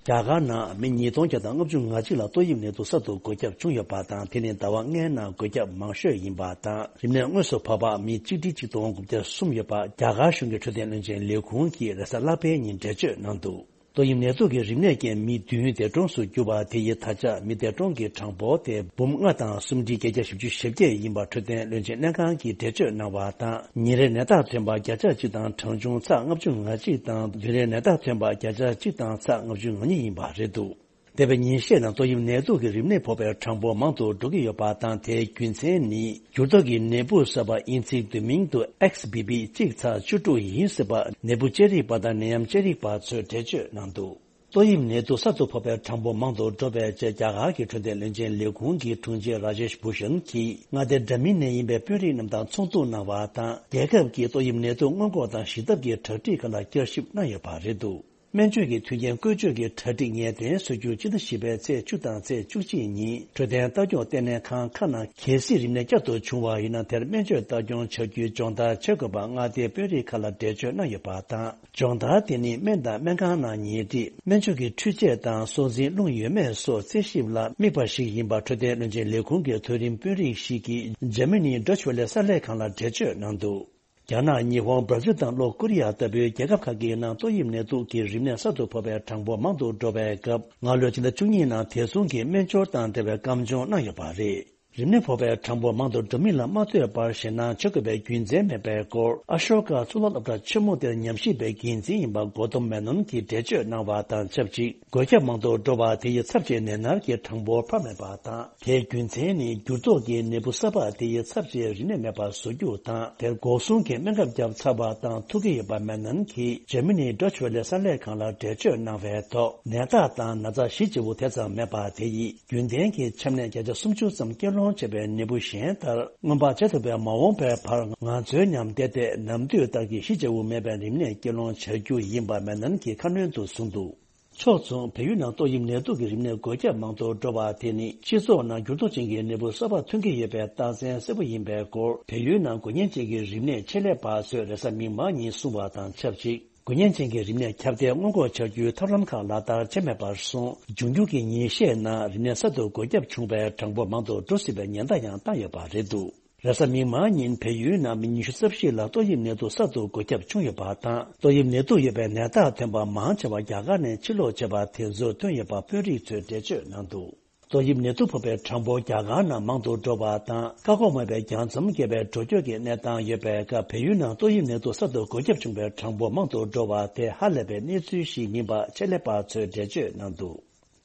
རྒྱ་གར་ནང་མི་ཉིས་སྟོང་བརྒྱ་དང་ལྔ་བཅུ་ང་གཅིག་ལ་ཏོག་དབྱིབས་ནད་དུག་གསར་དུ་འགོས་ཁྱབ་བྱུང་ཡོད་པ་དང་། དེ་ནི་ཟླ་བ་ལྔའི་ནང་འགོས་ཁྱབ་མང་ཤོས་ཡིན་པ་དང་། རིམས་ནད་དངོས་སུ་ཕབ་པ་མི་གཅིག་ཁྲི་གཅིག་སྟོང་དགུ་བརྒྱ་གསུམ་ཡོད་པ་རྒྱ་གར་གཞུང་གི་འཕྲོད་བསྟེན་བློན་ཆེན་ལས་ཁུངས་ཀྱིས་རེས་གཟའ་ལྷག་པའི་ཉིན་འགྲེལ་བརྗོད་གནང་འདུག་ཏོག་དབྱིབས་ནད་དུག་གི་རིམས་ནད་རྐྱེན་མི་བདུན་འདས་གྲོངས་སུ་གྱུར་པ་དེ་ཡི་ད་ཆ་མི་འདས་གྲོངས་ཀྱི་གྲངས་འབོར་དེ་འབུམ་ལྔ་དང་སུམ་ཁྲི་བརྒྱད་བརྒྱ་བཞི་བཅུ་ཞེ་བརྒྱད་ཡིན་པ་འཕྲོད་བསྟེན་བློན་ཆེན་ལྷན་ཁང་གིས་འགྲེལ་བརྗོད་གནང་བ་དང་། ཉིན་རེར་ནད་རྟགས་ཐོན་པ་བརྒྱ་ཆ་གཅིག་དང་གྲངས་ཆུང་ཚེག་ལྔ་བཅུ་ང་གཅིག་དང་། བདུན་རེར་ནད་རྟགས་ཐོན་པ་བརྒྱ་ཆ་གཅིག་དང་ཚེག་ལྔ་བཅུ་ང་གཉིས་ཡིན་པ་རེད་འདུག་འདས་པའི་ཉིན་ཤས་ནང་ཏོག་དབྱིབས་ནད་དུག་གི་རིམས་ནད་ཕོག་པའི་གྲངས་འབོར་མང་དུ་འགྲོ་གི་ཡོད་པ་དང་། དེའི་རྒྱུ་མཚན་ནི་འགྱུར་ལྡོག་གི་ནད་འབུ་གསར་པ་དབྱིན་ཚིག་བསྡུས་མིང་དུ་ཨེག་སི་བི་བི་གཅིག་ཚེག་བཅུ་དྲུག་ཡིན་སྲིད་པ་ནད་འབུ་དཔྱད་རིག་པ་དང་ནད་ཡམས་དཔྱད་རིག་པ་ཚོས་འགྲེལ་བརྗོད་གནང་འདུག་ཏོག་དབྱིབས་ནད་དུག་གསར་དུ་ཕོག་པའི་གྲངས་འབོར་མང་དུ་འགྲོ་བའི་རྗེས། རྒྱ་གར་གྱི་འཕྲོད་བསྟེན་བློན་ཆེན་ལས་ཁུངས་ཀྱི་དྲུང་ཆེ་ར་ཇེཤ་བྷུ་ཤན་གྱིས་མངའ་སྡེ་འདྲ་མིན་ནས་ཡིན་པའི་དཔོན་རིགས་རྣམས་དང་ཚོགས་འདུ་གནང་བ་དང་། རྒྱལ་ཁབ་ཀྱིས་ཏོག་དབྱིབས་ནད་དུག་སྔོན་འགོག་དང་ཞི་ཐབས་ཀྱི་གྲ་སྒྲིག་ཁག་ལ་བསྐྱར་ཞིབ་གནང་ཡོད་པ་རེད་འདུག་སྨན་བཅོས་ཀྱི་མཐུན་རྐྱེན་བཀོལ་སྤྱོད་ཀྱི་གྲ་སྒྲིག་ངེས་གཏན་བཟོ་རྒྱུ། སྤྱི་ཟླ་བཞི་པའི་ཚེས་བཅུ་དང་ཚེས་བཅུ་གཅིག་ཉིན་འཕྲོད་བསྟེན་ལྟ་སྐྱོང་ལྟེ་གནས་ཁང་ཁག་ནང་གལ་སྲིད་རིམས་ནད་བསྐྱར་དུ་བྱུང་བ་ཡིན་ན། དེར་སྨན་བཅོས་ལྟ་སྐྱོང་བྱ་རྒྱུའི་སྦྱོང་བརྡར་བྱེད་དགོས་པ་མངའ་སྡེའི་དཔོན་རིགས་ཁག་ལ་འགྲེལ་བརྗོད་གནང་ཡོད་པ་དང་། སྦྱོང་བརྡར་དེ་ནི་སྨན་དང་སྨན་ཁང་ནང་ཉལ་ཁྲི། སྨན་བཅོས་ཀྱི་འཕྲུལ་ཆས་དང་སྲོག་འཛིན་རླུང་ཡོད་མེད་སོགས་རྩད་ཞིབ་ལ་དམིགས་པ་ཞིག་ཡིན་པ་འཕྲོད་བསྟེན་བློན་ཆེན་ལས་ཁུངས་ཀྱི་མཐོ་རིམ་དཔོན་རིགས་ཤིག་གིས་འཇར་མ་ནིའི་ཌོ་ཆི་ཝེ་ལེ་གསར་ལས་ཁང་ལ་འགྲེལ་བརྗོད་གནང་འདུག་རྒྱ་ནག་ཉི་ཧོང་། སྦྲ་ཛིལ་དང་ལྷོ་ཀོ་རི་ཡ་ལྟ་བུའི་རྒྱལ་ཁབ་ཁག་གི་ནང་ཏོག་དབྱིབས་ནད་དུག་གི་རིམས་ནད་གསར་དུ་ཕོག་པའི་གྲངས་འབོར་མང་དུ་འགྲོ་བའི་སྐབས། སྔ་ལོའི་ཕྱི་ཟླ་བཅུ་གཉིས་ནང་དེ་མཚུངས་ཀྱི་སྨན་སྦྱོར་དང་འབྲེལ་བའི་བཀའ་འབྱོར་གནང་ཡོད་པ་རེད། རིམས་ནད་ཕོག་པའི་གྲངས་འབོར་མང་དུ་འགྲོ་མིན་ལ་མ་ལྟོས་པར་ཞེད་སྣང་བྱེད་དགོས་པའི་རྒྱུ་མཚན་མེད་པའི་སྐོར། ཨ་ཤོ་ཀ་གཙུག་ལག་སློབ་གྲྭ་ཆེན་མོ་དེར་ཉམས་ཞིབ་པའི་འགན་འཛིན་ཡིན་པ་གོ་ཏོམ་མེ་ནོན་གྱིས་འགྲེལ་བརྗོད་གནང་བ་དང་ཆབས་ཅིག་འགོས་ཁྱབ་མང་དུ་འགྲོ་བ་དེ་ཡི་ཚབས་ཆེའི་ནད་མནར་གྱི་གྲངས་འབོར་འཕར་མེད་པ་དང་། དེའི་རྒྱུ་མཚན་ནི་འགྱུར་ལྡོག་གི་ནད་འབུ་གསར་པ་དེ་ཡི་ཚབས་ཆེའི་རིམས་ནད་མེད་པར་བཟོ་རྒྱུ་དང་། དེར་འགོག་སྲུང་གི་སྨན་ཁབ་བརྒྱབ་ཚར་བ་དང་ཐུག་གི་ཡོད་པ་མེ་ནོན་གྱིས་འཇར་མ་ནིའི་ཌོ་ཆི་ཝེ་ལེ་གསར་ལས་ཁང་ལ་འགྲེལ་བརྗོད་གནང་བའི་ཐོག་ནད་རྟགས་དང་ན་ཚ་གཞི་བཅུ་པོ་དེ་ཙམ་མེད་པ་དེ་ཡིས་རྒྱུན་ལྡན་གྱི་ཆམ་ནད་བརྒྱ་ཆ་སུམ་ཅུ་ཙམ་སྐྱེད་སློང་བྱེད་པའི་ནད་འབུ་གཞན་ལྟར་སྔོན་དཔག་བྱེད་ཐུབ་པའི་མ་འོངས་པའི་བར་ང་ཚོའི་མཉམ་བསྡད་དེ་ནམ་དུས་ལྟར་གྱི་གཞི་བཅུ་པོ་མེད་པའི་རིམས་ནད་སྐྱེད་སློང་བྱ་རྒྱུ་ཡིན་པ་མེ་ནོན་གྱིས་ཁ་སྣོན་དུ་གསུངས་འདུག་ཕྱོགས་མཚུངས། བལ་ཡུལ་ནང་ཏོག་དབྱིབས་ནད་དུག་གི་རིམས་ནད་འགོས་ཁྱབ་མང་དུ་འགྲོ་བ་དེ་ནི་སྤྱི་ཚོགས་ནང་འགྱུར་ལྡོག་ཅན་གྱི་ནད་འབུ་གསར་པ་ཐོན་གྱི་ཡོད་པའི་རྟགས་མཚན་གསལ་པོ་ཡིན་པའི་སྐོར། བལ་ཡུལ་ནང་འགོས་ཉེན་ཅན་གྱི་རིམས་ནད་ཆེད་ལས་པ་ཚོས་རེས་གཟའ་མིག་དམར་ཉིན་གསུངས་པ་དང་ཆབས་ཅིག་འགོས་ཉེན་ཅན་གྱི་རིམས་ནད་ཁྱབ་གདལ་སྔོན་འགོག་བྱ་རྒྱུའི་ཐབས་ལམ་ཁག་ལག་བསྟར་བྱས་མེད་པར་སོང་། འབྱུང་འགྱུར་གྱི་ཉིན་ཤས་ནང་རིམས་ནད་གསར་དུ་འགོས་ཁྱབ་བྱུང་བའི་གྲངས་འབོར་མང་དུ་འགྲོ་སྲིད་པའི་ཉེན་བརྡ་ཡང་བཏང་ཡོད་པ་རེད་འདུག་རེས་གཟའ་མིག་དམར་ཉིན་བལ་ཡུལ་ནང་མི་ཉི་ཤུ་རྩ་བཞི་ལ་ཏོག་དབྱིབས་ནད་དུག་གསར་དུ་འགོས་ཁྱབ་བྱུང་ཡོད་པ་དང་། ཏོག་དབྱིབས་ནད་དུག་ཡོད་པའི་ནད་རྟགས་ཐོན་པ་མང་ཆེ་བ་རྒྱ་གར་ནས་ཕྱིར་ལོག་བྱས་པ་དེ་ཚོར་ཐོན་ཡོད་པ་དཔོན་རིགས་ཚོས་འགྲེལ་བརྗོད་གནང་འདུག་ཏོག་དབྱིབས་ནད་དུག་ཕོག་པའི་གྲངས་འབོར་རྒྱ་གར་ནང་མང་དུ་འགྲོ་བ་དང་། བཀག་འགོག་མེད་པའི་རྒྱང་མཚམས་བརྒལ་བའི་འགྲོ་སྐྱོད་ཀྱི་གནས་སྟངས་ཡོད་པའི་སྐབས། བལ་ཡུལ་ནང་ཏོག་དབྱིབས་ནད་དུག་གསར་དུ་འགོས་ཁྱབ་བྱུང་བའི་གྲངས་འབོར་མང་དུ་འགྲོ་བ་དེ་ཧ་ལས་པའི་གནས་ཚུལ་ཞིག་ཡིན་པ་ཆེད་ལས་པ་ཚོས་འགྲེལ་བརྗོད་གནང་འདུག་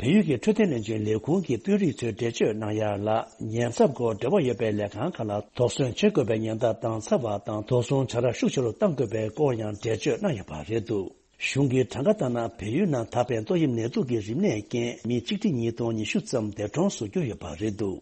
བལ་ཡུལ་གྱི་འཕྲོད་བསྟེན་བློན་ཆེན་ལས་ཁུངས་ཀྱི་དཔོན་རིགས་ཚོས་འགྲེལ་བརྗོད་གནང་ཡ་ལ། ཉེན་ཚབས་སྐོར་འབྲེལ་བ་ཡོད་པའི་ལས་ཁང་ཁག་ལ་དོགས་ཟོན་བྱེད་དགོས་པའི་ཉེན་བརྡ་བཏང་ཚར་བ་དང་། དོགས་ཟོན་བྱ་ར་ཤུགས་ཆེ་རུ་གཏང་དགོས་པའི་སྐོར་ཡང་འགྲེལ་བརྗོད་གནང་ཡོད་པ་རེད་འདུག་གཞུང་གི་གྲངས་ཀ་ལྟར་ན། བལ་ཡུལ་ནང་ད་ཕན་ཏོག་དབྱིབས་ནད་དུག་གི་རིམས་ནད་རྐྱེན་མི་གཅིག་ཁྲི་ཉིས་སྟོང་ཉི་ཤུ་ཙམ་འདས་གྲོངས་སུ་གྱུར་ཡོད་པ་རེད་འདུག་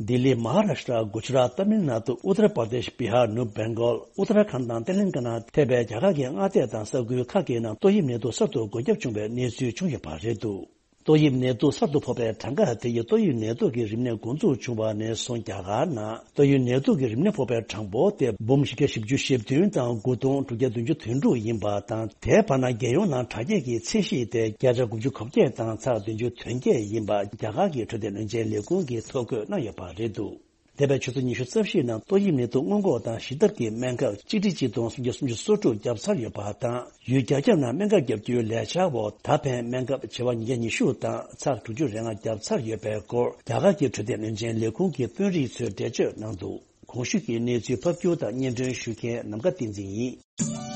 ལྡི་ལི། མ་ཧཱ་རཱ་ཤི་ཏྲ། གུ་ཇི་རཱཏ། ཏཱ་མིལ་ནཱ་ཐུ། ཨུ་ཏར་པར་དེཤ། བི་ཧར། ནུབ་བེང་གོལ། ཨུ་ཏར་ཁཱན་དང་ཏེ་ལེང་ག་ན་ཐེ་བའི་རྒྱ་གར་གྱི་མངའ་སྡེ་དང་ས་ཁུལ་ཁག་གི་ནང་ཏོག་དབྱིབས་ནད་དུག་གསར་དུ་འགོས་ཁྱབ་བྱུང་བའི་གནས་ཚུལ་བྱུང་ཡོད་པ་རེད་འདུག་ཏོག་དབྱིབས་ནད་དུག་གསར་དུ་ཕོག་པའི་གྲངས་ཀ་དེ་ཡིས་ཏོག་དབྱིབས་ནད་དུག་གི་རིམས་ནད་འགོ་འཛུགས་བྱུང་བ་ནས་བཟུང་རྒྱ་གར་ནང་ཏོག་དབྱིབས་ནད་དུག་གི་རིམས་ནད་ཕོག་པའི་གྲངས་འབོར་དེ་འབུམ་བཞི་བརྒྱ་བཞི་བཅུ་ཞེ་བདུན་དང་དགུ་སྟོང་དྲུག་བརྒྱ་བདུན་ཅུ་དོན་དྲུག་ཡིན་པ་དང་། དེའི་བར་ན་རྒྱལ་ཡོངས་ནང་དྲག་སྐྱེད་ཀྱི་ཚད་གཞི་དེ་བརྒྱ་ཆ་དགུ་བཅུ་གོ་བརྒྱད་དང་ཚེག་བདུན་ཅུ་དོན་བརྒྱད་ཡིན་པ་རྒྱ་གར་གྱི་འཕྲོད་བསྟེན་བློན་ཆེན་ལས་ཁུངས་ཀྱིས་ཐོ་འགོད་གནང་ཡོད་པ་རེད་འདུག་འདས་པའི་ཆུ་ཚོད་ཉི་ཤུ་རྩ་བཞིའི་ནང་ཏོག་དབྱིབས་ནད་དུག་སྔོན་འགོག་དང་ཞི་ཐབས་ཀྱི་སྨན་ཁབ་གཅིག་ཁྲི་གཅིག་སྟོང་སུམ་བརྒྱ་སུམ་ཅུ་སོ་དྲུག་བརྒྱབ་ཚར་ཡོད་པ་དང་། ཡུལ་རྒྱ་ཁྱབ་ནང་སྨན་ཁབ་བརྒྱབ་རྒྱུའི་ལས་འཆར་འོག་ད་ཕན་སྨན་ཁབ་བྱེ་བ་ཉིས་བརྒྱ་ཉི་ཤུ་དང་ཚེག་དྲུག་ཅུ་རེ་ལྔ་བརྒྱབ་ཚར་ཡོད་པའི་སྐོར་རྒྱ་གར་གྱི་འཕྲོད་བསྟེན་བློན་ཆེན་ལས་ཁུངས་ཀྱི་དཔོན་རིགས་ཚོས་འགྲེལ་བརྗོད་གནང་འདུག་གོང་ཞུས་ཀྱི་གནས་ཚུལ་ཕབ་སྒྱུར་དང་སྙན་སྒྲོན་ཞུ་མཁན་ནམ་མཁའ་བསྟན་འཛིན་ཡིན།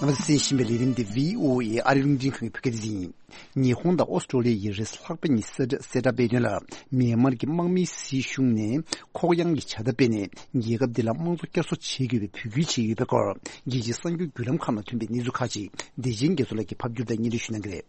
རྣམ་པ་ཚོས་གསན་བཞིན་པའི་ལས་རིམ་འདི་བྷི་ཨོ་ཨེ་ཨ་རིའི་རླུང་འཕྲིན་ཁང་གི་བོད་སྐད་སྡེ་ཚན་ཡིན། ཉི་ཧོང་དང་ཨོ་སི་ཀྲོ་ལི་ཡའི་རེས་ལྷག་པའི་ཉིན་གསལ་བསྒྲགས་གསལ་བསྒྲགས་སྤེལ་དོན་ལ། མེན་མར་གྱི་དམག་མིའི་སྲིད་གཞུང་ནས་ཁོག་ཡངས་ཀྱི་བྱ་ཐབས་སྤེལ་ནས་རྒྱལ་ཁབ་འདི་ལ་དམངས་གཙོ་བསྐྱར་གསོ་བྱེད་དགོས་པའི་འབོད་སྐུལ་བྱས་ཡོད་པའི་སྐོར། རྒྱལ་སྤྱིའི་གསར་འགྱུར་བརྒྱུད་ལམ་ཁག་ནང་ཐོན་པའི་གནས་ཚུལ་ཁག་ཅིག་བདེ་ཆེན་རྒྱ་མཚོ་ལགས་ཀྱིས་ཕབ་སྒྱུར་དང་སྙན་སྒྲོན་ཞུ་གནང་གི་རེད།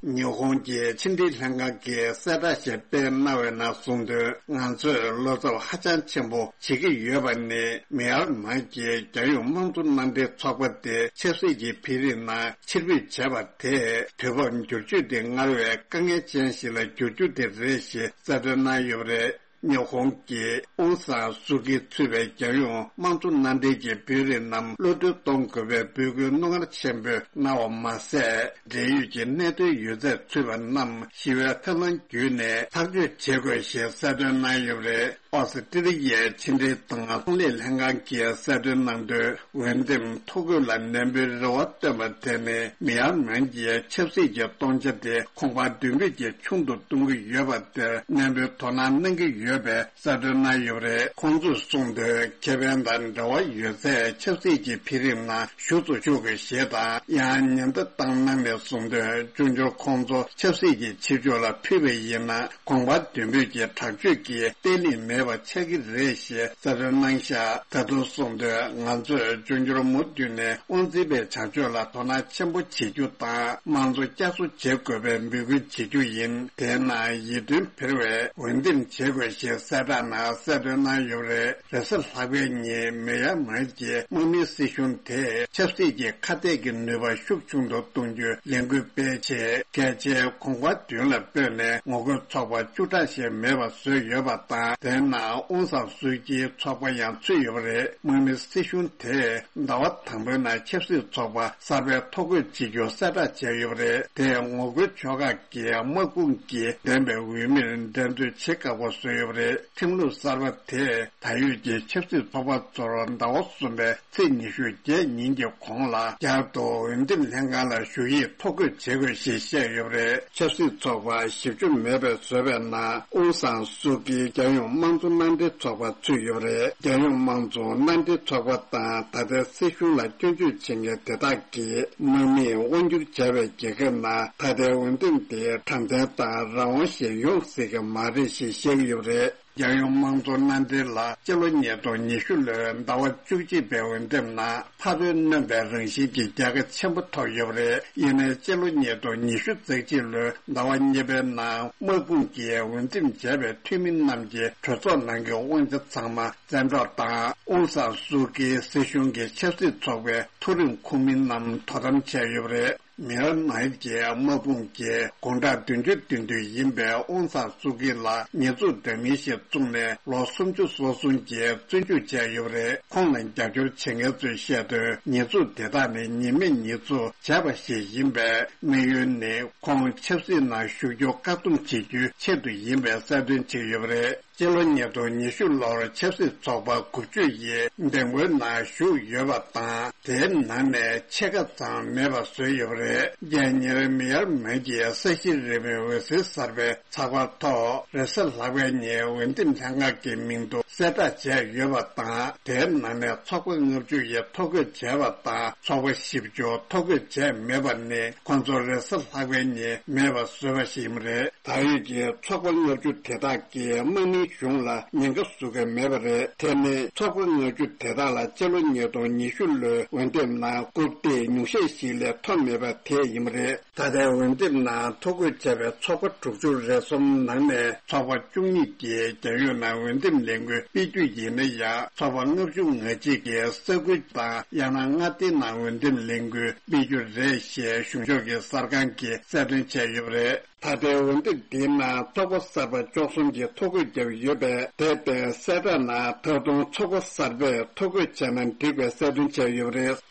ཉི་ཧོང་གི་ཕྱི་འབྲེལ་ལྷན་ཁང་གིས་གསལ་བསྒྲགས་ཤིག་སྤེལ་གནང་བའི་ནང་གསུངས་དོན། ང་ཚོས་བློ་འཚབ་ཧ་ཅང་ཆེན་པོ་བྱེད་ཀྱི་ཡོད་པ་ནི། མི་ཡར་མར་གྱིས་རྒྱལ་ཡོངས་དམངས་གཙོ་མནའ་འབྲེལ་ཚོགས་པ་དེ་ཆབ་སྲིད་ཀྱི་འཕེལ་རིམ་ནང་ཕྱིར་འབུད་བྱས་པ་དེས། དུས་བབ་འགྱུར་བཅོས་དེ་སྔར་བས་དཀའ་ངལ་ཅན་ཞིག་ལ་འགྱུར་རྒྱུ་དེ་རེད་ཞེས་གསལ་སྟོན་གནང་ཡོད་པ་རེད། ཉི་ཧོང་གིས་ཨོང་སཱན་སུའུ་ཀི་གཙོས་པའི་རྒྱལ་ཡོངས་དམངས་གཙོ་མནའ་འབྲེལ་གྱི་དཔོན་རིགས་རྣམས་གློད་གྲོལ་གཏོང་དགོས་པའི་འབོད་སྐུལ་རྣོ་ངར་ཆེན་པོས་གནང་བ་མ་ཟད། འབྲེལ་ཡོད་ཀྱི་གནད་དོན་ཡོད་ཚད་ཚུད་པ་རྣམས་ཞི་བའི་ཐབས་ལམ་བརྒྱུད་ནས་ཐག་གཅོད་བྱེད་དགོས་ཞེས་གསལ་སྟོན་གནང་ཡོད་པ་རེད། ཨོ་སི་ཀྲི་ལི་ཡའི་ཕྱི་འབྲེལ་དང་ཚོང་ལས་ལྷན་ཁང་གིས་གསལ་སྟོན་གནང་དོན། འོས་འདེམས་ཐོ་འགོད་ལ་ནན་པོའི་རེ་བ་བཏོན་པ་དེ་ནི། མི་ཡར་མར་གྱི་ཆབ་སྲིད་ཀྱི་སྟོང་ཆ་དེ་གོང་འཕར་མདུན་སྤོས་ཀྱིས་ཆུང་དུ་གཏོང་གི་ཡོད་པ་དེར་ནན་པོའི་དོ་སྣང་གནང་གི་ཡོད་པའི་གསལ་སྟོན་གནང་ཡོད་པ་རེད། ཁོང་ཚོས་གསུངས་དོན། ཁེ་ཕན་དང་འབྲེལ་བ་ཡོད་ཚད་ཆབ་སྲིད་ཀྱི་འཕེལ་རིམ་ནང་ཞུགས་སུ་ཆུག་གི་ཞེས་དང་། ཡང་ཉེན་བརྡ་བཏང་གནང་ནས་གསུངས་དོན། འབྱུང་འགྱུར་ཁོང་ཚོ་ཆབ་སྲིད་ཀྱི་ཕྱི་ཕྱོགས་ལ་ཕུད་པ་ཡིན་ན། གོང་འཕར་མདུན་སྤོས་ཀྱི་དྲག་སྤྱོད་ཀྱིས་བརྟན་ལྷིང་མེད་པ་ཆགས་ཀྱི་རེད་ཞེས་གསལ་སྟོན་གནང་བཞག་ད་དུང་གསུངས་དོན། ང་ཚོས་འབྱུང་འགྱུར་མུ་མཐུད་ནས་དབང་འཛིན་པའི་བྱ་སྤྱོད་ལ་དོ་སྣང་ཆེན་པོ་བྱེད་རྒྱུ་དང་། དམངས་གཙོ་བསྐྱར་གསོ་བྱེད་དགོས་པའི་འབོད་སྐུལ་བྱེད་རྒྱུ་ཡིན། དེས་ན་ཡིད་རྟོན་འཕེར་བའི་འོས་འདེམས་བྱེད་དགོས་ཞེས་གསལ་བསྒྲགས་ནང་གསལ་སྟོན་གནང་ཡོད་པ་རེད། རེས་གཟའ་ལྷག་པའི་ཉིན་མི་ཡར་མར་གྱི་དམག་མིའི་སྲིད་གཞུང་དེས་ཆབ་སྲིད་ཀྱི་ཁ་གཏད་ཀྱི་ནུས་པ་ཤུགས་ཆུང་དུ་གཏོང་རྒྱུའི་ལས་འགུལ་སྤེལ་ཆེད། གལ་ཆེའི་གོང་འཕར་མདུན་ལ་སྤོས་ནས་ངོ་རྒོལ་ཚོགས་པ་བཅུ་ཕྲག་ཞིག་མེད་པ་བཟོས་ཡོད་པ་དང་། དེའི་ནང་ཨོང་སཱན་སུའུ་ཀྱིའི་ཚོགས་པ་ཡང་ཚུད་ཡོད་པ་རེད། དམག་མིའི་སྲིད་གཞུང་དེས་ཟླ་བ་དང་པོའི་ནང་ཆབ་སྲིད་ཚོགས་པ་གསར་པའི་ཐོ་འགོད་བྱེད་རྒྱུ་གསལ་བསྒྲགས་བྱས་ཡོད་པ་རེད། དེས་ངོ་རྒོལ་ཕྱོགས་ཁག་གི་དམག་དཔུང་གིས་འདེམས་པའི་འོས་མིར་འགྲན་རྩོད་བྱེད་ཁག་པོ་བཟོས་ཡོད་པ་རེད། ཁྲིམས་ལུགས་གསར་པ་དེས་ད་ཡོད་ཀྱི་ཆབ་སྲིད་ཚོགས་པ་ཚོར་ཟླ་བ་གསུམ་པའི་ཚེས་ཉི་ཤུ་བརྒྱད་ཉིན་གྱི་གོང་ལ་བསྐྱར་དུ་འོས་འདེམས་ལྷན་ཁང་ལ་ཞུགས་ཡིག་ཐོ་འགོད་བྱེད་དགོས་ཞེས་བཤད་ཡོད་པ་རེད། ཆབ་སྲིད་ཚོགས་པ་བཞི་བཅུ་མེད་པའི་བཟོས་པའི་ནང་ཨོང་སཱན་སུའུ་ཀི་རྒྱལ་ཡོངས་དམངས་གཙོ་མནའ་འབྲེལ་ཚོགས་པ་ཚུད་ཡོད་པ་རེད། རྒྱལ་ཡོངས་དམངས་གཙོ་མནའ་འབྲེལ་ཚོགས་པ་དང་ད་ལྟའི་སྲིད་གཞུང་ལ་སྐྱོན་བརྗོད་བྱེད་མཁན་དེ་དག་གིས་དམག་མིས་དབང་སྒྱུར་བྱས་པའི་རྒྱལ་ཁབ་ནང་ད་ལྟའི་འོས་འདེམས་དེ་དྲང་བདེན་དང་རང་དབང་ཞིག་ཡོང་སྲིད་ཀྱི་མ་རེད་ཞེས་བཤད་ཀྱི་ཡོད་པ་རེད། རྒྱལ་ཡོངས་དམངས་གཙོ་མནའ་འབྲེལ་ལ་སྤྱི་ལོ་ཉིས་སྟོང་ཉི་ཤུ་ལོའི་ཟླ་བ་བཅུ་གཅིག་པའི་འོས་འདེམས་ནང་ཕ་རོལ་གནོན་པའི་རང་བཞིན་གྱི་རྒྱལ་ཁ་ཆེན་པོ་ཐོབ་ཡོད་པ་རེད། ཡིན་ནའི་སྤྱི་ལོ་ཉིས་སྟོང་ཉི་ཤུ་རྩ་གཅིག་ལོའི་ཟླ་བ་གཉིས་པའི་ནང་དམག་དཔུང་གིས་འོས་འདེམས་བྱས་པའི་འཐུས་མི་རྣམས་ཀྱི་གྲོས་ཚོགས་ནང་གི་དབང་ཆ་ཚང་མ་བཙན་འཕྲོག་དང་། ཨོང་སཱན་སུའུ་ཀིའི་སྲིད་གཞུང་གི་ཆབ་སྲིད་ཚོགས་པའི་མཐོ་རིམ་ཁོངས་མི་རྣམས་དོ་དམ་བྱས་ཡོད་པ་རེད། མི་ཡར་མར་གྱི་དམག་དཔུང་གིས་དགུང་གྲངས་བདུན་ཅུ་དོན་བདུན་ཡིན་པའི་ཨོང་སཱན་སུའུ་ཀི་ལ་ཉེས་འཛུགས་འདྲ་མིན་ཞིག་བཙུགས་ནས་ལོ་སུམ་ཅུ་སོ་གསུམ་གྱི་བཙོན་འཇུག་བྱས་ཡོད་པ་རེད། ཁོང་ལ་རྒྱབ་སྐྱོར་བྱེད་མཁན་ཚོས་བཤད་དོན། ཉེས་འཛུགས་དེ་དག་ནི་ཉེས་མེད་ཉེས་འཛུགས་བྱས་པ་ཞིག་ཡིན་པས། དམིགས་ཡུལ་ནི་ཁོང་ཆབ་སྲིད་ནང་ཞུགས་རྒྱུ་བཀག་སྡོམ་བྱེད་རྒྱུའི་ཆེད་དུ་ཡིན་པའི་གསལ་སྟོན་བྱས་ཡོད་པ་རེད། སྤྱི་ལོ་ཉིས་སྟོང་ཉི་ཤུ་ལོར་ཆབ་སྲིད་ཚོགས་པ་དགུ་བཅུ་ཡིས་འདེམས་བསྐོའི་ནང་ཞུགས་ཡོད་པ་དང་། དེའི་ནང་ནས་ཕྱེད་ཀ་ཙམ་མེད་པ་བཟོས་ཡོད་པ་རེད། རྒྱལ་གཉེར་མི་ཡར་མར་གྱི་ས་གཞི་རིལ་མོའི་འོད་ཟེར་གསར་པའི་ཚགས་པར་ཐོག་རེས་གཟའ་ལྷག་པའི་ཉིན་འོས་འདེམས་ལྷན་ཁང་གི་མིང་ཐོ་གསལ་བསྒྲགས་བྱས་ཡོད་པ་དང་། དེའི་ནང་ནས་ཚོགས་པ་ལྔ་བཅུ་ཡིས་ཐོ་འགོད་བྱས་པ་དང་། ཚོགས་པ་བཞི་བཅུ་ཐོ་འགོད་བྱས་མེད་པ་ནི་ཁོང་ཚོ་རེས་གཟའ་ལྷག་པའི་ཉིན་མེད་པ་བཟོས་པ་ཞིག་ཡིན་པ་རེད། ད་ཡོད་ཀྱི་ཚོགས་པ་ལྔ་བཅུ་དེ་དག་གིས་དམག་མིའི་གཞུང་ལ་ཉེན་ཁ་བཟོ་གི་མེད་པ་རེད། དེ་ནི་ཚོགས་པ་ལྔ་བཅུ་དེ་དག་ལ་སྤྱི་ལོ་ཉིས་སྟོང་ཉི་ཤུ་ལོའི་འོས་འདེམས་ནང་རྐུབ་སྟེགས་ཉུང་ཤས་ཤིག་ལས་ཐོབ་མེད་པ་དེ་ཡིན་པ་རེད། ད་ལྟའི་འོས་འདེམས་ནང་ཐོ་འགོད་བྱས་པའི་ཚོགས་པ་དྲུག་ཅུ་རེ་གསུམ་ནང་ནས་ཚོགས་པ་བཅུ་གཉིས་ཀྱིས་རྒྱལ་ཡོངས་ནང་འོས་འདེམས་ལས་འགུལ་སྤེལ་རྒྱུ་ཡིན་ན་ཡང་། ཚོགས་པ་ལྔ་བཅུ་ང་གཅིག་གིས་ས་ཁུལ་དང་ཡང་ན་མངའ་སྡེའི་ནང་འོས་འདེམས་ལས་འགུལ་སྤེལ་རྒྱུ་རེད་ཞེས་གཞུང་ཕྱོགས་ཀྱི་གསར་ཁང་གིས་གསལ་སྟོན་བྱས་ཡོད་པ་རེད། ད་ལྟའི་འོས་འདེམས་འདིའི་ནང་ཚོགས་པ་གསར་པ་བཅུ་གསུམ་གྱིས་ཐོ་འགོད་བརྒྱབ་ཡོད་པས། དེར་བརྟེན་གསལ་བསྒྲགས་ནང་ད་དུང་ཚོགས་པ་གསར་པས་ཐོ་འགོད་བྱས་ན་འགྲིག་པའི་གསལ་སྟོན་བྱས་ཡོད་པ་རེད།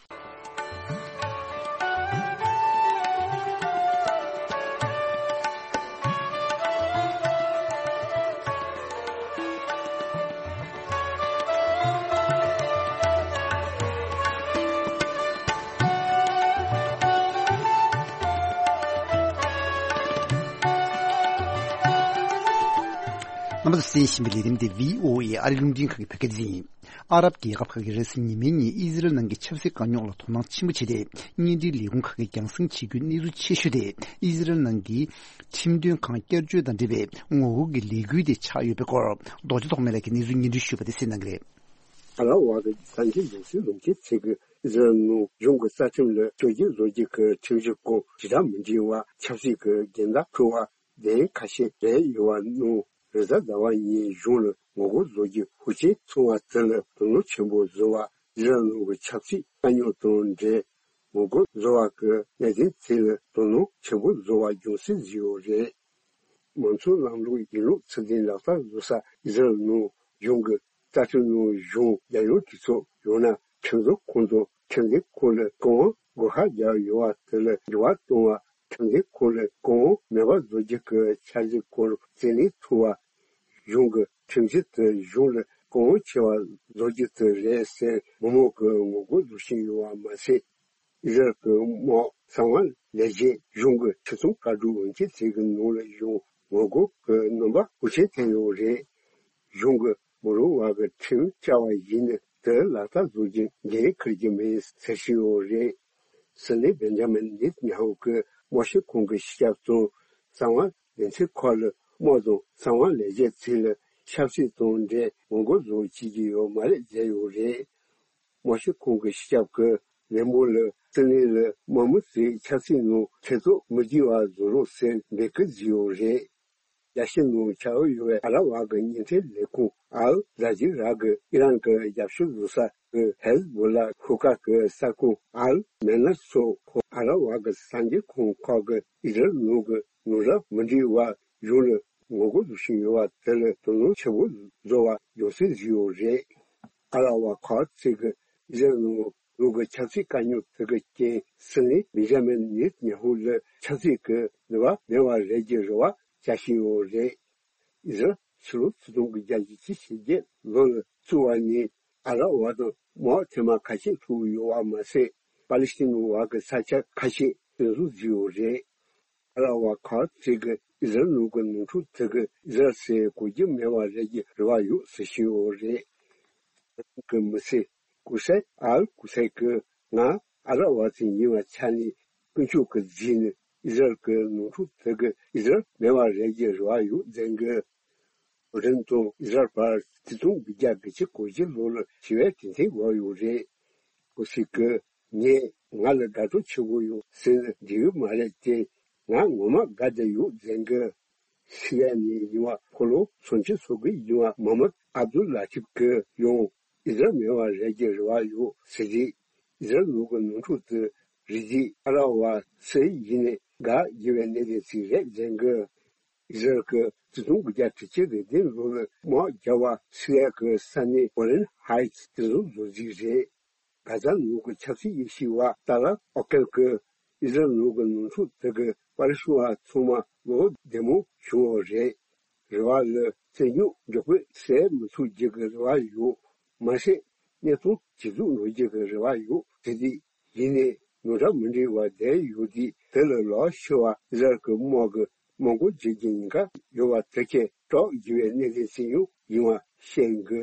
རྣམ་པ་ཚོས་གསན་བཞིན་པའི་ལས་རིམ་འདི་བྷི་ཨོ་ཨེ་ཨ་རིའི་རླུང་འཕྲིན་ཁང་གི་བོད་སྐད་སྡེ་ཚན་ཡིན། ཨ་རབ་རྒྱལ་ཁབ་ཁག་གིས་རེས་གཟའ་ཉི་མའི་ཉིན་ཨི་ཟི་རལ་ནང་གི་ཆབ་སྲིད་དཀའ་རྙོག་ལ་དོ་སྣང་ཆེན་པོ་བྱས་ཏེ། བརྙན་འཕྲིན་ལས་ཁུངས་ཁག་གིས་རྒྱང་སྲིང་བྱེད་རྒྱུའི་གནས་ཚུལ་ཆེ་ཤོས་དེ་ཨི་ཟི་རལ་ནང་གི་ཁྲིམས་དོན་ཁང་བསྐྱར་བཅོས་དང་འབྲེལ་བའི་ངོ་རྒོལ་གྱི་ལས་འགུལ་དེ་ཆགས་ཡོད་པའི་སྐོར། རྡོ་རྗེ་ཐོགས་མེད་ལགས་ཀྱིས་གནས་ཚུལ་སྙན་སྒྲོན་ཞུས་པ་དེ་གསན་གནང་གི་རེད། ཨ་རབ་དབར་གྱི་གཟའ་ཉི་མའི་ཉིན་གུང་ལོ་མཇུག་ཚེས་དགུ། ཨི་ཟི་རལ་ནང་གཞུང་གི་རྩ་ཁྲིམས་ལ་བཅོས་སྒྱུར་བཟོ་རྒྱུ་གི་ཁྲིམས་གཞི་སྐོར་ཞེ་དྲག་མི་འགྲིག་པ་ཆབ་སྲིད་ཀྱི་འགལ་ཟླ་འཁྲུག་པ་གདན་ཁ་ཤས་སྤེལ་ཡོད་པ་ནང་རེས་གཟའ་ཟླ་བ་ཉིན་གཞུང་ལ་ངོ་རྒོལ་བཟོ་རྒྱུ་ཤུགས་ཆེན་སོང་བ་དེ་ལ་དོ་སྣང་ཆེན་པོ་བཟོ་བ། ཨི་ཟི་རལ་ནང་གི་ཆབ་སྲིད་དཀའ་རྙོག་དང་འབྲེལ་ངོ་རྒོལ་བཟོ་བ་གི་གནད་དོན་དེ་ལ་དོ་སྣང་ཆེན་པོ་བཟོ་བ་རྒྱུ་མཚན་བཟོས་ཡོད་རེད། མང་གཙོའི་ལམ་ལུགས་ཡིན་ལུགས་ཚུལ་ལྡན་ལག་བསྟར་བཟོ་ས་ཨི་ཟི་རལ་ནང་གཞུང་གི་རྩ་ཁྲིམས་ནང་གཞུང་རྒྱལ་ཡོངས་གྲོས་ཚོགས་ཡང་ན་ཁྲིམས་བཟོ་ཁང་དང་ཁྲིམས་འཛིན་ཁང་ལ་བཀའ་དབང་བགོ་ཁ་བརྒྱབ་ཡོད་པ་དེ་ལ་འགྱུར་བ་གཏོང་བ། ཁྲིམས་འཛིན་ཁང་ལ་བཀའ་དབང་མེད་པ་བཟོ་རྒྱུ་གི་འཆར་གཞི་སྐོར་རྩིས་ལེན་ཐུབ་པ། གཞུང་གི་ཁྲིམས་གཞི་དེ་གཞུང་ལ་བཀའ་དབང་ཆེ་བ་བཟོ་རྒྱུ་དེ་རེད་ཟེར་མི་མང་གིས་ངོ་རྒོལ་བཟོ་བཞིན་ཡོད་པ་མ་ཟད། ཨི་ཟི་རལ་གྱི་དམག་གསང་བ་ལས་བྱེད་གཞུང་གི་ཁྲིམས་སྲུང་བཀའ་སྒྲུབ་འོས་འགན་ཚིག་གི་ནང་ལ་ཡང་ངོ་རྒོལ་གྱི་རྣམ་པ་ཤུགས་ཆེན་ཐོན་ཡོད་རེད། གཞུང་གིས་མི་རུང་བ་གི་ཁྲིམས་བཅའ་བ་ཡིན་ན་དེ་ལག་བསྟར་བཟོ་རྒྱུ་འགན་འཁུར་གྱི་མེད་ཟེར་བཞིན་ཡོད་རེད། སྲིད་བློན་བེན་ཇ་མིན་ནེ་ཐན་ཉ་ཧུ་གིས་དམག་སྤྱི་ཁོང་གི་སྤྱི་ཁྱབ་དང་གསང་བ་སྡེ་ཚན་ཁག་ལ་དམག་དང་གསང་བ་ལས་བྱེད་ཚོ་ལ་ཆབ་སྲིད་དང་འབྲེལ་ངོ་རྒོལ་བཟོ་བྱེད་ཀྱི་ཡོད་མ་རེད་ཟེར་ཡོད་རེད། དམག་སྤྱི་ཁོང་གི་སྤྱི་ཁྱབ་ཀྱིས་ལས་འབོར་ལ་སྲིད་བློན་ལ་དམག་མི་ཚོས་ཆབ་སྲིད་ནང་ཐེ་གཏོགས་མི་བྱེད་པ་བཟོ་རོགས་ཟེར་འབོད་སྐུལ་བྱས་ཡོད་རེད། རྒྱལ་སྤྱིའི་ནང་ཆགས་ཡོད་པའི་ཨ་ར་བ་གི་གཉེན་སྒྲིག་ལས་ཁུངས་ཨལ་ཛ་ཇི་ར་གིས་ཨི་རན་གྱི་རྒྱབ་སྐྱོར་བཟོ་ས་གི་ཧེ་ཟ་བོ་ལ་ཤོག་ཁག་གི་གསར་ཁང་ཨལ་མེ་ནར་སོགས་ཁོ་ཨ་ར་བ་གི་གསར་འགྱུར་ཁང་ཁག་གིས་ཨི་ཟི་རལ་ནང་གི་ནང་རབས་མི་འགྲིག་པ་གཞུང་ལ་ངོ་རྒོལ་བཟོ་བཞིན་ཡོད་པ་དེ་ལ་དོ་སྣང་ཆེན་པོ་བཟོ་བ་ཡོང་སྲིད་བཟོས་ཡོད་རེད། ཨ་ར་བ་ཁག་ཅིག་གིས་ཨི་ཟི་རལ་ནང་ལུགས་ཀྱི་ཆབ་སྲིད་དཀའ་རྙོག་དེ་གི་རྐྱེན་སྲིད་བློན་བེན་ཇ་མིན་ནེ་ཐན་ཉ་ཧུ་ལ་ཆབ་སྲིད་ཀྱི་ནུས་པ་མེད་པ་རེད་ཀྱི་རེ་བ་བྱ་བཞིན་ཡོད་རེད། ཨི་ཟི་རལ་ཕྱི་ལོ་ཆིག་སྟོང་དགུ་བརྒྱ་བཞི་བཅུ་ཞེ་བརྒྱད་ལོ་ལ་བཙུགས་པ་ནས་ཨ་ར་བ་དང་དམག་ཐེངས་མ་ཁ་ཤས་ཐུག་ཡོད་པ་མ་ཟད། པ་ལི་སི་ཐན་བ་གི་ས་ཆ་ཁ་ཤས་གཏན་སྲུང་བཟོས་ཡོད་རེད། ཨ་ར་བ་ཁག་ཅིག་གིས་ཨི་ཟི་རལ་ནང་གི་ནོར་འཁྲུལ་དེ་གིས་ཨི་ཟི་རལ་ཟེར་གོ་རྒྱུ་མེད་པ་རེད་ཀྱི་རེ་བ་ཡོད་ཟེར་བཞིན་ཡོད་རེད། གི་མི་སེར་ཀུ་སེ་ཨལ་ཀུ་སེ་གིས་ང་ཨ་ར་བ་ཅིག་ཡིན་པའི་ཆ་ནས་ཀུན་སྤྱོད་ཀྱི་རྫས་ནི་ཨི་ཟི་རལ་གྱི་ནོར་འཁྲུལ་དེ་གིས་ཨི་ཟི་རལ་མེད་པ་རེད་ཀྱི་རེ་བ་ཡོད་ཟེར་གི། ཨོ་རིན་དང་ཨི་ཟི་རལ་བར་ཆིག་སྟོང་དགུ་བརྒྱ་དགུ་བཅུ་གོ་བཞི་ལོ་ལ་ཞི་བའི་གྲོས་མཐུན་བར་ཡོད་རེད། ཀུ་སེ་གིས་ངས་ང་ལ་དགའ་སྤྲོ་ཆེ་བོ་ཡོད་ཟེར་ན་འགྲིག་གི་མ་རེད་དེ། ང་ངོ་མ་དགའ་བསྡད་ཡོད་ཟེར་གི། སི་རི་ཡ་ནས་ཡིན་པ་ཕོ་ལོ་སུམ་ཅུ་སོ་དགུ་ཡིན་པ་མོ་ཧམ་མད་ཨབ་དུལ་ལ་ཐིབ་ཀྱིས་ཡང་ཨི་ཟི་རལ་མེད་པ་རེད་ཀྱི་རེ་བ་ཡོད་ཟེར་རེད། ཨི་ཟི་རལ་ནང་གི་ནོར་འཁྲུལ་དེ་རིགས་རྫས་ཨ་ར་བ་སུ་ཡིན་ནའི་དགའ་དགོས་པའི་གནད་དོན་ཞིག་རེད་ཟེར་གི། ཨི་ཟི་རལ་གྱིས་ཆིག་སྟོང་དགུ་བརྒྱ་དྲུག་ཅུ་རེ་བདུན་ལོ་ལ་དམག་རྒྱག་པ་སི་རི་ཡ་གི་ས་གནས་གོ་ལན་ཧའེ་ཊི་དེ་ཚོ་བཟོ་རྩིས་རེད། གྷ་ཛ་ནང་གི་ཆབ་སྲིད་དབྱེ་ཞིབ་པ་ཏཱ་ལར་ཨོ་ཀེལ་གྱིས་ཨི་ཟི་རལ་ནང་གི་ནོར་འཁྲུལ་དེ་གིས་པ་ལི་སི་ཐན་བ་ཚང་མ་བློ་བདེ་མོ་བྱུང་བ་རེད། རེ་བ་ལ་རྩོད་རྙོག་མགྱོགས་པོ་སེལ་མི་ཐུབ་རྒྱུ་གི་རེ་བ་ཡོད། མ་ཟད་གནས་སྟངས་ཇེ་སྡུག་འགྲོ་རྒྱུ་གི་རེ་བ་ཡོད་ཟེར་དུས། ཡིན་ནའི་ནོར་འཁྲུལ་མི་འགྲིག་པ་བསྡད་ཡོད་དུས་དེ་ལ་ལོག་ཤི་བ་ཨི་ཟི་རལ་གྱི་དམག་གི་དམག་འཁོར་བརྗེ་རྒྱུའི་ཉེན་ཁ་ཡོད་པ་དེ་ཁྱེད་སྐྲག་དགོས་པའི་གནད་དོན་ཞིག་ཡང་ཡིན་པ་བཤད་གི།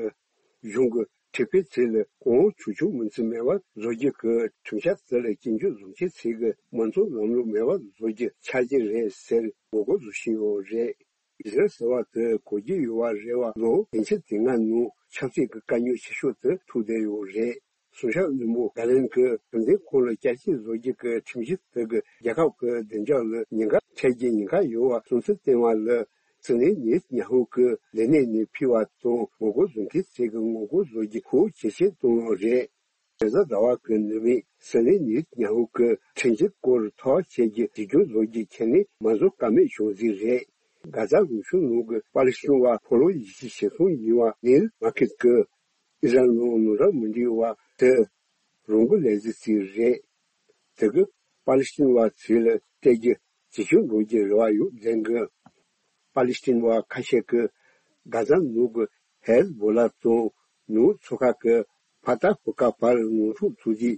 གཞུང་གི་ཁྲིམས་དཔོན་ཚོས་ལ་གོང་འོག་ཆོག་ཆོག་མིན་ཚུལ་མེད་པར་བཟོ་རྒྱུ་གི་ཁྲིམས་འཆར་དེ་ལ་སྐྱོན་བརྗོད་བཟོ་མཁན་ཚོས་གི་མང་གཙོའི་ལམ་ལུགས་མེད་པར་བཟོ་རྒྱུ་ཆགས་ཀྱི་རེད་ཟེར་ངོ་རྒོལ་བཟོ་བཞིན་ཡོད་རེད། ཨི་ཟི་རལ་ཟེར་བ་དེ་གོ་རྒྱུ་ཡོད་པ་རེད་པ། ལོ་བདུན་ཅུ་དེ་སྔ་ནང་ཆབ་སྲིད་ཀྱི་དཀའ་རྙོག་ཆེ་ཤོས་དེ་ཐུག་བསྡད་ཡོད་རེད། སྲུང་སྐྱོབ་བློན་པོ་གྷ་ལན་གྱིས་ཁྲིམས་འཛིན་ཁང་ལ་བསྐྱར་ཞིབ་བཟོ་རྒྱུ་གི་ཁྲིམས་གཞི་དེ་གིས་རྒྱལ་ཁབ་ཀྱི་བདེ་འཇགས་ལ་ཉེན་ཁ་འཕྲད་རྒྱུའི་ཉེན་ཁ་ཡོད་པ་སོང་ཚུལ་བསྟན་པ་ལ། སྲིད་བློན་ནེ་ཐན་ཉ་ཧུ་གིས་ལས་གནས་ནས་ཕུད་པ་དང་ངོ་རྒོལ་བཟོ་མཁན་ཚོས་ཀྱི་ངོ་རྒོལ་བཟོ་རྒྱུ་ཤུགས་ཇེ་ཆེར་བཏང་ཡོད་རེད། རེས་གཟའ་ཟླ་བ་གི་ནུབ་མོ་སྲིད་བློན་ནེ་ཐན་ཉ་ཧུ་གིས་ཁྲིམས་གཞི་སྐོར་ཐག་བཅད་རྒྱུ་གྲོས་མཐུན་བཟོ་རྒྱུ་ཁས་ལེན་མ་བཟོ་ཀ་མེད་བྱུང་ཟིག་རེད། གྷ་ཛ་རུ་ཤུལ་ནང་གི་པ་ལི་སི་ཐན་བ་ཕོ་ལོ་ཉི་ཤུ་ཞེ་གསུམ་ཡིན་པ་ནིལ་མ་ཁེད་ཀྱིས་ཨི་ཟི་རལ་ནང་ནོར་འཁྲུལ་མི་འགྲིག་པ་དེ་རང་གི་ལས་རྩིས་ཅིག་རེད། དེ་གིས་པ་ལི་སི་ཐན་བ་ཚོ་ལ་སྟེར་རྒྱུ་ཇེ་ཆུང་འགྲོ་རྒྱུའི་རེ་བ་ཡོད་ཟེར་གི། པ་ལི་སི་ཐན་བ་ཁ་ཤས་ཀྱིས་གྷ་ཛ་ནང་གི་ཧེ་ཟ་བོ་ལ་དང་ནུབ་མཚོ་ཁ་གི་ཕ་ཏཱ་ཧུ་ཀ་བར་ནོར་འཁྲུལ་ཐུག་དུས་ཨི་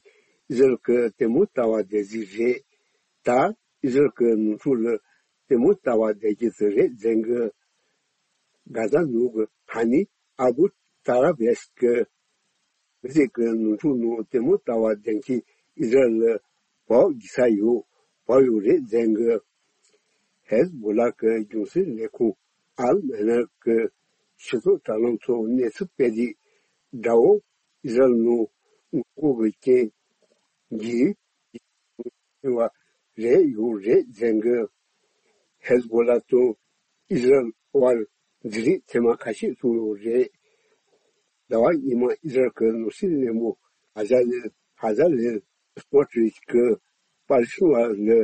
ཟི་རལ་གྱིས་ལྟད་མོ་ལྟ་བ་བསྡད་རྩིས་རེད། ད་ཨི་ཟི་རལ་གྱི་ནོར་འཁྲུལ་ལ་ལྟད་མོ་ལྟ་བ་བསྡད་རྒྱུ་དེ་རེད་ཟེར་གི། གྷ་ཛ་ནང་གི་ཧ་ནི་ཨ་བུ་ཏཱ་ར་བེས་ཀྱིས་མི་ཚེ་གི་ནོར་འཁྲུལ་ནང་ལྟད་མོ་ལྟ་བ་བསྡད་མཁན་ཨི་ཟི་རལ་ལ་བབ་རྒྱག་ས་ཡོད། བབ་ཡོད་རེད་ཟེར་གི། ཧེ་ཟ་བོ་ལ་གི་རྒྱུན་སྲིང་ལས་ཁུངས་ཨལ་མེ་ནར་གྱིས་སྤྱི་ཚོགས་དྲ་ལམ་ཐོག་གནས་ཚུལ་སྤེལ་དུས། དགྲ་བོ་ཨི་ཟི་རལ་ནང་ངོ་རྒོལ་གྱི་རྐྱེན་ གྱིས་བ་རེད་ཡོད་རེད་ཟེར་གི། ཧེ་ཟ་བྷོ་ལ་དང་ཨི་ཟི་རལ་དབར་འཛིང་རེས་ཐེངས་མ་ཁ་ཤས་སོང་ཡོད་རེད། ཟླ་བ་སྔོན་མ་ཨི་ཟི་རལ་གྱི་ནོར་སྲིད་བློན་པོ་ཧ་ཟ་ལེ་ཧ་ཟ་ལེ་སི་མོ་ཊི་རིཆ་གྱིས་པ་ལི་སི་ཐན་བ་ལ་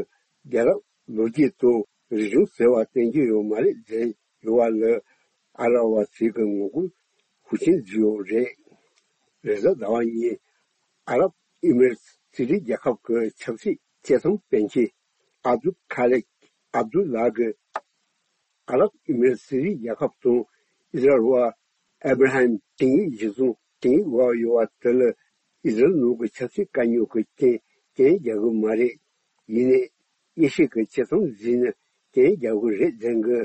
རྒྱལ་རབས་ལོ་རྒྱུས་དང་རིག་གཞུང་ཟེར་བ་བསྟན་གྱི་ཡོད་མ་རེད་ཟེར་ཡོད་པ་ལ་ཨ་ར་བ་ཚོས་ཀྱི་ངོ་རྒོལ་ཤུགས་ཆེན་བཟོས་ཡོད་རེད། རེས་གཟའ་ཟླ་བ་ཉིན་ཨ་རབ་ཨི་མི་རེ་ཊི་སི་རི་རྒྱལ་ཁབ་ཀྱི་ཆབ་སྲིད་བཅད་མཐུན་དཔོན་ཆེན་ཨབ་དུལ་ཁ་ལེག་ཨབ་དུལ་ལ་གིས་ཨ་རབ་ཨི་མི་རེ་ཊི་སི་རི་རྒྱལ་ཁབ་དང་ཨི་ཟི་རལ་བར་ཨེ་བྷ་ར་ཧམ་ཆིངས་ཡིག་གཞིར་བཟུང་ཆིངས་ཡིག་འོག་ཡོད་པ་དེ་ལ་ཨི་ཟི་རལ་ནང་གི་ཆབ་སྲིད་དཀའ་རྙོག་གི་རྐྱེན་རྐྱེན་རྒྱག་གི་མ་རེད། ཡིན་ནའི་དབྱེ་ཞིབ་ཀྱི་ཆེད་དུ་འཛིན་ནས་རྐྱེན་རྒྱག་གི་རེད་ཟེར་གི།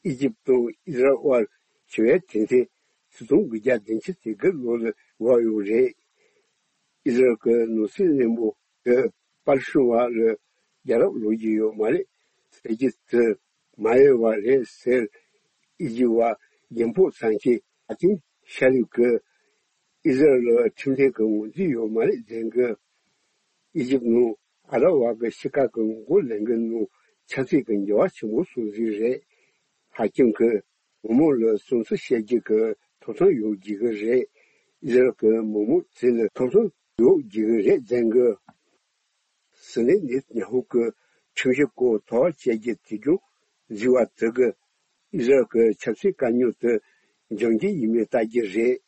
ཨི་ཇིབ་དང་ཨི་ཟི་རལ་དབར་ཞི་བའི་དོན་ཚན་ཆིག་སྟོང་དགུ་བརྒྱ་བདུན་ཅུ་དོན་དགུ་ལོ་ལ་འགོ་ཡོད་རེད། ཨི་ཟི་རལ་གྱི་ནོར་སྲིད་བློན་པོ་དེ་པ་ལི་སི་ཐན་བ་ལ་རྒྱལ་རབས་ལོ་རྒྱུས་ཡོད་མ་རེད་ཟེར་རྒྱུ་དེ་མ་ཡོད་པ་རེད་ཟེར། ཨི་ཇིབ་བ་རྒྱལ་འཕོངས་ཚང་ཆེན་ཧ་ཀིམ་ཤ་རིབ་ཀྱིས་ཨི་ཟི་རལ་ལ་ཁྲིམས་མཐུན་གྱི་ངོས་འཛིན་ཡོད་མ་རེད་ཟེར་གི། ཨི་ཇིབ་ནང་ཨ་རབ་བ་གི་ཕྱི་ཁ་གི་ངོ་རྒོལ་ལས་འགུལ་ནང་ཆབ་སྲིད་ཀྱི་འགྱུར་བ་ཆེན་པོ་སོང་ཟིག་རེད། ཧ་ཀིམ་གྱིས་མི་མང་ལ་སེམས་གསོ་བྱེད་རྒྱུ་གི་ཐོབ་ཐང་ཡོད་རྒྱུ་གི་རེད། ཨི་ཟི་རལ་གྱི་མི་མང་ཚོ་ལ་ཐོབ་ཐང་ཡོད་རྒྱུ་གི་རེད་ཟེར་གི། སྲིད་བློན་ནེ་ཐན་ཡ་ཧུ་གི་ཁྲིམས་གཞི་སྐོར་ཐག་བཅད་རྒྱུ་དེ་གྱོང་བཟོས་པ་དེ་གིས་ཨི་ཟི་རལ་གྱི་ཆབ་སྲིད་དཀའ་རྙོག་དེ་འཇོམས་རྒྱུ་ཡིན་མིན་ལྟ་རྒྱུ་རེད།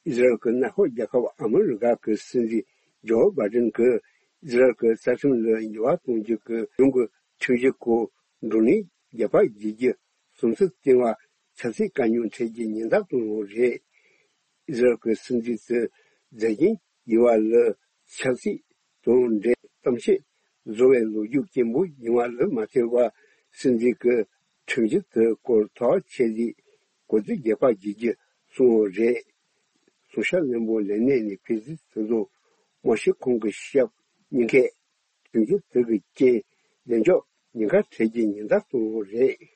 ཨི་ཟི་རལ་གྱི་མངའ་ཁོངས་རྒྱལ་ཁབ་ཨ་མི་རི་ཀ་གི་སྲིད་འཛིན་ཇོ་བྷའི་ཌེན་གྱིས་ཨི་ཟི་རལ་གྱི་རྩ་ཁྲིམས་ལ་འགྱུར་བ་གཏོང་རྒྱུ་གི་གཞུང་གི་ཁྲིམས་གཞི་སྐོར་བགྲོ་གླེང་རྒྱག་པ་བརྗེད་རྒྱུ་སོང་ཚུལ་བསྟན་པ་ཆབ་སྲིད་དཀའ་རྙོག་འཕྲད་རྒྱུ་ཉེན་བརྡ་བཏང་ཡོད་རེད། ཨི་ཟི་རལ་གྱི་སྲིད་འཛིན་དེ་མཛད་རྗེས་ཡོད་པ་ལ་ཆབ་སྲིད་དང་འབྲེལ་གཏམ་བཤད་བཟོ་བའི་ལོ་རྒྱུས་སྐྱེན་པོ་ཡིན་པ་ལ་མ་ལྟོས་པར་སྲིད་འཛིན་གྱི་ཁྲིམས་གཞི་དེ་སྐོར་ཐག་ཆད་རྗེས་གོ་བསྡུར་རྒྱག་པ་བྱེད་རྒྱུ་གསུངས་ཡོད་རེད། སྲུང་བྱ་བློན་པོ་ལས་གནས་ནས་ཕྱིར་འཐེན་དེ་དང་མ་ཤི་ཁོང་གི་ཞབས་གཉིས་ཀས་ཁྲིམས་གཞི་དེ་གི་རྐྱེན་བདེ་འཇགས་ཉེན་ཁ་འཕྲད་རྒྱུའི་ཉེན་བརྡ་བཏང་ཡོད་རེད།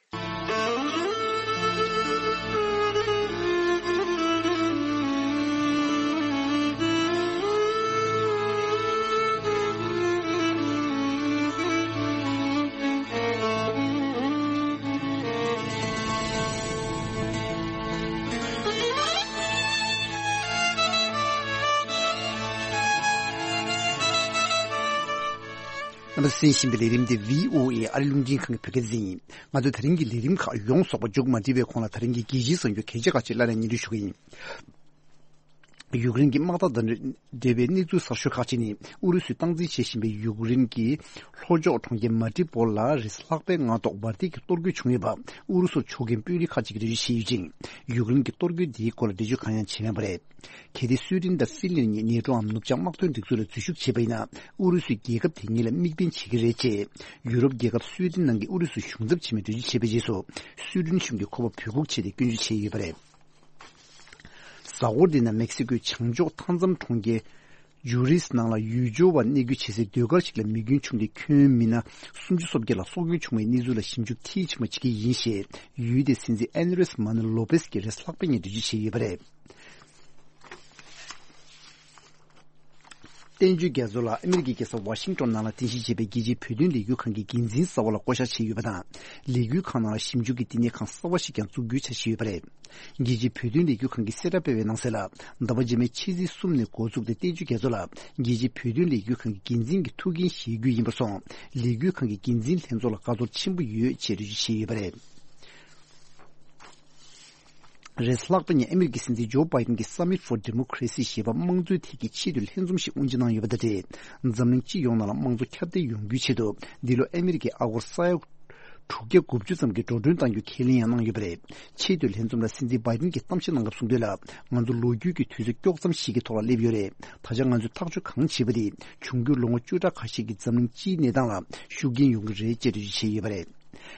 རྣམ་པ་གསན་བཞིན་པའི་ལས་རིམ་འདི་བྷི་ཨོ་ཨེ་ཨ་རི་རླུང་འཕྲིན་ཁང་གི་བོད་སྐད་སྡེ་ཚན་ཡིན། ང་ཚོས་ད་རིང་གི་ལས་རིམ་ཁག་ཡོངས་རྫོགས་པ་མཇུག་མ་སྒྲིལ་བའི་གོང་ལ་ད་རིང་གི་རྒྱལ་སྤྱིའི་གསར་འགྱུར་གལ་ཆེ་ཁག་ཅིག་སླར་ཡང་སྙན་སྒྲོན་ཞུ་གི་ཡིན། ཡུཀ་རེན་གྱི་དམག་འཐབ་དང་འབྲེལ་བའི་གནས་ཚུལ་གསར་ཤོས་ཁག་ཅིག་ནི། ཨུ་རུ་སུས་སྟངས་འཛིན་བྱེད་བཞིན་པའི་ཡུཀ་རེན་གྱི་ལྷོ་ཕྱོགས་གྲོང་ཁྱེར་མ་ཏྲི་པོལ་ལ་རེས་ལྷག་པའི་སྔ་ཐོག་འབར་མདེལ་གྱིས་གཏོར་རྒོལ་བྱུང་ཡོད་པ། ཨུ་རུ་སུར་ཕྱོགས་འགལ་དཔོན་རིགས་ཁག་ཅིག་གིས་འགྲེལ་བརྗོད་བྱས་ཡོད་ཅིང་། ཡུཀ་རེན་གྱི་གཏོར་རྒོལ་འདིའི་སྐོར་ལ་འགྲེལ་བརྗོད་གང་ཡང་བྱས་མེད་པ་རེད། གལ་ཏེ་སུའེ་ཏེན་དང་ཧྥིན་ལན་གཉིས་ནེ་ཊོའམ་ནུབ་བྱང་དམག་དོན་སྒྲིག་འཛུགས་ལ་འཛུལ་ཞུགས་བྱས་པ་ཡིན་ན། ཨུ་རུ་སུས་རྒྱལ་ཁབ་དེ་གཉིས་ལ་དམིགས་འབེན་བྱེད་ཀྱི་རེད་ཅེས། ཡུ་རོབ་རྒྱལ་ཁབ་སུའེ་ཏེན་ནང་གི་ཨུ་རུ་སུའི་གཞུང་ཚབ་ཆེན་མོས་འགྲེལ་བརྗོད་བྱས་པའི་རྗེས་སུ། སུའེ་ཏེན་གཞུང་གིས་ཁོ་པ་འབོད་འགུག་བྱས་ཏེ་སྐྱོན་བརྗོད་བྱས་ཡོད་པ་རེད། གཟའ་འཁོར་འདིའི་ནང་མེག་སི་ཀོའི་བྱང་ཕྱོགས་མཐའ་མཚམས་གྲོང་ཁྱེར་ཇུ་རིས་ནང་ལ་ཡུལ་སྐོར་བ་གནས་སྐོར་བྱེད་སའི་ཟློས་གར་ཞིག་ལ་མེ་སྐྱོན་བྱུང་སྟེ་ཁྱོན་མི་སྣ་སུམ་ཅུ་སོ་བརྒྱད་ལ་སྲོག་སྐྱོན་བྱུང་བའི་གནས་ཚུལ་ལ་ཞིབ་འཇུག་མཐིལ་ཕྱིན་པ་བྱེད་ཀྱི་ཡིན་ཞེས་ཡུལ་དེའི་སྲིད་འཛིན་ཨན་རེས་མ་ནུ་ལོ་པེས་ཀྱིས་རེས་ལྷག་པའི་ཉིན་འགྲེལ་བརྗོད་བྱས་ཡོད་པ་རེད། བསྟན་བཅོས་རྒྱ་མཚོ་ལགས་ཨ་མི་རི་ཀའི་རྒྱལ་ས་ཝ་ཤིང་ཊོན་ནང་ལ་རྟེན་གཞི་བྱས་པའི་རྒྱལ་སྤྱིའི་བོད་དོན་ལས་འགུལ་ཁང་གི་འགན་འཛིན་གསར་བ་ལ་བསྐོ་གཞག་བྱས་ཡོད་པ་དང་། ལས་འགུལ་ཁང་ནང་ལ་ཞིབ་འཇུག་གི་བསྟི་གནས་ཁང་གསར་བ་ཞིག་ཀྱང་བཙུགས་རྒྱུའི་འཆར་གཞི་ཡོད་པ་རེད། རྒྱལ་སྤྱིའི་བོད་དོན་ལས་འགུལ་ཁང་གིས་གསལ་བསྒྲགས་སྤེལ་བའི་ནང་གསལ་ལ། ཟླ་བ་རྗེས་མའི་ཕྱི་ཚེས་གསུམ་ནས་འགོ་བཙུགས་ཏེ་བསྟན་བཅོས་རྒྱ་མཚོ་ལགས་རྒྱལ་སྤྱིའི་བོད་དོན་ལས་འགུལ་ཁང་གི་འགན་འཛིན་གྱི་ཐུགས་འགན་བཞེས་རྒྱུ་ཡིན་པར་སོང་། ལས་འགུལ་ཁང་གི་འགན་འཛིན་ལྷན་ཚོགས་ལ་དགའ་ཚོར་ཆེན་པོ་ཡོད་ཅེས་འགྲེལ་བརྗོད་བྱས་ཡོད་པ་རེད། རེས་ལྷག་པ་ཉིན་ཨ་མི་རི་ཀའི་སྲིད་འཛིན་ཇོ་བྷའི་ཏིན་གྱིས་Summit for Democracy ཞེས་པ་དམངས་གཙོའི་ཐད་ཀྱི་ཆེས་མཐོའི་ལྷན་འཛོམས་ཤིག་དབུ་འབྱེད་གནང་ཡོད་པ་དང་འབྲེལ། འཛམ་གླིང་སྤྱི་ཡོངས་ནང་ལ་དམངས་གཙོ་ཁྱབ་གདལ་ཡོང་རྒྱུའི་ཆེད་དུ། འདི་ལོ་ཨ་མི་རི་ཀའི་ཨ་སྒོར་ས་ཡ་དྲུག་བརྒྱ་དགུ་བཅུ་ཙམ་གྱིས་འགྲོ་གྲོན་གཏང་རྒྱུ་ཁས་ལེན་ཡང་གནང་ཡོད་པ་རེད། ཆེས་མཐོའི་ལྷན་འཛོམས་ལ་སྲིད་འཛིན་བྷའི་ཏིན་གྱིས་གཏམ་བཤད་གནང་སྐབས་གསུངས་དོན་ལ། ང་ཚོ་ལོ་རྒྱུས་ཀྱི་དུས་ཚོད་དཀྱོག་ཙམ་ཞིག་གི་ཐོག་ལ་སླེབས་ཡོད་རེད། ད་ཆ་ང་ཚོས་ཐག་གཅོད་གང་བྱེད་པ་དེ། འབྱུང་འགྱུར་ལོ་ངོ་བཅུ་ཕྲག་ཁ་ཤས་ཀྱི་འཛམ་གླིང་སྤྱིའི་གནས་སྟངས་ལ་ཤུགས་རྐྱེན་ཡོང་གི་རེད་ཅེས་འགྲེལ་བརྗོད་བྱས་ཡོད་པ་རེད།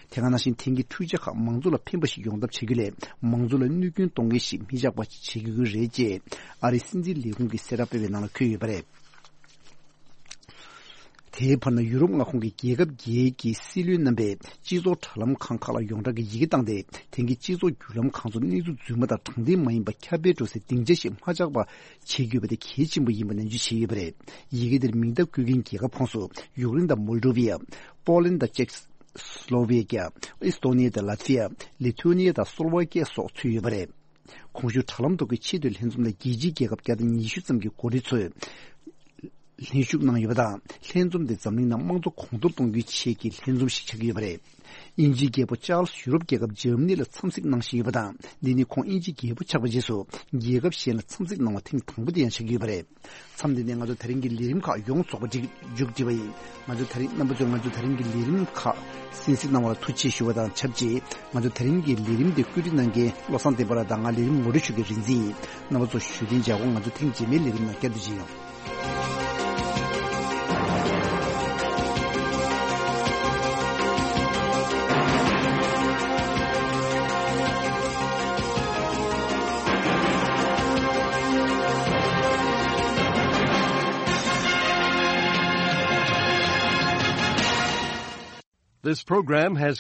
དེ་ག་ནང་བཞིན་དེང་གི་འཕྲུལ་ཆས་ཁག་མང་གཙོ་ལ་ཕན་པ་ཞིག་ཡོང་ཐབས་བྱ་རྒྱུ་ལས། མང་གཙོ་ལ་གནོད་སྐྱོན་གཏོང་མཁན་ཞིག་མི་བཞག་པ་བྱེད་དགོས་ཀྱི་རེད་ཅེས། ཨ་རིའི་སྲིད་འཛིན་ལས་ཁུངས་ཀྱི་གསལ་བསྒྲགས་སྤེལ་བའི་ནང་ལ་འཁོད་ཡོད་པ་རེད། དེའི་བར་ན་ཡུ་རོབ་མངའ་ཁོངས་ཀྱི་རྒྱལ་ཁབ་བརྒྱད་ཀྱི་སྲིད་བློན་རྣམ་པས་སྤྱི་ཚོགས་དྲ་ལམ་ཁང་ཁག་ལ་ཡོངས་གྲགས་ཀྱི་ཡི་གེ་བཏང་སྟེ། དེང་གི་སྤྱི་ཚོགས་བརྒྱུད་ལམ་ཁང་ཚོ་གནས་ཚུལ་རྫུན་མ་དང་དྲང་བདེན་མ་ཡིན་པ་ཁྱབ་སྤེལ་འགྲོ་སའི་སྡིངས་ཆ་ཞིག་མ་ཆགས་པ་བྱེད་དགོས་པ་དེ་གལ་ཆེན་པོ་ཡིན་པ་ནན་བརྗོད་བྱས་ཡོད་པ་རེད། ཡི་གེ་དེར་མིང་རྟགས་བཀོད་མཁན་རྒྱལ་ཁབ་ཁོངས་སུ་ཡུཀ་རེན་དང་མོལ་ཌོ་ཝི་ཡ། པོ་ལན་དང་ཅེཀ་སི་ལོ་ཝེ་ཀྱ། ཨི་སི་ཏོ་ནི་ཡ་དང་ལ་ཏི་ཕི་ཡ། ལི་ཐུ་ཨེ་ནི་ཡ་དང་སོ་ལོ་ཝེ་ཀྱ་སོགས་ཚུད་ཡོད་པ་རེད། གོང་ཞུས་དྲ་ལམ་ཐོག་གི་ཆེས་མཐོའི་ལྷན་འཛོམས་ལ་རྒྱལ་སྤྱིའི་རྒྱལ་ཁབ་བརྒྱ་དང་ཉི་ཤུ་ཙམ་གྱི་འགོ་ཁྲིད་ཚོས་ལྷན་ཞུགས་གནང་ཡོད་པ་དང་། ལྷན་འཛོམས་དེ་འཛམ་གླིང་ནང་དམངས་གཙོ་གོང་མཐོར་གཏོང་རྒྱུའི་ཆེད་ཀྱི་ལྷན་འཛོམས་ཤིག་ཆགས་ཀྱི་ཡོད་པ་རེད། དབྱིན་ཇིའི་རྒྱལ་པོ་ཅཱལ་སི་ཡུ་རོབ་རྒྱལ་ཁབ་འཇར་མ་ནི་ལ་འཚམས་གཟིགས་གནང་བཞིན་ཡོད་པ་དང་། འདི་ནི་ཁོང་དབྱིན་ཇིའི་རྒྱལ་པོ་ཆགས་པའི་རྗེས་སུ་རྒྱལ་ཁབ་གཞན་ལ་འཚམས་གཟིགས་གནང་བ་ཐེངས་དང་པོ་དེ་ཡང་ཆགས་ཀྱི་ཡོད་པ་རེད། མཚམས་འདི་ནས་ང་ཚོ་ད་རིང་གི་ལས་རིམ་ཁག་ཡོངས་རྫོགས་པ་མཇུག་སྒྲིལ་བ་ཡིན། ང་ཚོ་ད་རིང་རྣམ་པ་ཚོས་ང་ཚོ་ད་རིང་གི་ལས་རིམ་ཁག་གསན་གཟིགས་གནང་བ་ལ་ཐུགས་རྗེ་ཆེ་ཞུ་བ་དང་ཆབས་ཅིག་ང་ཚོ་ད་རིང་གི་ལས་རིམ་འདི་བཀོད་སྒྲིག་གནང་མཁན་བློ་བཟང་བསྟན་པ་ལགས་དང་ང་ལས་རིམ་ངོ་སྤྲོད་ཞུ་མཁན་རིག་འཛིན་ཡིན། རྣམ་པ་ཚོ་བཞུགས་གདན་འཇགས་སྒོ། ང་ཚོ་ཐེངས་རྗེས་མའི་ལས་རིམ་ནང་བསྐྱར་དུ་མཇལ་ཡོང་། This program has